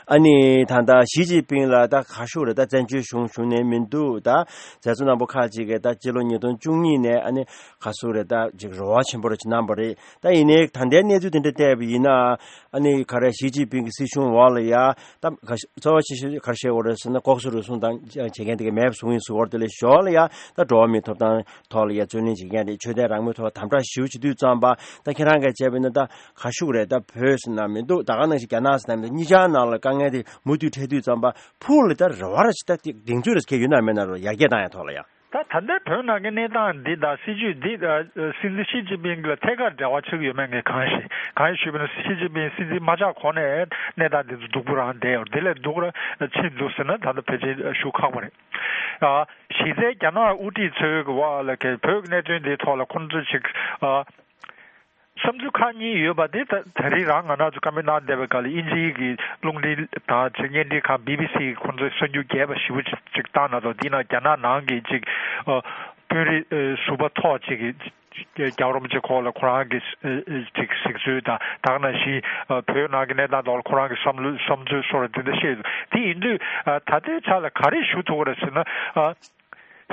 ཨ་ནི་ད་ལྟ་ཞི་ཅིན་ཕིང་ལ་ད་ག་ཞུ་རེད། ད་བཙན་བྱོལ་གཞུང་བཞུགས་ནས་མི་འདུག་ད་མཛད་གཙོ་རྣམ་པ་ཁག་ཅིག་གིས་ད་སྤྱི་ལོ་ཉིས་སྟོང་བཅུ་གཉིས་ནས་ཨ་ནི་ག་ཟེར་རེད། ད་ཅིག་རེ་བ་ཆེན་པོ་རེ་ཅིག་གནང་བ་རེད། ད་ཡིན་ནའི་ད་ལྟའི་གནས་ཚུལ་དེ་འདྲ་བལྟས་པ་ཡིན་ན། ཨ་ནི་ག་རེ་ཞི་ཅིན་ཕིང་གི་སྲིད་གཞུང་འོག་ལ་ཡ་ད་ག་གཙོ་བོ་ཆེ་ཤོས་ག་རེ་བཤད་དགོས་རེད་ཟེར་ན། ལྐོག་ཟ་རུལ་སུངས་དང་བྱེད་མཁན་དེ་ག་མེད་པ་བཟོ་གི་ཡིན་ཟེར་བ་དེ་ལས་ཞོར་ལ་ཡ་ད་འགྲོ་བ་མིའི་ཐོབ་ཐང་ཐོག་ལ་ཡ་རྩོད་ལེན་བྱེད་མཁན་རེད། ཆོས་དད་རང་མོས་ཐོག་དམ་དྲག་ཞེ་པོ་བྱེད་དུས་ཙམ་པ། ད་ཁྱེད་རང་གིས་བྱས་པ་ཡིན་ན་ད་ག་ཞུ་དགོས་རེད། ད་བོད་ཟེར་ན་མི་འདུག་ད་ག་ནང་བཞིན་རྒྱ་ནག་ཟེར་ན་མི་འདུག་གཉིས་ཆར་ནང་ལ་དཀའ་ངལ་དེ་མུ་མཐུད་འཕྲད་དུས་ཙམ་པ། ཕུགས་ལ་ད་རེ་བ་ར་ཅིག་ད་གདེང་ཚོད་ར་ཅིག་ཡོད་ན་མེད་ན་རོ། ཡར་རྒྱས་བཏང་ཡ་ཐོག་ལ་ཡ། ད་ད་ལྟའི་བོད་ནང་གི་གནས་སྟངས་འདི་དང་སྲིད་ཇུས་འདི། ཨ། སྲིད་འཛིན་ཞི་ཅིན་ཕིང་ལ་ཐད་ཀར་འབྲེལ་བ་ཆགས་ཀྱི་ཡོད་མེད་ངས་གང་ཞིག་གང་ཞིག་ཞུས་པ་ན། ཞི་ཅིན་ཕིང་སྲིད་འཛིན་མ་ཆགས་གོང་ནས་གནས་སྟངས་འདི་ཚོ་སྡུག་པོ་རང་བསྡད་ཡོད་རེད། དེ་ལས་སྡུག་ར་ཕྱིན་འདུག་ཟེར་ན་ད་ལྟ་ཕལ་ཆེར་ཞུ་ཁག་པོ་རེད། ཨ། གཞི་རྩའི་རྒྱ་ནག་དབུ་ཁྲིད་ཚོའི་གི་འོག་ལ་གི་བོད་ཀྱི་གནད་དོན་འདིའི་ཐོག་ལ་ཁོང་ཚོས་ཅིག་ཨ། བསམ་ཚུལ་ཁག་གཉིས་ཡོད་པ་དེ་ད་ད་རེས་རང་ང་རང་ཚོ་བཀའ་མོལ་གནང་བསྡད་པའི་སྐབས་ལ། དབྱིན་ཇིའི་གི་རླུང་འཕྲིན་དང་ཅིག་བརྙན་འཕྲིན་ཁང་བི་བི་སི་གི་ཁོང་ཚོས་གསར་འགྱུར་རྒྱས་པ་ཞེ་པོ་ཅིག་ཅིག་བཏང་ན་ཐོག་འདི་ནང་རྒྱ་ནག་ནང་གི་ཅིག་ཨ། དཔོན་རིགས་ཨ། ཟུར་པ་ཐོག་ཅིག་གིས་རྒྱལ་བ་རིན་པོ་ཆེ་སྐོར་ལ་ཁོ་རང་གི་ཨ། ཨ། ཅིག་གཟིགས་ཚུལ་དང་། ད་ག་ནང་བཞིན་ཨ། བོད་ནང་གི་གནས་སྟངས་ཐོག་ལ་ཁོ་རང་གི་བསམ་བློ་བསམ་ཚུལ་སོགས་རེ་དེ་འདྲ་བཤད་འདུག་དེ་ཡིན་དུས་ཨ། ད་ལྟའི་ཆ་ལ་ག་རེ་ཞུ་ཐུབ་ཀྱི་རེད་ཟེར་ན། ཨ།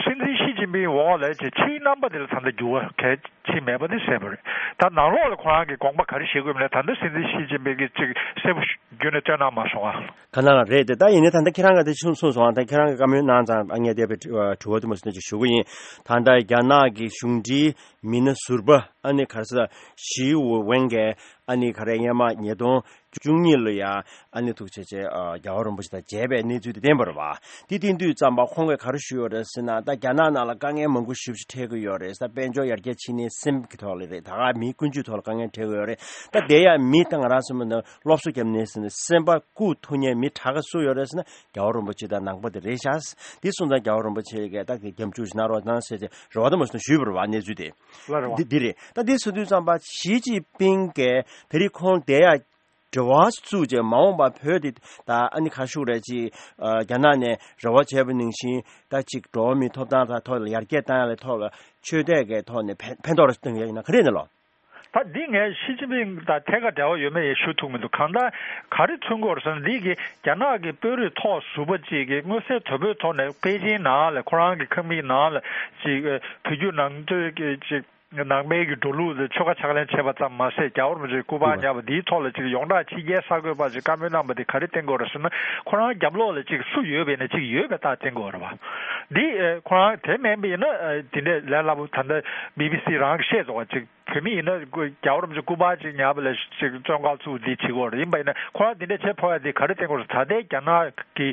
སྲིད་འཛིན་ཞི་ཅིན་ཕིང་འོག་ལ་ཅིག་ཕྱིའི་རྣམ་པ་དེ་ལ་ད་ལྟ་འགྱུར་བ་གལ་ཆེ་མེད་པ་དེ་གསལ་པོ་རེད། ད་ནང་ལོགས་ལ་ཁོ་རང་གིས་དགོངས་པ་ག་རེ་བཞེས་དགོས་མིན་ལ་ད་ལྟ་སྲིད་འཛིན་ཞི་ཅིན་ཕིང་གིས་ཅིག་གསལ་པོ་བརྗོད་ནས་སྟོན་གནང་མ་སོང་ང་། ག་ན་ལ་རེད་དེ། ད་ཡིན་ནའི་ད་ལྟ་ཁྱེད་རང་ག་དེ་ཆུང་སོང་སོང་ང་། ད་ཁྱེད་རང་གི་བཀའ་མོལ་གནང་ཙང་ཨ་ངས་དེ་བས་དྲི་བ་དུ་མ་སོང་ཅིག་ཞུ་གི་ཡིན། ད་ལྟ་རྒྱ་ནག་གི་གཞུང་འབྲེལ་མི་སྣ་ཟུར་པ་ཨ་ནི་ག་རེ་ཟེར། ཞི་ཝེན་གྱིས་ཨ་ནི་ག་རེ་སྔོན་མ་ཉིས་སྟོང་བཅུ་གཉིས་ལོ་ཡ་ཨ་ནི་ཐུག་ཆེ་ཆེ་ཨ། རྒྱལ་བ་རིན་པོ་ཆེ་དང་མཇལ་བའི་གནས་ཚུལ་དེ་བསྟན་པ་རེད་བ། དེ་བསྟན་དུས་ཙམ་པ་ཁོང་གིས་ག་རེ་ཞུས་ཡོད་རེད་ཟེར་ན། ད་རྒྱ་ནག་ནང་ལ་དཀའ་ངལ་མང་པོ་ཞེ་པོ་ཅིག་འཕྲད་ཀྱི་ཡོད་རེད། ད་དཔལ་འབྱོར་ཡར་རྒྱས་ཕྱིན་ནའི་སེམས་ཀྱི་ཐོག་ལ་རེད། ད་ག་མིའི་ཀུན་སྤྱོད་ཐོག་ལ་དཀའ་ངལ་འཕྲད་ཀྱི་ཡོད་རེད། ད་དེ་ཡང་མི་ད་ང་རང་ཚོ་མི་ནང་སློབ་གསོ་བརྒྱབ་ནས་ཟེར་ན་སེམས་པ་ལྐུགས་ཐུབ་མཁན་མི་དྲག་ག་སུ་ཡོད་རེད་ཟེར་ན་རྒྱལ་བ་རིན་པོ་ཆེ་དང་ནང་པ་དེ་རེད་ཤག་དེ་སོང་ཙང་རྒྱལ་བ་རིན་པོ་ཆེ་གིས་ད་གི་རྒྱབ་སྐྱོར་ཞིག་གནང་རོགས་གནང་ཟེར་ཏེ་རེ་བ་དུ་མ་སོང་ཞུས་པ་རེད་བ། གནས་ཚུལ་དེ་ལ་རེད་བ། འདི་འདི་རེད། ད་འདི་ཟེར་དུས་ཙམ་པ་ཞི་ཅིན་ཕིང་གིས་དེ་རིང་ཁོང་དེ་ཡ་འབྲེལ་བ་བཙུགས་བྱས་མ་འོངས་པ་བོད་དེ་ད་ཨ་ནི་ག་ཞུ་རེད་ཅིག་ཨ། རྒྱ་ནག་ནས་རེ་བ་བྱས་པ་ནང་བཞིན་ད་ཅིག་འགྲོ་བ་མིའི་ཐོབ་ཐང་ཐོག་ལ་ཡར་རྒྱས་བཏང་ཡ་ལ་ཐོག་ལ་ཆོས་དད་ཀྱི་ཐོག་ནས་ཕན་ཕན་ཐོགས་རེ་གཏོང་ཡ་ཡིན་ན་ག་རེ་ཡིན་ན་ལོ། ད་འདི་ངས་ཞི་ཅིན་ཕིང་དང་ཐད་ཀར་འབྲེལ་བ་ཡོད་མེད་ཡང་ཞུ་ཐུབ་མི་འདུག་གང་ལྟར་ག་རེ་མཚོན་གྱི་ཡོད་རེད་ཟེར་ན། འདི་གི་རྒྱ་ནག་གི་དཔོན་རིགས་ཐོག་ཟུར་པ་ཅིག་གིས་མངོན་གསལ་དོད་པོའི་ཐོག་ནས་པེ་ཅིན་ནང་ལ་ཁོ་རང་གི་ཁང་མིག་ནང་ལ་ཅིག་ཨ། བོད་བརྒྱུད་ནང་བསྟན་གྱི་ཅིག་ནང་པའི་གི་འགྲོ་ལུགས་དེ་ཆོལ་ཁ་ཕྱག་ལེན་བྱས་པ་ཙམ་མ་ཟད། རྒྱལ་བ་རིན་པོ་ཆེ་སྐུ་པར་ཉར་བ་འདིའི་ཐོག་ལ་ཅིག་ཡོངས་གྲགས་ཕྱི་རྒྱལ་གསར་འགོད་པ་ཅིག་བཀའ་མོལ་གནང་པ་དེ་ག་རེ་བསྟན་དགོས་རེད་ཟེར་ན། ཁོ་རང་རྒྱབ་ལོགས་ལ་ཅིག་སུ་ཡོད་པས་ན་ཅིག་ཡོད་པའི་རྟགས་བསྟན་དགོས་རེད་བ། འདི་ཨེ་ཁོ་རང་དེ་མིན་པ་ཡིན་ན་ཨེ་དེ་འདྲས་ལས་སླ་པོ། ད་ལྟ་བི་བི་སི་རང་གིས་བཤད་འདུག་བ། ཅིག་བོད་མི་ཡིན་ན་རྒྱལ་བ་རིན་པོ་ཆེ་སྐུ་པར་ཅིག་ཉར་བ་ལ་ཅིག་བཙོན་ཁང་བཙུགས་འདི་བྱེད་དགོས་རེད། ཡིན་པ་ཡིན་ན་ཁོ་རང་དེ་འདྲས་བྱེད་ཕོད་ཡ་དེ་ག་རེ་བསྟན་དགོས་རེད། ད་ལྟའི་རྒྱ་ནག་གི་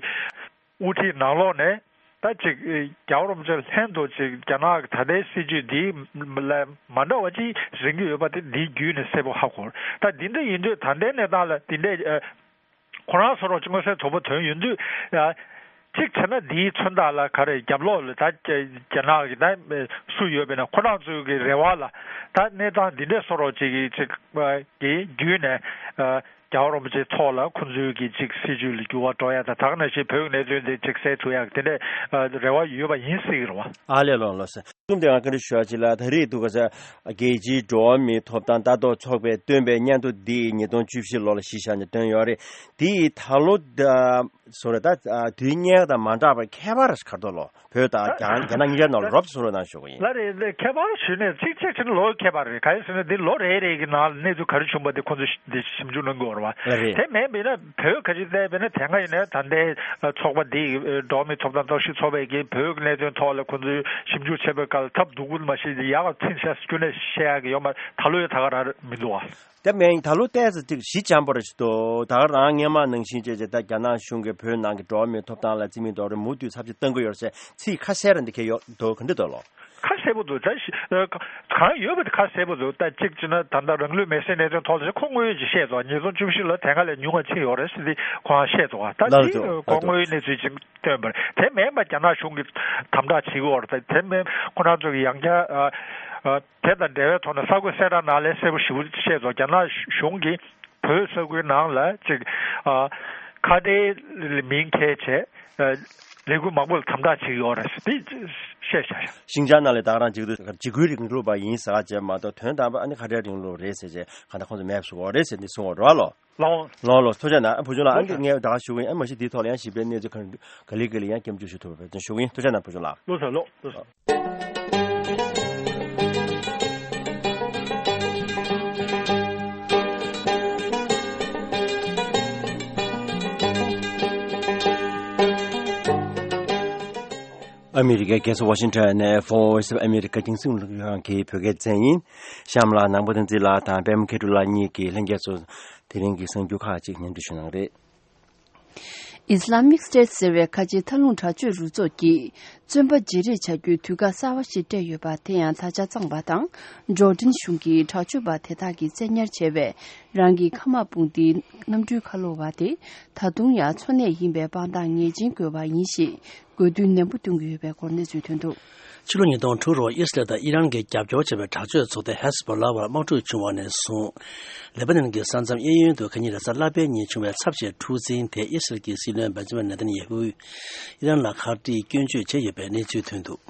དབུ་ཁྲིད་ནང་ལོགས་ནས་ད་ཅིག་རྒྱལ་བ་རིན་པོ་ཆེ་ལྷན་དུ་ཅིག་རྒྱ་ནག་གི་ད་ལྟའི་སྲིད་བྱུས་འདི་ལ་མ་འདྲ་བ་ཅིག་རེད་ཀྱི་ཡོད་པ་དེ་འདིའི་བརྒྱུད་ནས་གསལ་པོ་ཧ་གོ། ད་འདི་འདྲ་ཡིན་དུས་ད་ལྟའི་གནས་སྟངས་ལ་འདི་འདྲའི་ཨ་ཁོ་རང་ཚོ་རང་ཅིག་མངོན་གསལ་དོད་པོ་ཐོན་ཡོང་དུས། ཨ་གཅིག་བྱས་ན་འདིའི་མཚོན་རྟགས་ལ་ག་རེ་རྒྱབ་ལོགས་ལ་ད་རྒྱ་ནག་གི་ད་སུ་ཡོད་པས་ན། ཁོ་རང་ཚོའི་གི་རེ་བ་ལ་ད་གནས་སྟངས་འདི་འདྲའི་བཟོ་འདྲ་ཅིག་གི་ཅིག་གི་བརྒྱུད་ནས་ཨ་རྒྱལ་བ་རིན་པོ་ཆེའི་ཐོག་ལ་ཁོང་ཚོའི་གི་ཅིག་སྲིད་བྱུས་ལ་འགྱུར་བ་འགྲོ་ཡ་དང་། ད་ག་ནང་བཞིན་བོད་ཀྱི་གནད་དོན་དེ་ཅིག་སེལ་ཐུབ་ཡ་གི་དེ་འདྲའི་ཨ་རེ་བ་ཡོད་པ་ཡིན་སྲིད་ཀྱི་རེད་བ། ཨ་ལས། ལགས་ལགས་སོ། གསུམ་དེ་ང་བཀའ་འདྲི་ཞུ་ཡ་ཅིག་ལ། ད་རེས་འདུག་ག་ས་རྒྱལ་སྤྱིའི་འགྲོ་བ་མིའི་ཐོབ་ཐང་ལྟ་རྟོག་ཚོགས་པས་བཏོན་པའི་སྙན་ཐོ་འདི་ཉིས་སྟོང་བཅུ་བཞི་ལོ་ལ་གཞི་བཞག་ནས་བཏོན་ཡོད་རེད། འདི་ད་ལོ་ད་བཟོ་འདྲ་ད་དུས་སྔོན་དང་མ་འདྲ་བར་ཁྱད་པར་ག་རེ་འདུག་ལོ། བོད་དང་རྒྱ་རྒྱ་ནག་གཉིས་ཆར་ནང་ལ་རོབ་ཙམ་བཟོ་འདྲ་གནང་ཞུ་གི་ཡིན། ལགས་རེད། ལགས། ཁྱད་པར་ཞུས་ནས་གཅིག་གཅིག་བྱས་ན་ལོ་ཁྱད་པར་རེད། གང་ཡིན་ཟེར་ན་འདི་ལོ་རེ་རེ་གི་ནང་ལ་གནས་ཚུལ་ག་རེ་བྱུང་པ་དེ་ཁོང་ཚོས་འདི་ཞིབ་འཇུག་གནང་དགོས་རེད་བ། ལགས་རེད། དེ་མིན་པ་ཡིན་ན་བོད་ག་ཅིག་བལྟས་པ་ཡིན་ན་དེ་སྔ་ཡིན་ནའི་ད་ལྟའི་ཚོགས་པ་འདི་འགྲོ་བ་མིའི་ཐོབ་ཐང་རྟོག་ཞིབ་ཚོགས་པས་ཀྱི་བོད་ཀྱི་གནད་དོན་ཐོག་ལ་ཁོང་ཚོས་ཞིབ་འཇུག་བྱས་པའི་སྐབས་ལ་ཐབས་སྡུག་པོ་མ་ཤེས་ཀྱི་ཡག་ཚིག་ཤ་སྐྱོན་ནས་བཤད་ཡག་གི་ཡོད་མ་རེད། ད་ལོ་ཡང་ད་ག་རང་མི་འདུག་བ། དེ་མིན་ད་ལོ་ཏོག་ཙམ་ཅིག་ཞི་འཇམ་པོ་རེད་ཤག་འདུག་ད་ག་རང་སྔོན་མ་ནང་བཞིན་བྱས་བྱས་ད་རྒྱ་ནག་གཞུང་གིས་བོད་ནང་གི་འགྲོ་བ་མིའི་ཐོབ་ཐང་ལ་རྩིས་མེད་རྡོག་རོལ་མུ་མཐུད་ཚབས་ཆེ་བཏང་གི་ཡོད་རེད་ཟེར་ཚིག་ཁ་གསལ་རང་འདི་གས་ཡོད་འདུག་ག་འདྲ་འདུག་ལོ། ཁ་གསལ་པོ་འདུག་ད་ཞི་ཨ་གང་ཡོད་པ་དེ་ཁ་གསལ་པོ་འདུག་ད་གཅིག་བྱས་ན་ད་ལྟ་རང་ལུས་མེར་སྲེག་གནད་དོན་ཐོག་ལ་ཁོ་དངོས་ཡོད་ཅིག་བཤད་འདུག་ཉིས་སྟོང་བཅུ་བཞི་ལ་དེ་སྔ་ལས་ཉུང་བ་ཕྱིན་ཡོད་རེད་ཟེར་ཏེ་ཁོ་རང་བཤད་འདུག་ད་ལགས་འདི་འདུག་ཁོ་དངོས་ཡོད་གནས་ཚུལ་ཅིག་སྟོན་པ་རེད། དེ་མིན་པ་རྒྱ་ནག་གཞུང་གིས་དམ་དྲག་བྱེད་ཀྱི་ཡོད་རེད། དེ་མིན་ཁོ་རང་ཚོ་གི་ཡང་བསྐྱར་ཨ་ཨ་དེ་དང་འབྲེལ་བའི་ཐོག་ནས་གསར་འགོད་གསལ་བསྒྲགས་ནང་ལས་གསལ་པོ་ཞེ་པོ་བཤད་འདུག་རྒྱ་ནག་གཞུང་གིས་བོད་ས་ཁུལ་ནང་ལ་ཅིག་ཨ་ཁ་བྲལ་མིང་འཁྱེར་བྱས་ཨ་ལས་འགུལ་མང་པོ་ལ་དམ་དྲག་བྱེད་ཀྱི་ཡོད་རེད་ཟེར་ཏེ་བཤད་བཞག་ཤག་ཤིན་ཅང་ནང་ལ་ད་ག་རང་འཇིགས་སྐུལ་འཇིགས་སྐུལ་རིང་ལུགས་པ་ཡིན་ཟེར་བ་བྱས་མ་གཏོགས་དོན་དམ་པ་ཨ་ནི་ཁ་བྲལ་རིང་ལུགས་རེད་ཟེར་བྱས་གང་ལྟར་ཁོང་ཚོ་མེད་པ་བཟོ་དགོས་རེད་ཟེར་ནས་གསུང་བ་རེད་བ་ལོ། ལགས་ལགས་ལགས། ཐུགས་རྗེ་གནང་། ཨ་བུ་ཆུང་ལགས། ཨ་ལགས་ནི་ངས་ད་ག་ཞུ་གི་ཡིན། ཨ་མ་གཞི་འདིའི་ཐོག་ལ་ཡང་ཞིབ་ཕྲའི་གནས་ཚུལ་གང་ག་ལེ་ག་ལེ་ཡང་སྐྱབས་འཇུག་ཞུ་ཐུབ་པ་བྱུང་ཞུ་གི་ཡིན། ཐུགས་རྗེ་གནང་བུ་ཆུང་ལགས། ལགས་སོ་ལགས་ལགས་སོ། ཨ་མི་རི་ཀའི་རྒྱལ་ས་ཝ་ཤིང་ཊོན་ནས་Voice of America་རྒྱང་སྲིང་རླུང་འཕྲིན་ཁང་གི་བོད་སྐད་སྡེ་ཚན་ཡིན། གཤམ་ལ་ནང་པ་བསྟན་འཛིན་ལགས་དང་པད་མ་མཁས་གྲུབ་ལགས་གཉིས་ཀྱིས་ལྷན་རྒྱས་ཚོ་དེ་རིང་གི་གསར་འགྱུར་ཁག་ཅིག་སྙན་སྒྲོན་ཞུ་གནང་རེད། Islamic State་ཟེར་བའི་ཁ་ཆེའི་མཐའ་ལྷུང་དྲག་སྤྱོད་རུ་ཚོགས་ཀྱིས་བཙོན་པ་བརྗེ་རེས་བྱ་རྒྱུའི་དུས་བཀག་གསར་བ་ཞིག་སྤྲད་ཡོད་པ་དེ་ཡང་ད་ཆ་གཙང་པ་དང་། ཇོར་ཌན་གཞུང་གིས་དྲག་སྤྱོད་པ་དེ་དག་གིས་བཙན་ཉར་བྱས་པའི་རང་གི་མཁའ་དམག་དཔུང་སྡེའི་གནམ་གྲུའི་ཁ་ལོ་བ་དེ་ད་དུང་ཡང་འཚོ་གནས་ཡིན་པའི་དཔང་རྟགས་ངེས་ཅན་དགོས་པ་ཡིན་ཞེས་དགོས་འདུན་ནན་པོ་བཏོན་གྱི་ཡོད་པའི་སྐོར་གནས་ཚུལ་ཐོན་འདུག་ཕྱི་ལོ་ཉིས་སྟོང་དྲུག་ལོར་ཨི་སི་རལ་དང་ཨི་རན་གྱིས་རྒྱབ་སྐྱོར་བྱས་པའི་དྲག་སྤྱོད་ཚོགས་སྡེ་ཧེ་ཟ་བྷོ་ལ་བར་དམག་འཁྲུག་བྱུང་བ་ནས་བཟུང་། ལེ་པ་ནན་གྱི་ས་མཚམས་གཡས་གཡོན་དུ་ཁ་ཉིན་རེས་གཟའ་ལྷག་པའི་ཉིན་བྱུང་བའི་ཚབས་ཆེའི་འཁྲུག་འཛིང་དེ་ཨི་སི་རལ་གྱི་སྲིད་བློན་བེན་ཇ་མིན་ནེ་ཐན་ཡེ་ཧུས་ཨི་རན་ལ་ཁ་གཏད་སྐྱོན་བརྗོད་བྱས་ཡོད་པའི་གནས་ཚུལ་ཐོན་འདུག་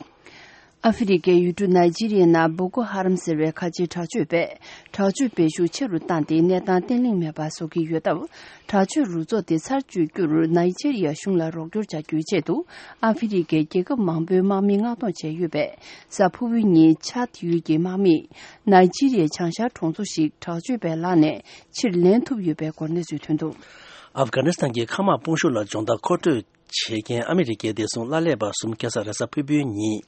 ཨ་ཧྥེ་རི་ཁའི་ཡུལ་གྲུ་ནཱི་ཇི་རི་ཡའི་ནང་བོ་ཀོ་ཧ་རམ་ཟེར་བའི་ཁ་ཆེའི་དྲག་སྤྱོད་པས་དྲག་སྤྱོད་སྤེལ་ཤུགས་ཆེ་རུ་བཏང་སྟེ་གནས་སྟངས་བརྟན་ལྷིང་མེད་པ་བཟོ་གི་ཡོད་སྟབས། དྲག་སྤྱོད་རུ་ཚོགས་དེ་ཚར་གཅོད་རྒྱུར་ནཱི་ཇི་རི་ཡ་གཞུང་ལ་རོགས་སྐྱོར་བྱ་རྒྱུའི་ཆེད་དུ་ཨ་ཧྥེ་རི་ཁའི་རྒྱལ་ཁབ་མང་པོའི་དམག་མིས་མངགས་གཏོང་བྱས་ཡོད་པས། གཟའ་ཕུར་བུའི་ཉིན་ཆཱད་ཡུལ་གྱི་དམག་མིས་ནཱི་ཇི་རི་ཡའི་བྱང་ཤར་གྲོང་ཚོ་ཞིག་དྲག་སྤྱོད་པའི་ལག་ནས་ཕྱིར་ལེན་ཐུབ་ཡོད་པའི་སྐོར་གནས་ཚུལ་ཐོན་འདུག་ཨབ་གྷ་ནི་སི་ཐན་གྱི་མཁའ་དམག་དཔུང་ཤུགས་ལ་སྦྱོང་བརྡར་མཁོ་སྤྲོད་བྱེད་མཁན་ཨ་མི་རི་ཀའི་བདེ་སྲུང་གླ་ལས་པ་གསུམ་ཁ་སང་རེས་གཟའ་ཕུར་བུའི་ཉིན་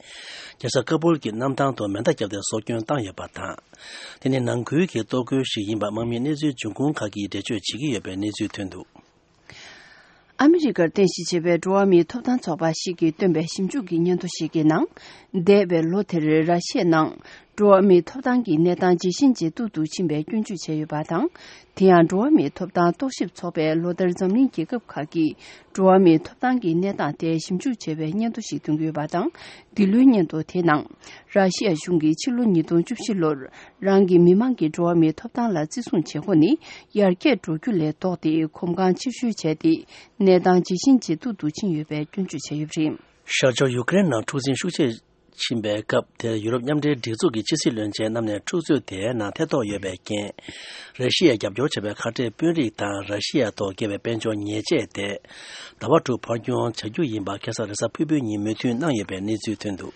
རྒྱལ་ས་ཀ་སྦུལ་གྱི་གནམ་ཐང་དུ་མེ་མདའ་བརྒྱབ་སྟེ་སྲོག་སྐྱོན་བཏང་ཡོད་པ་དང་། དེ་ནི་ནང་ཁུལ་གྱི་གཏོར་རྒོལ་ཞིག་ཡིན་པ་དམག་མིའི་གནས་ཚུལ་འབྱུང་ཁུངས་ཁག་གིས་འགྲེལ་བརྗོད་བྱེད་ཀྱི་ཡོད་པའི་གནས་ཚུལ་ཐོན་འདུག་ཨ་མི་རི་ཀར་རྟེན་གཞི་བྱས་པའི་འགྲོ་བ་མིའི་ཐོབ་ཐང་ཚོགས་པ་ཞིག་གིས་བཏོན་པའི་ཞིབ་འཇུག་གི་སྙན་ཐོ་ཞིག་གི་ནང་། འདས་པའི་ལོ་དེར་ར་ཤི་ཡའི་ནང་འགྲོ་བ་མིའི་ཐོབ་ཐང་གི་གནས་སྟངས་ཇེ་ཞན་ཇེ་སྡུག་ཏུ་ཕྱིན་པའི་སྐྱོན་བརྗོད་བྱས་ཡོད་པ་དང་། དེ་ཡང་འགྲོ་བ་མིའི་ཐོབ་ཐང་རྟོག་ཞིབ་ཚོགས་པས་ལོ་ལྟར་འཛམ་གླིང་རྒྱལ་ཁབ་ཁག་གིས་འགྲོ་བ་མིའི་ཐོབ་ཐང་གི་གནས་སྟངས་ཐད་ཞིབ་འཇུག་བྱས་པའི་སྙན་ཐོ་ཞིག་འདོན་གྱི་ཡོད་པ་དང་། འདི་ལོའི་སྙན་ཐོ་དེའི་ནང་། ར་ཤི་ཡ་གཞུང་གིས་ཕྱི་ལོ་ཉིས་སྟོང་བཅུ་བཞི་ལོར་རང་གི་མི་མང་གི་འགྲོ་བ་མིའི་ཐོབ་ཐང་ལ་བརྩི་སྲུང་བྱེད་སྒོ་ནི་ཡར་རྒྱས་འགྲོ་རྒྱུ་ལས་ལྡོག་སྟེ་གོམ་གང་ཕྱིར་བཤོལ་བྱས་ཏེ། གནས་སྟངས་ཇེ་ཞན་ཇེ་སྡུག་ཏུ་ཕྱིན་ཡོད་པའི་སྐྱོན་བརྗོད་བྱས་ཡོད་པ་རེད། ཤར་ཕྱོགས་ཡུ་ཀེ་རེན་ནང་འཁྲུག་འཛིང་ཤུགས་ཆེ་ཕྱིན་པའི་སྐབས་དེར་ཡུ་རོབ་མཉམ་འབྲེལ་སྒྲིག་འཛུགས་ཀྱི་ཕྱི་སྲིད་བློན་ཆེན་རྣམས་ནས་འཁྲུག་རྩོད་དེའི་ནང་ཐེ་གཏོགས་ཡོད་པའི་རྐྱེན། ར་ཤི་ཡས་རྒྱབ་སྐྱོར་བྱས་པའི་ཁ་བྲལ་དཔོན་རིགས་དང་ར་ཤི་ཡ་ཐོག་བཀལ་བའི་དཔལ་འབྱོར་ཉེས་ཆད་དེ། ཟླ་བ་དྲུག་འཕར་སྐྱོང་བྱ་རྒྱུ་ཡིན་པ་ཁ་སང་རེས་གཟའ་ཕུར་བུའི་ཉིན་མོས་མཐུན་གནང་ཡོད་པའི་གནས་ཚུལ་ཐོན་འདུག་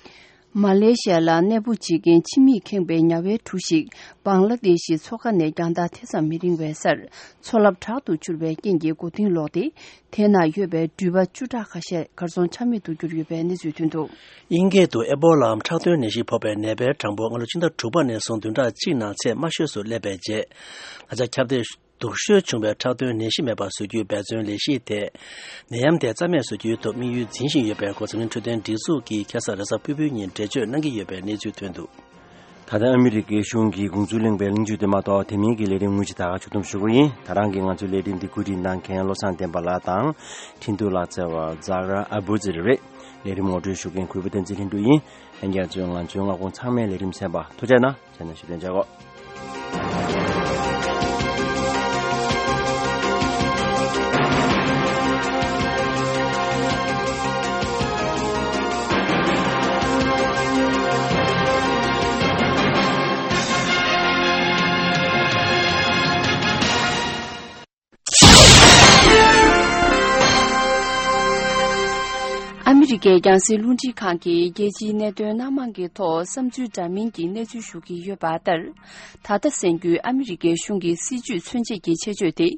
མ་ལེ་ཤི་ཡ་ལ་གནས་སྤོ་བྱེད་མཁན་ཕྱི་མིས་ཁེངས་པའི་ཉ་དབྱེ་གྲུ་ཞིག་བང་ལ་དེ་ཤི་མཚོ་ཁ་ནས་རྒྱང་ཐག་ཐེ་ཚོམ་མི་རིང་བའི་སར་མཚོ་རླབས་དྲག་ཏུ་འཕྱུར་བའི་རྐྱེན་གྱིས་མགོ་རྟིང་སློག་སྟེ། དེ་ན་ཡོད་པའི་འགྲུལ་པ་བཅུ་ཕྲག་ཁ་ཤས་གར་སོང་ཆ་མེད་དུ་གྱུར་ཡོད་པའི་གནས་ཚུལ་ཐོན་འདུག། དབྱིན་སྐད་དུ་ཨེ་བོ་ལའམ་ཁྲག་འཐུང་ནད་གཞི་ཕོག་པའི་ནད་པའི་གྲངས་འབོར་སྔ་ལོ་ཕྱི་ཟླ་དྲུག་པ་ནས་བཟུང་བདུན་ཕྲག་གཅིག་ནང་ཚད་དམའ་ཤོས་སུ་སླེབས་པའི་རྗེས། ད་ཆ་ཁྱབ་གདལ་སྡུག་ཤོས་བྱུང་བའི་ཁྲག་འཐུང་ནད་གཞི་མེད་པར་བཟོ་རྒྱུའི་འབད་བརྩོན་ལས་གཞིའི་ཐད། ནད་ཡམས་དེ་རྩ་མེད་བཟོ་རྒྱུའི་ཐོག་དམིགས་ཡུལ་འཛིན་བཞིན་ཡོད་པའི་སྐོར་འཛམ་གླིང་འཕྲོད་བསྟེན་སྒྲིག་འཛུགས་ཀྱིས་ཁ་སང་རེས་གཟའ་ཕུར་བུའི་ཉིན་འགྲེལ་བརྗོད་གནང་གི་ཡོད་པའི་གནས་ཚུལ་ཐོན་འདུག། ད་ལྟ་ཨ་མི་རི་ཀའི་གཞུང་གིས་དགོངས་ཚུལ་གླེང་བའི་གླེང་བརྗོད་དེ་མ་གཏོགས། དེ་མིན་གྱི་ལས་རིམ་དངོས་གཞི་ད་ག་ཞུ་ཐུབ་ཞུ་གི་ཡིན། ད་རང་གིས་ང་ཚོའི་ལས་རིམ་འདི་བཀོད་སྒྲིག་གནང་མཁན་བློ་བཟང་བསྟན་པ་ལགས་དང་། འཕྲིན་ཐུང་ལག་རྩལ་བ་ཛ་ར་ཨ་བུ་ཛི་རེད། ལས་རིམ་ངོ་སྤྲོད་ཞུ་མཁན་གུས་པ་བསྟན་འཛིན་ལྷུན་གྲུབ་ཡིན། ལྷན་རྒྱས་ཚོས་ང་ཚོའི་མངའ་ཁོངས་ཚང་མའི་ལས་རིམ་གསན་པར་ཐུགས་རྗེ་གནང་། ཟེར་ནས་ཞུ་དོན་བྱ་གོ། ཨ་མི་རི་ཀའི་རྒྱང་སྲིང་རླུང་འཕྲིན་ཁང་གིས་རྒྱལ་སྤྱིའི་གནད་དོན་སྣ་མང་གི་ཐོག་བསམ་ཚུལ་འདྲ་མིན་གྱི་གནས་ཚུལ་ཞུ་གི་ཡོད་པ་ལྟར། ད་ལྟ་གསན་རྒྱུའི་ཨ་མི་རི་ཀའི་གཞུང་གི་སྲིད་ཇུས་མཚོན་བྱེད་ཀྱི་ཆེད་བརྗོད་དེ།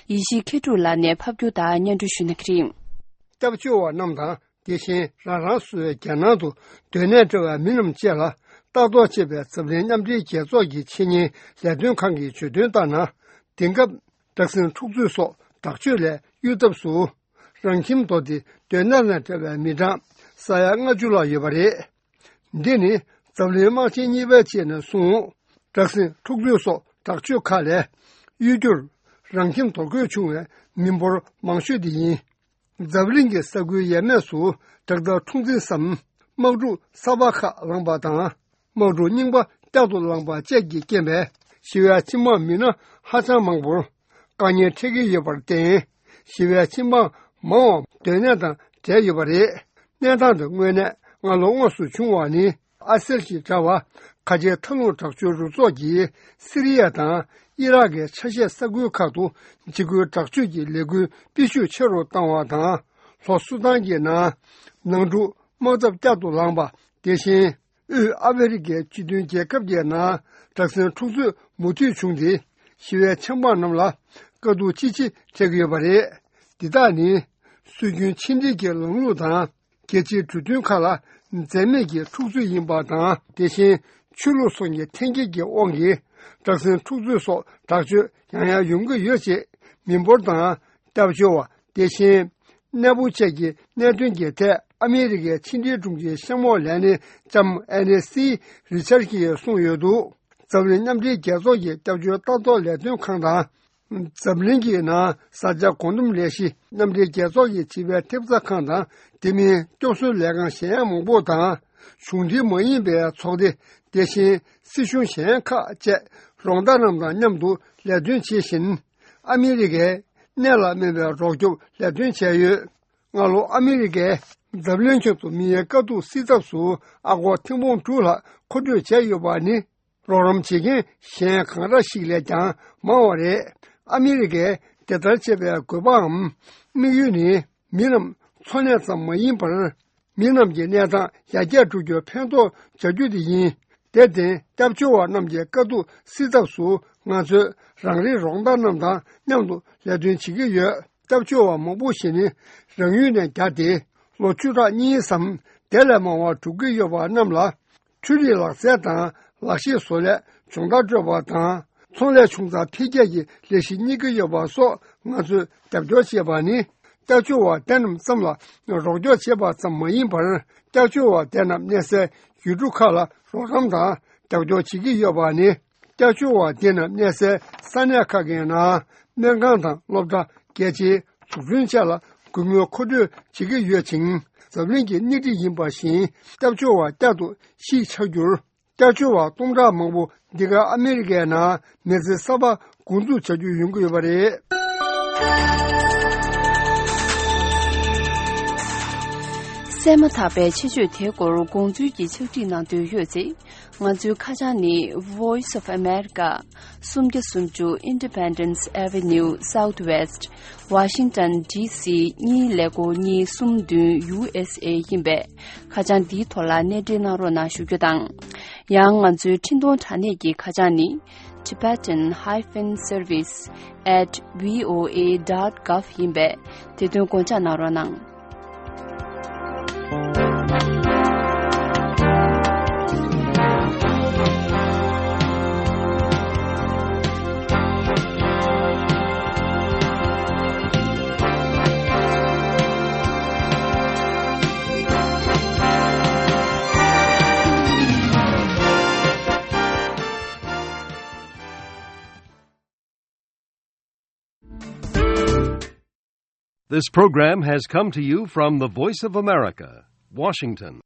ཡེ་ཤེས་མཁས་གྲུབ་ལགས་ནས་ཕབ་སྒྱུར་དང་སྙན་སྒྲོན་ཞུ་གནང་གི་རེད། སྐྱབས་བཅོལ་བ་རྣམས་དང་། དེ་བཞིན་རང་རང་སོའི་རྒྱལ་ནང་དུ་སྡོད་གནས་བྲལ་བའི་མི་རྣམས་བཅས་ལ་ལྟ་རྟོག་བྱེད་པའི་འཛམ་གླིང་མཉམ་འབྲེལ་རྒྱལ་ཚོགས་ཀྱི་ཆེད་གཉེར་ལས་དོན་ཁང་གིས་བརྗོད་དོན་ལྟར་ན། དེང་སྐབས་སྦྲག་སྲིན་འཁྲུག་རྩོད་སོགས་དྲག་སྤྱོད་ལས་གཡོལ་ཐབས་སུ། རང་ཁྱིམ་དོར་ཏེ་སྡོད་གནས་ལས་བྲལ་བའི་མི་གྲངས་ས་ཡ་ལྔ་བཅུ་ལྷག་ཡོད་པ་རེད། འདི་ནི་འཛམ་གླིང་དམག་ཆེན་གཉིས་པའི་རྗེས་ནས་བཟུང་། སྦྲག་སྲིན་འཁྲུག་རྩོད་སོགས་དྲག་སྤྱོད་ཁག་ལས་གཡོལ་རྒྱུར་རང་ཁྱིམ་དོར་དགོས་བྱུང་བའི་མི་འབོར་མང་ཤོས་འདི་ཡིན། འཛམ་གླིང་གི་ས་ཁུལ་ཡས་མས་སུ་དྲག་མཐའ་འཁྲུག་འཛིང་སམ་དམག་འཁྲུག་གསར་པ་ཁག་ལངས་པ་དང་། དམག་འཁྲུག་རྙིང་པ་བསྐྱར་དུ་ལངས་པ་བཅས་ཀྱི་རྐྱེན་པས་ཞི་བའི་ཆིངས་དམག་མི་སྣ་ཧ་ཅང་མང་པོར་དཀའ་ངལ་འཕྲད་ཀྱི་ཡོད་པར་བརྟེན། ཞི་བའི་ཆིངས་དམག་མང་བ་སྡོད་གནས་དང་བྲལ་ཡོད་པ་རེད། གནས་སྟངས་འདི་དངོས་གནས་སྔ་ལོ་དངོས་སུ་བྱུང་བ་ནི། ཨ་སེལ་ཞེས་བྱ་བ། ཁ་ཆེའི་མཐའ་ལྷུང་དྲག་སྤྱོད་རུ་ཚོགས་ཀྱིས་སི་རི་ཡ་དང་ཨི་རག་གི་ཆ་ཤས་ས་ཁུལ་ཁག་ཏུ་འཇིགས་སྐུལ་དྲག་སྤྱོད་ཀྱི་ལས་འགུལ་སྤེལ་ཤུགས་ཆེ་རུ་བཏང་བ་དང་། ལྷོ་སུ་དཱན་གྱི་ནང་ནང་འཁྲུག་དམག་འཐབ་བསྐྱར་དུ་ལངས་པ། དེ་བཞིན་དབུས་ཨ་ཧྥེ་རི་ཁའི་སྤྱི་མཐུན་རྒྱལ་ཁབ་ཀྱི་ནང་དྲག་ཟིང་འཁྲུག་རྩོད་མུ་མཐུད་བྱུང་སྟེ། ཞི་བའི་ཆབ་འབངས་རྣམས་ལ་དཀའ་སྡུག་ཅི་ཆེ་འཕྲད་ཀྱི་ཡོད་པ་རེད། འདི་དག་ནི། སྲོལ་རྒྱུན་ཕྱི་འབྲེལ་གྱི་ལམ་ལུགས་དང་། རྒྱལ་སྤྱིའི་གྲོས་མཐུན་ཁག་ལ་འཛེམ་མེད་ཀྱི་འཁྲུག་རྩོད་ཡིན་པ་དང་། དེ་བཞིན་ཆོས་ལུགས་སོགས་ཀྱི་འཐེན་འཁྱེར་གྱི་དབང་གིས་དྲག་ཟིང་འཁྲུག་རྩོད་སོགས་དྲག་སྤྱོད་ཡང་ཡང་ཡོང་གི་ཡོད་ཅེས་མི་འབོར་དང་། སྐྱབས་བཅོལ་བ། དེ་བཞིན་གནས་སྤོ་བཅས་ཀྱི་གནད་དོན་གྱི་ཐད་ཨ་མི་རི་ཀའི་ཕྱི་འབྲེལ་དྲུང་ཆེ་གཤམ་འོག་ལས་སྣེ་ལྕམ་ཨེ་ནེ་སི་རི་ཆར་གྱིས་གསུངས་ཡོད་འདུག། འཛམ་གླིང་མཉམ་འབྲེལ་རྒྱལ་ཚོགས་ཀྱི་སྐྱབས་བཅོལ་ལྟ་རྟོག་ལས་དོན་ཁང་དང་། འཛམ་གླིང་གི་ནང་བཟའ་བཅའ་སྒོ་འདོམས་ལས་གཞི་མཉམ་འབྲེལ་རྒྱལ་ཚོགས་ཀྱི་བྱིས་པའི་ཐེབས་རྩ་ཁང་དང་། དེ་མིན་སྐྱོབ་གསོའི་ལས་ཁང་གཞན་མང་པོ་དང་། གཞུང་འབྲེལ་མ་ཡིན་པའི་ཚོགས་སྡེ། དེ་བཞིན་སྲིད་གཞུང་གཞན་ཁག་བཅས་རོགས་ཟླ་རྣམས་དང་མཉམ་དུ་ལས་དོན་བྱེད་བཞིན། ཨ་མི་རི་ཀས་གནད་ལ་སྨིན་པའི་རོགས་སྐྱོབ་ལས་དོན་བྱས་ཡོད། སྔ་ལོ་ཨ་མི་རི་ཀས་འཛམ་གླིང་ཁྱོན་དུ་མིའི་དཀའ་སྡུག་སེལ་ཐབས་སུ་ཨ་སྒོར་ཐེར་འབུམ་དྲུག་ལྷག་མཁོ་སྤྲོད་བྱས་ཡོད་པ་ནི། རོགས་རམ་བྱེད་མཁན་གཞན་གང་འདྲ་ཞིག་ལས་ཀྱང་མང་བ་རེད། ཨ་མི་རི་ཀས་དེ་ལྟར་བྱེད་པའི་དགོས་པའམ་དམིགས་ཡུལ་ནི། མི་རྣམས་འཚོ་གནས་ཙམ་མ་ཡིན་པར། མི་རྣམས་ཀྱི་གནས་སྟངས་ཡར་རྒྱས་འགྲོ་རྒྱུར་ཕན་ཐོགས་བྱ་རྒྱུ་དེ་ཡིན། དེར་བརྟེན། སྐྱབས་བཅོལ་བ་རྣམས་ཀྱི་དཀའ་སྡུག་སེལ་ཐབས་སུ་ང་ཚོས་རང་རེའི་རོགས་ཟླ་རྣམས་དང་མཉམ་དུ་ལས་དོན་བྱེད་ཀྱི་ཡོད། སྐྱབས་བཅོལ་བ་མང་པོ་ཞིག་ནི་རང་ཡུལ་ནས་བརྒྱ་སྟེ། ལོ་བཅུ་ཕྲག་གཉིས་སམ་དེ་ལས་མང་བ་འགྲོ་གི་ཡོད་པ་རྣམས་ལ། འཕྲུལ་རིག་ལག་རྩལ་དང་ལག་ཤེས་བཟོ་ལས་སྦྱོང་བརྡར་སྤྲོད་པ་དང་། ཚོང་ལས་ཆུང་ཙག་འཕེལ་རྒྱས་ཀྱི་ལས་གཞི་གཉེར་གྱི་ཡོད་པ་སོགས་ང་ཚོས་རྒྱབ་སྐྱོར་བྱེད་པ་ནི། སྐྱབས་བཅོལ་བ་དེ་རྣམས་ཙམ་ལ་རོགས་སྐྱོར་བྱེད་པ་ཙམ་མ་ཡིན་པར། སྐྱབས་བཅོལ་བ་དེ་རྣམས་གནས་སའི་ཡུལ་གྲུ་ཁག་ལ་རོགས་རམ་དང་རྒྱབ་སྐྱོར་བྱེད་ཀྱི་ཡོད་པ་ནི། སྐྱབས་བཅོལ་བ་དེ་རྣམས་གནས་སའི་ས་གནས་ཁག་གི་ནང་སྨན་ཁང་དང་སློབ་གྲྭ། རྒྱལ་སྤྱིའི་འཛུགས་སྐྲུན་བཅས་ལ་སྒོ་མོའི་མཁོ་སྤྲོད་བྱེད་ཀྱི་ཡོད་ཅིང་། འཛམ་གླིང་གི་སྣེ་ཁྲིད་ཡིན་པ་བཞིན། སྐྱབས་བཅོལ་བ་བསྐྱར་དུ་གཞིས་ཆགས་རྒྱུར། སྐྱབས་བཅོལ་བ་སྟོང་ཕྲག་མང་པོ་འདི་ག་ཨ་མི་རི་ཀའི་ནང་མི་ཚེ་གསར་པ་འགོ་འཛུགས་བྱ་རྒྱུ་ཡོང་གི་ཡོད་པ་རེད། གསན་མ་ཐག་པའི་ཆེད་བརྗོད་དེའི་སྐོར་དགོངས་ཚུལ་གྱི་ཕྱག་བྲིས་གནང་འདོད་ཡོད་ཚེ། ང་ཚོའི་ཁ་བྱང་ནི། Voice of America། སུམ་བརྒྱ་སུམ་ཅུ་Independence Avenue Southwest། Washington D C གཉིས་ཀླད་ཀོར་གཉིས་གསུམ་བདུན་U S A ཡིན་པས། ཁ་བྱང་འདིའི་ཐོག་ལ་གནས་འབྲེལ་གནང་རོགས་གནང་ཞུ་རྒྱུ་དང་། ཡང་ང་ཚོའི་འཕྲིན་གཏོང་དྲ་གནས་ཀྱི་ཁ་བྱང་ནི། Tibetan hyphen service at V O A dot gov ཡིན་པས། དེ་དོན་དགོངས་འཇགས་གནང་རོགས་གནང་། This program has come to you from the Voice of America, Washington.